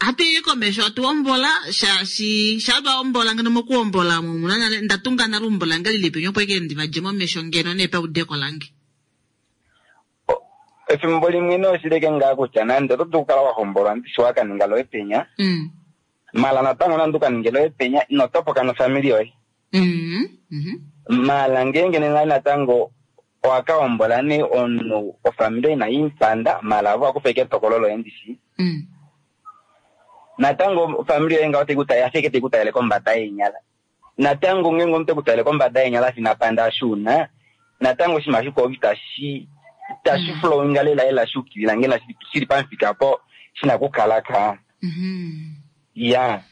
Hatu i komesho hatu hombola shaashi shaa hombola ngeno mokuhombola omuna nale nda tunga nale eumbo lange lili penya opo eke ndi vadje momesho ngeno nee paudeko lange. Efimbo limwe nee oshileke ngaa kutya nande oto dulu okukala wa hombolwa ndishi wa kaninga loye penya. Mala natango nande ukaninge loye penya ino topoka nofamili yoye. Mala ngeenge nena natango owaka hombola nee omunhu ofamili ina impanda mala avo akufa ike etokolo loye ndishi. Natango ofamili yoye ngaho afike teikutalele kombada yeenyala. Natango ngeenge omuntu tekutalele kombada yeenyala fina panda ashuuna natango oshinima shikwao itashi flowinga lela lela shukilila ngeno shili pamufika po shina okukala ka. Ya.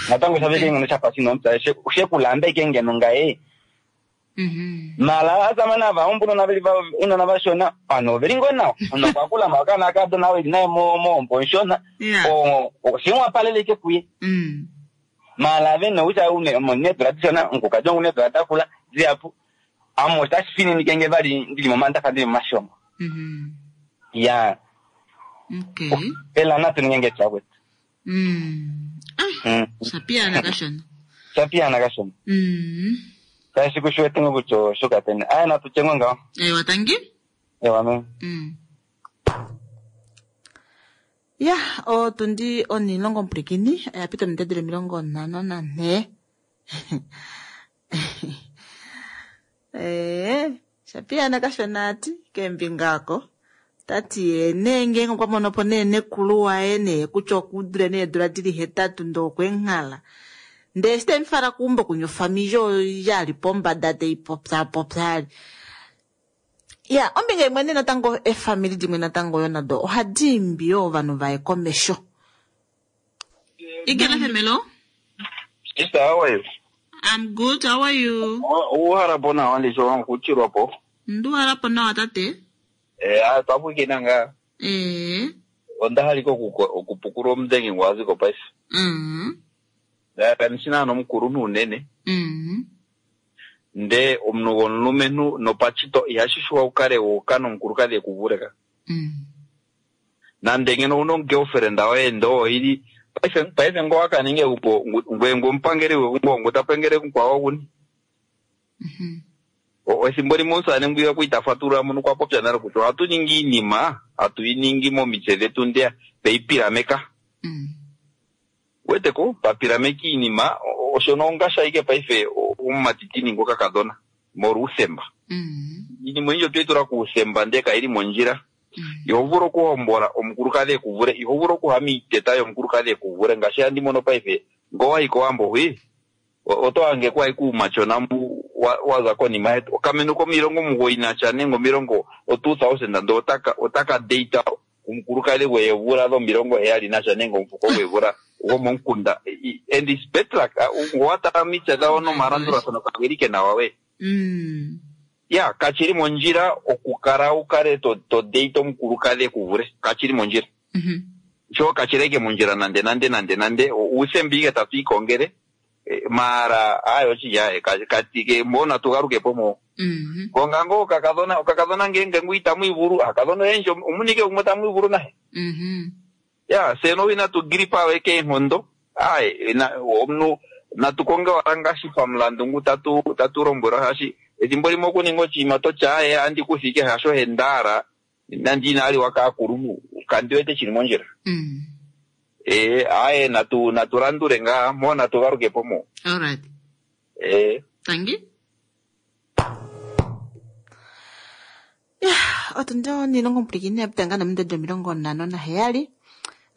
Natango shaveke ngeno shafa shina omupya shekulamba ike ngeno ngaye. Mala asamane ava hombo unona vashona vanhu oveli ngoo nawa. Omunhu okwa kula mala okaana kakadona eli naye mohombo onshona. Shimwapalele ike kuye. Mala ave kutya needula dishona omukukadi wangu needula dakula dihapu. Ame otashi fininike nge vali ndili momandafa ndili momashongo. Ya. Okay. Ela natu ninge nge twakwetu. Shapiyana kashona. Shapiyana kashona. Tashi kushuwete ngo kutya oshoka tene. Aya natu tye ngo ngaho. Ewa tangi. Ewa me. Ya, otundi onilongo mpwilikini oya pita omidedelo 54. Shapiyana kashona ati kembinga ako. Tati ye nee ngeenge okwa mono po nee nekulu waye nee kutya okudule needula dili 8 ndoo okwenghala. Ndee eshi temufala keumbo kunya ofamili oyo yali pombada teipopya popya. Ya, ombinga imwe nee natango efamili dimwe natango yo nado ohadi imbi yoo ovanhu vaye komesho. Ikena femelo. Sister, how are you? I'm good, how are you? Uhala po nawa ndicho kuchirwa po. Nduhala po nawa tate. Eh, ah, twapwikina ngaa. Eh. Onda haliko okupukula omudhengi gwaziko paife. Kanishina nomukulunhu unene. Nde omunhu gomulumenhu nopachito ihashi shuwa ukale wuuka nomukulukadhi ekuvuleka. Nande ngeno owuna omugirlfriend woye ndee oili paife paife ngoo wakaninga egumbo ngweye ngu omupangeli gwegumbo ngu ta pangele mukwawo oguni. Ethimbo limwe omusamane ngwiya okwa ita fatulula mono okwa popya nale kutya ohatu ningi iinima hatu yi ningi momitse dhetu ndeya tweyi pilameka. Weteko papilameka iinima oshono ongashi ashike paife omumati ti ningi okakadhona molwa uuthemba. Iinima oyindji otweyi tula kuuthemba ndele kayili mondjila. Iho vulu okuhombola omukulukadhi eku vule, iho vulu okuha miiteta yomukulukadhi eku vule ngaashi handi mono paife ngele owayi kOwambo hwi oto hangeko ashike uumatyona mbu wa za konima yetu. Okamentu komilongo 90 nenge omilongo o 2000 ndele otaka otaka date omukulukadhi gweevula dhomilongo heyali nasha nenge omufuko gweevula gomomukunda and it's bad luck. Ngele owa tala omitse dhawo nomalandulathano kageli ke nawa we. Ya kashili mondjila okukala wu kale to to date omukulukadhi eku vule. Kashili mondjila. Sho kashili ashike mondjila nande nande nande nande. Uuthemba ike tatu ikongele maara aaye oshili aaye katike mbo natu galukepo mo. Konga ngoo okakadhona okakadhona ngeenge ngu itamu ivulu aakadhona oyendji omuna ike gumwe tamu ivulu naye. Ya fye no inatu gripa we keenhondo aaye omunhu natu konge owala ngaashi pamulandu ngu tatu tatu lombwelwa shaashi ethimbo limwe okuninga oshinima toti aaye andi kutha ike hasho hendaala nande ina liwa kaakulunhu kandi wete shili mondjila. Ee aaye natu natu landule ngaa mo natu galukepo mo. Alright. Ee. Tangi. Ya, otundi onilongo mpwilikini ya pita ngaa nominute 57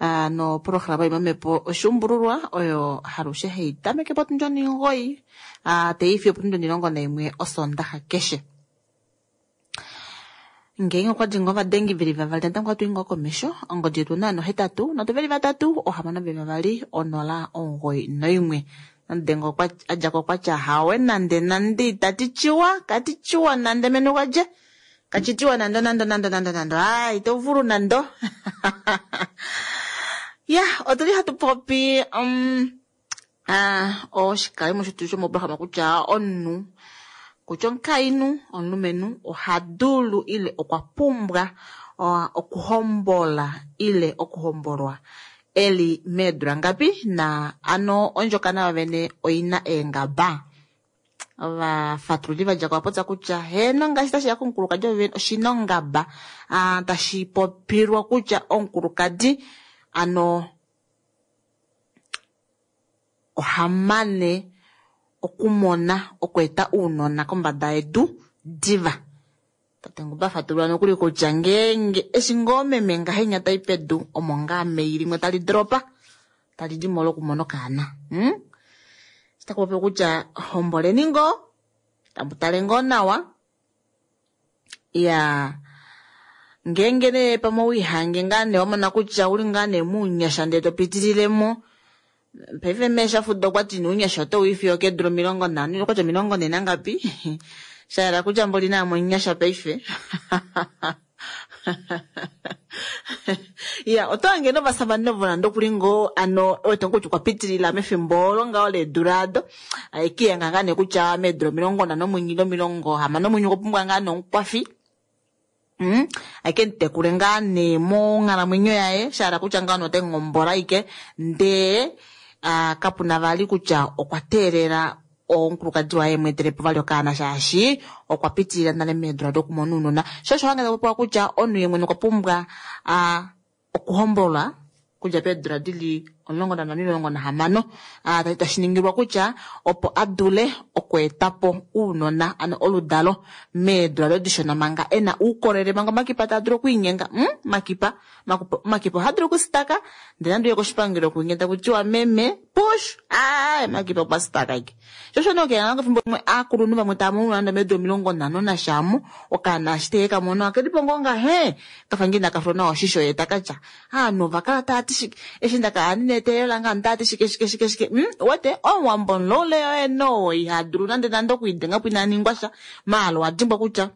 ah, nopolohalama yomamhepo oshuumbululwa oyo halushe hayi tameke potundi 9 ah, tayi fiyo opotundi 11 osondaxa keshe. Ngeenge okwa li ngoo ovadengi veli vavali natango ohatu i ngoo komesho ongodi yetu onaano 8 3 6 2 0 91. Namudenga okwa a dja ko okwa tya hawe nande nande itati tyiwa kati tyiwa nande menu gadje kachi tiwa nando nando nando nando nando aa ito vulu nando ya otuli hatu popi ah, oshikalimo shetu shomoprograma kutya omunhu kutya omukainhu omulumenhu oha dulu ile okwa pumbwa okuhombola ile okuhombolwa eli meedula ngapi na ano ondjokana yovene oina eengaba. Ovafatululi va dja ko va popya kutya heeno ngaashi tashi ya komukulukadi wovene oshina ongaba ah, tashi popilwa kutya omukulukadi ano oha mane okumona okweeta ounona kombada yedu diva. Tate Nguba fatulula nokuli kutya ngeenge eshi ngoo meme ngahenya tai pedu omo ngaa mei limwe tali dropa tali di mo lokumona okaana. Taku popiwa kutya homboleni ngoo tamu tale ngoo nawa ya ngeenge nee pamwe owiihange ngaa nee wamona kutya uli ngaa nee muunyasha ndee to pitililemo paife meeshafudo okwati nuunyasha oto wiifiyo keedula 50 okwati 40 nangapi shayela kutya mboli naame omunyasha paife ya oto hange novasavane ovo nande okuli ngoo ano wete kutya okwa pitilila mefimbo olo ngaho leedula ado ekiyenga ngaa nee kutya meedula 51 60 omwenyo okwa pumbwa ngaa nomukwafi ake mutekule ngaa nee monghalamwenyo yaye shahala kutya ngaa note ngombola ike ndee kapuna vali kutya okwa teelela omukulukadi waye emweetelepo vali okaana shaashi okwa pitilila nale meedula dokumona ounona. Sho osho hange takupopiwa kutya omunhu ye mwene okwa pumbwa okuhombolwa kudja peedula dili 15 16 tashi ningilwa kutya opo a dule okweetapo ounona ano oludalo meedula dodishona manga ena uukolele manga omakipa taa dulu okwiinyenga makipa omakipa ohaa dulu okusitaka ndele nande uye koshipangelo kuinye taku tiwa meme push aaye makipa okwa sitaka ike. Sho osho nee okuyanga efimbo limwe aakulunhu vamwe tava mono nande meedula 50 nashamu okaana eshi teke kamono akelipo ngoo ngahe kafa ngee inaka filwa nawa oshisho ye taka tya aanhu ova kala tava ti shike eshi ndaka neteelelo lange andaati shike shike shike shike wete omuwambo omulole yoye no iha dulu nande nande okwiidenga po ina ningwa sha maala owa dimbwa kutya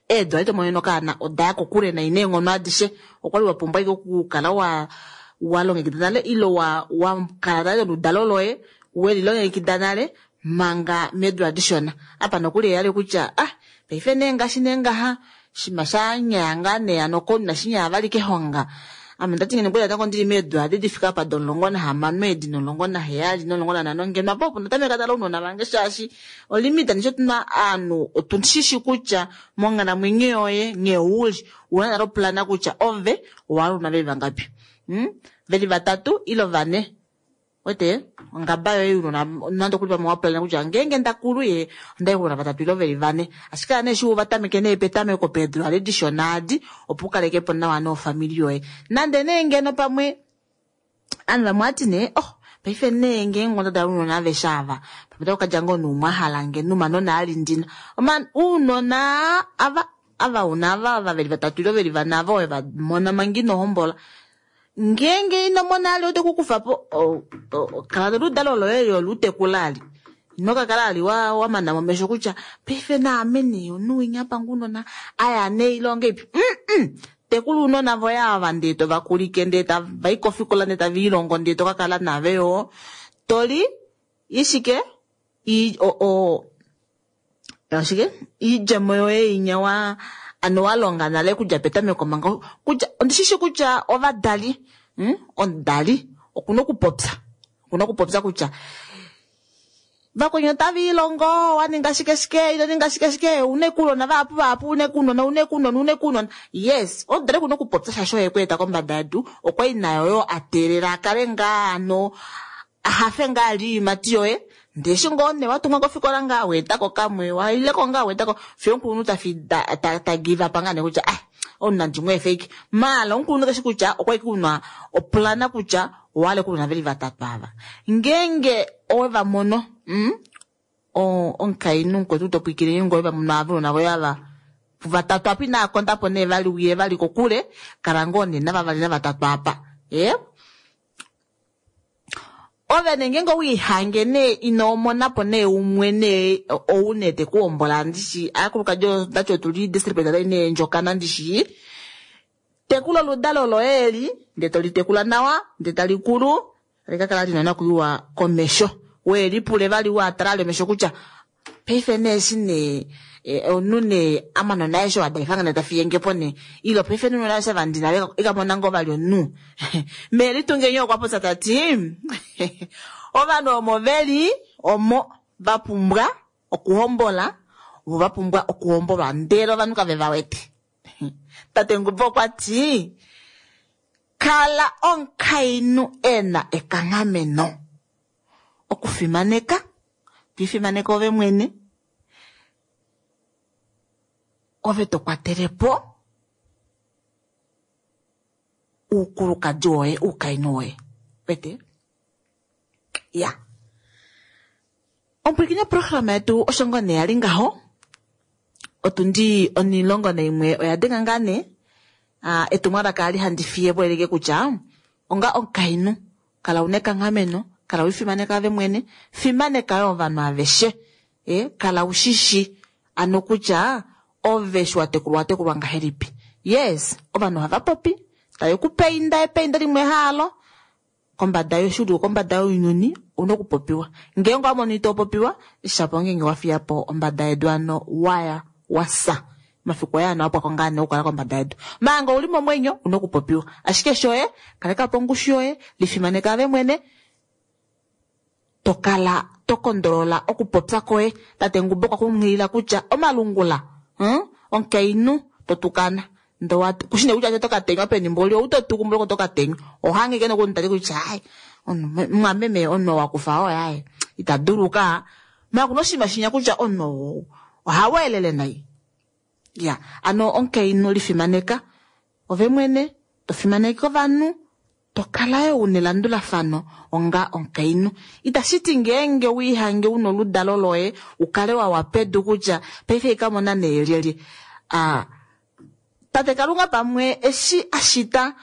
eedula tomonene okaana odaya kokule nai neenghono adishe okwali wa pumbwa ike okukala wa walongekida nale ilo wa wakala nale oludalo loye welilongekida nale manga meedula dishona apa nokuli eyali kutya ah paife nee ngaashi nee ngaha shima shanyaya ngaa nee ano konima shinyaya vali kehonga ame ndati ngeno kweli natango ndili meedula adi difika apa domulongo nahamano edi nomulongo naheyali nomulongo nanhano ngeno apa opo ndatameka tala ounona vange shaashi olimita nisho tuna aanhu otushishi kutya monghalamwenyo yoye nghee uli una nale oplana kutya ove owahala ounona veli vangapi veli vatatu ilo vane wete ongaba yoye unona nande okuli pamwe waplana kutya ngeenge ndakulu ye ondai ounona vatatu ilo veli vane ashike ane eshi uvatameke nee petameko peedula dishona adi opo ukalekepo nawa nofamili yoye nande nee ngeno pamwe aanhu vamwe ati nee oh paife nee ngeenge onda dala ounona aveshe ava pamwe otakukadja ngoo nuumwahala nge numanona ali ndina ounona ava ava una ava veli vatatu ilo veli vane ava oye vamona manga ino hombola ngeenge ino mona ali ote kukufapo kala noludalo loye yolutekula ali ino kakala ali wamana momesho kutya paife naame nee omunhu panga unona aya nee ilonga ipi tekula uunona voye ava ndee tovakulike ndee tavai kofikola ndee taviilongo ndee tokakala nave yo toli ishike ashike iidjemo yoye inya wa ano walonga nale kudja petameko manga kutya ondishishi kutya ovadali omudali okuna okupopya okuna okupopya kutya vakwenyu otaviilongo waninga shike shike ino ninga shike shike une kuunona vahapu vahapu une kuunona une kuunona une kuunona yes omudali okuna okupopya shaashi oye kweeta kombada yedu okwali nayo yo ateelela akale ngaa ano ahafe ngaa ali iimati yoye ndeshi ngoo ne watumwa kofikola ngaa weetako kamwe waileko ngaa weetako fiyo omukulunhu ta give up ngaa nee kutya ah omunhu ndimwe fake maala omukulunhu keshi kutya okwali kuna oplana kutya owale kuluna veli vatatu ava ngeenge owe vamono omukainhu mukwetu topwikile ngoye vamono ava unona voye ava vatatu apa inaakondapo nee vali wiye vali kokule kala ngoo nee navavali navatatu apa ove nenge wiihange nee ino monapo nee umwe nee ou nee tekuhombola ndishi aakulukadi ndati otuli district nee ndjokana ndishi tekula oludalo loye eli ndee tolitekula nawa ndee talikulu likakala lina nakuyiwa komesho we lipule vali watala lemesho kutya paife nee eshi nee omunhu nee amanona aeshe wadalifanga nee tafiyengepo nee ilo paife nunona aeshe vandina ikamona ngoo vali omunhu meelitungenyo okwa popya tati ovanhu omo veli omo vapumbwa okuhombola vo vapumbwa okuhombolwa ndele ovanhu kave vawete tate Ngubo okwa ti kala omukainhu ena ekanghameno okufimaneka twifimaneka ove mwene ove tokwatelepo uukulukadi woye uukainhu woye wete ya omupwilikini oprograma yetu osho ngoo nee yali ngaho otundi 11 oya denga ngaa nee etumwalaka ali handi fiye po eleke kutya onga omukainhu kala una ekanghameno kala wifimaneka ove mwene fimaneka yo ovanhu aveshe kala ushishi ano kutya ove shi watekulwa watekulwa ngahelipi yes ovanhu ohava popi tave ku peinda epeinda limwe haalo kombada yoshulu kombada younyuni una okupopiwa ngeenge wamono ito popiwa shapo ngeenge wafiya po ombada yedu ano waya wasa mafiku oye ano wapwako ngaa nee okukala kombada yedu manga uli momwenyo una okupopiwa ashike shoye kaleka po ongushu yoye lifimaneka ove mwene tokala tokondolola okupopya koye tate Ngubo okwa kunghilila kutya omalungula omukainhu totukana kushine kutya tokatenywa peni mboli ou totuku tokatenywa ohangike nokunitali kutya ai mwameme omunhu wakufa oye ai ita duluka makuna oshinima shinya kutya omunhu ohaweelele nai ya ano omukainhu lifimaneka ove mwene tofimaneke ovanhu tokala yo una elandulafano onga omukainhu itashiti ngeenge wiihange una oludalo loye ukale wawa pedu kutya paife ikamona nee lyelye tate Kalunga pamwe eshi ashita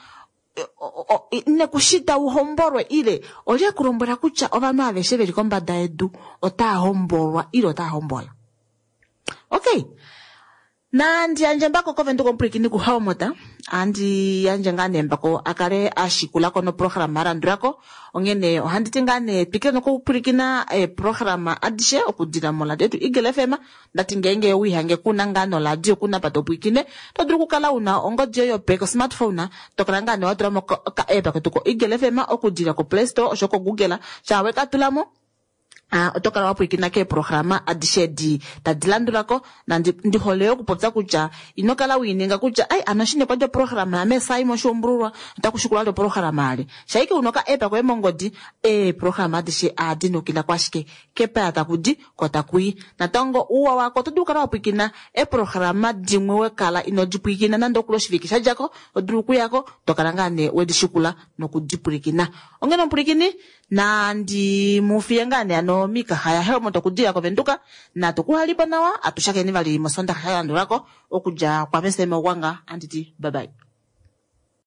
Nekushita u hombolwe ile olye ku lombwela kutya ovanhu aveshe veli kombada yedu otaa hombolwa ile otaa hombola? Okay. Nandi yandje mbako kovenduka omupwilikini kuHelmut. Andi yandje ngaa nee mbako a kale a shikula ko noprograma a landula ko. Onghene ohandi ti ngaa nee twikile nokupwilikina eeprograma adishe okudila moradio yetu Eagle FM. Ndati ngeenge wiihange kuna ngaa noradio kuna apa to pwilikine, to dulu okukala una ongodi yoye yopeke smartphone, to kala ngaa nee wa tula mo ka app ketu ko Eagle FM okudila ko Play Store osho ko Google. Shaa we ka tula mo, oto kala wa pwilikina keeprograma adishe edi tadi landula ko. Nandi ndi hole okupopya kutya ino kala wiininga kutya ai ano shine kwa lyoprograma ya mesai moshuumbululwa otaku shikula lyoprograma ale shaike uno ka app koye mongodi eeprograma adishe adi nukila kwashike kepaya taku di ko taku yi. Natango uuwa wako oto dulu okukala wa pwilikina eeprograma dimwe we kala ino di pwilikina nande okuli oshivike sha djako, oto dulu okuyako to kala ngaa nee wedi shikula nokudi pwilikina. Onghene omupwilikini nandi mu fiye ngaa nee ano miikaha yaHelmut okudila koVenduka natu kuhalipo nawa atushakeni vali mosondaxa ya landulako okudja kwa Meseme Ogwanga anditi bye bye.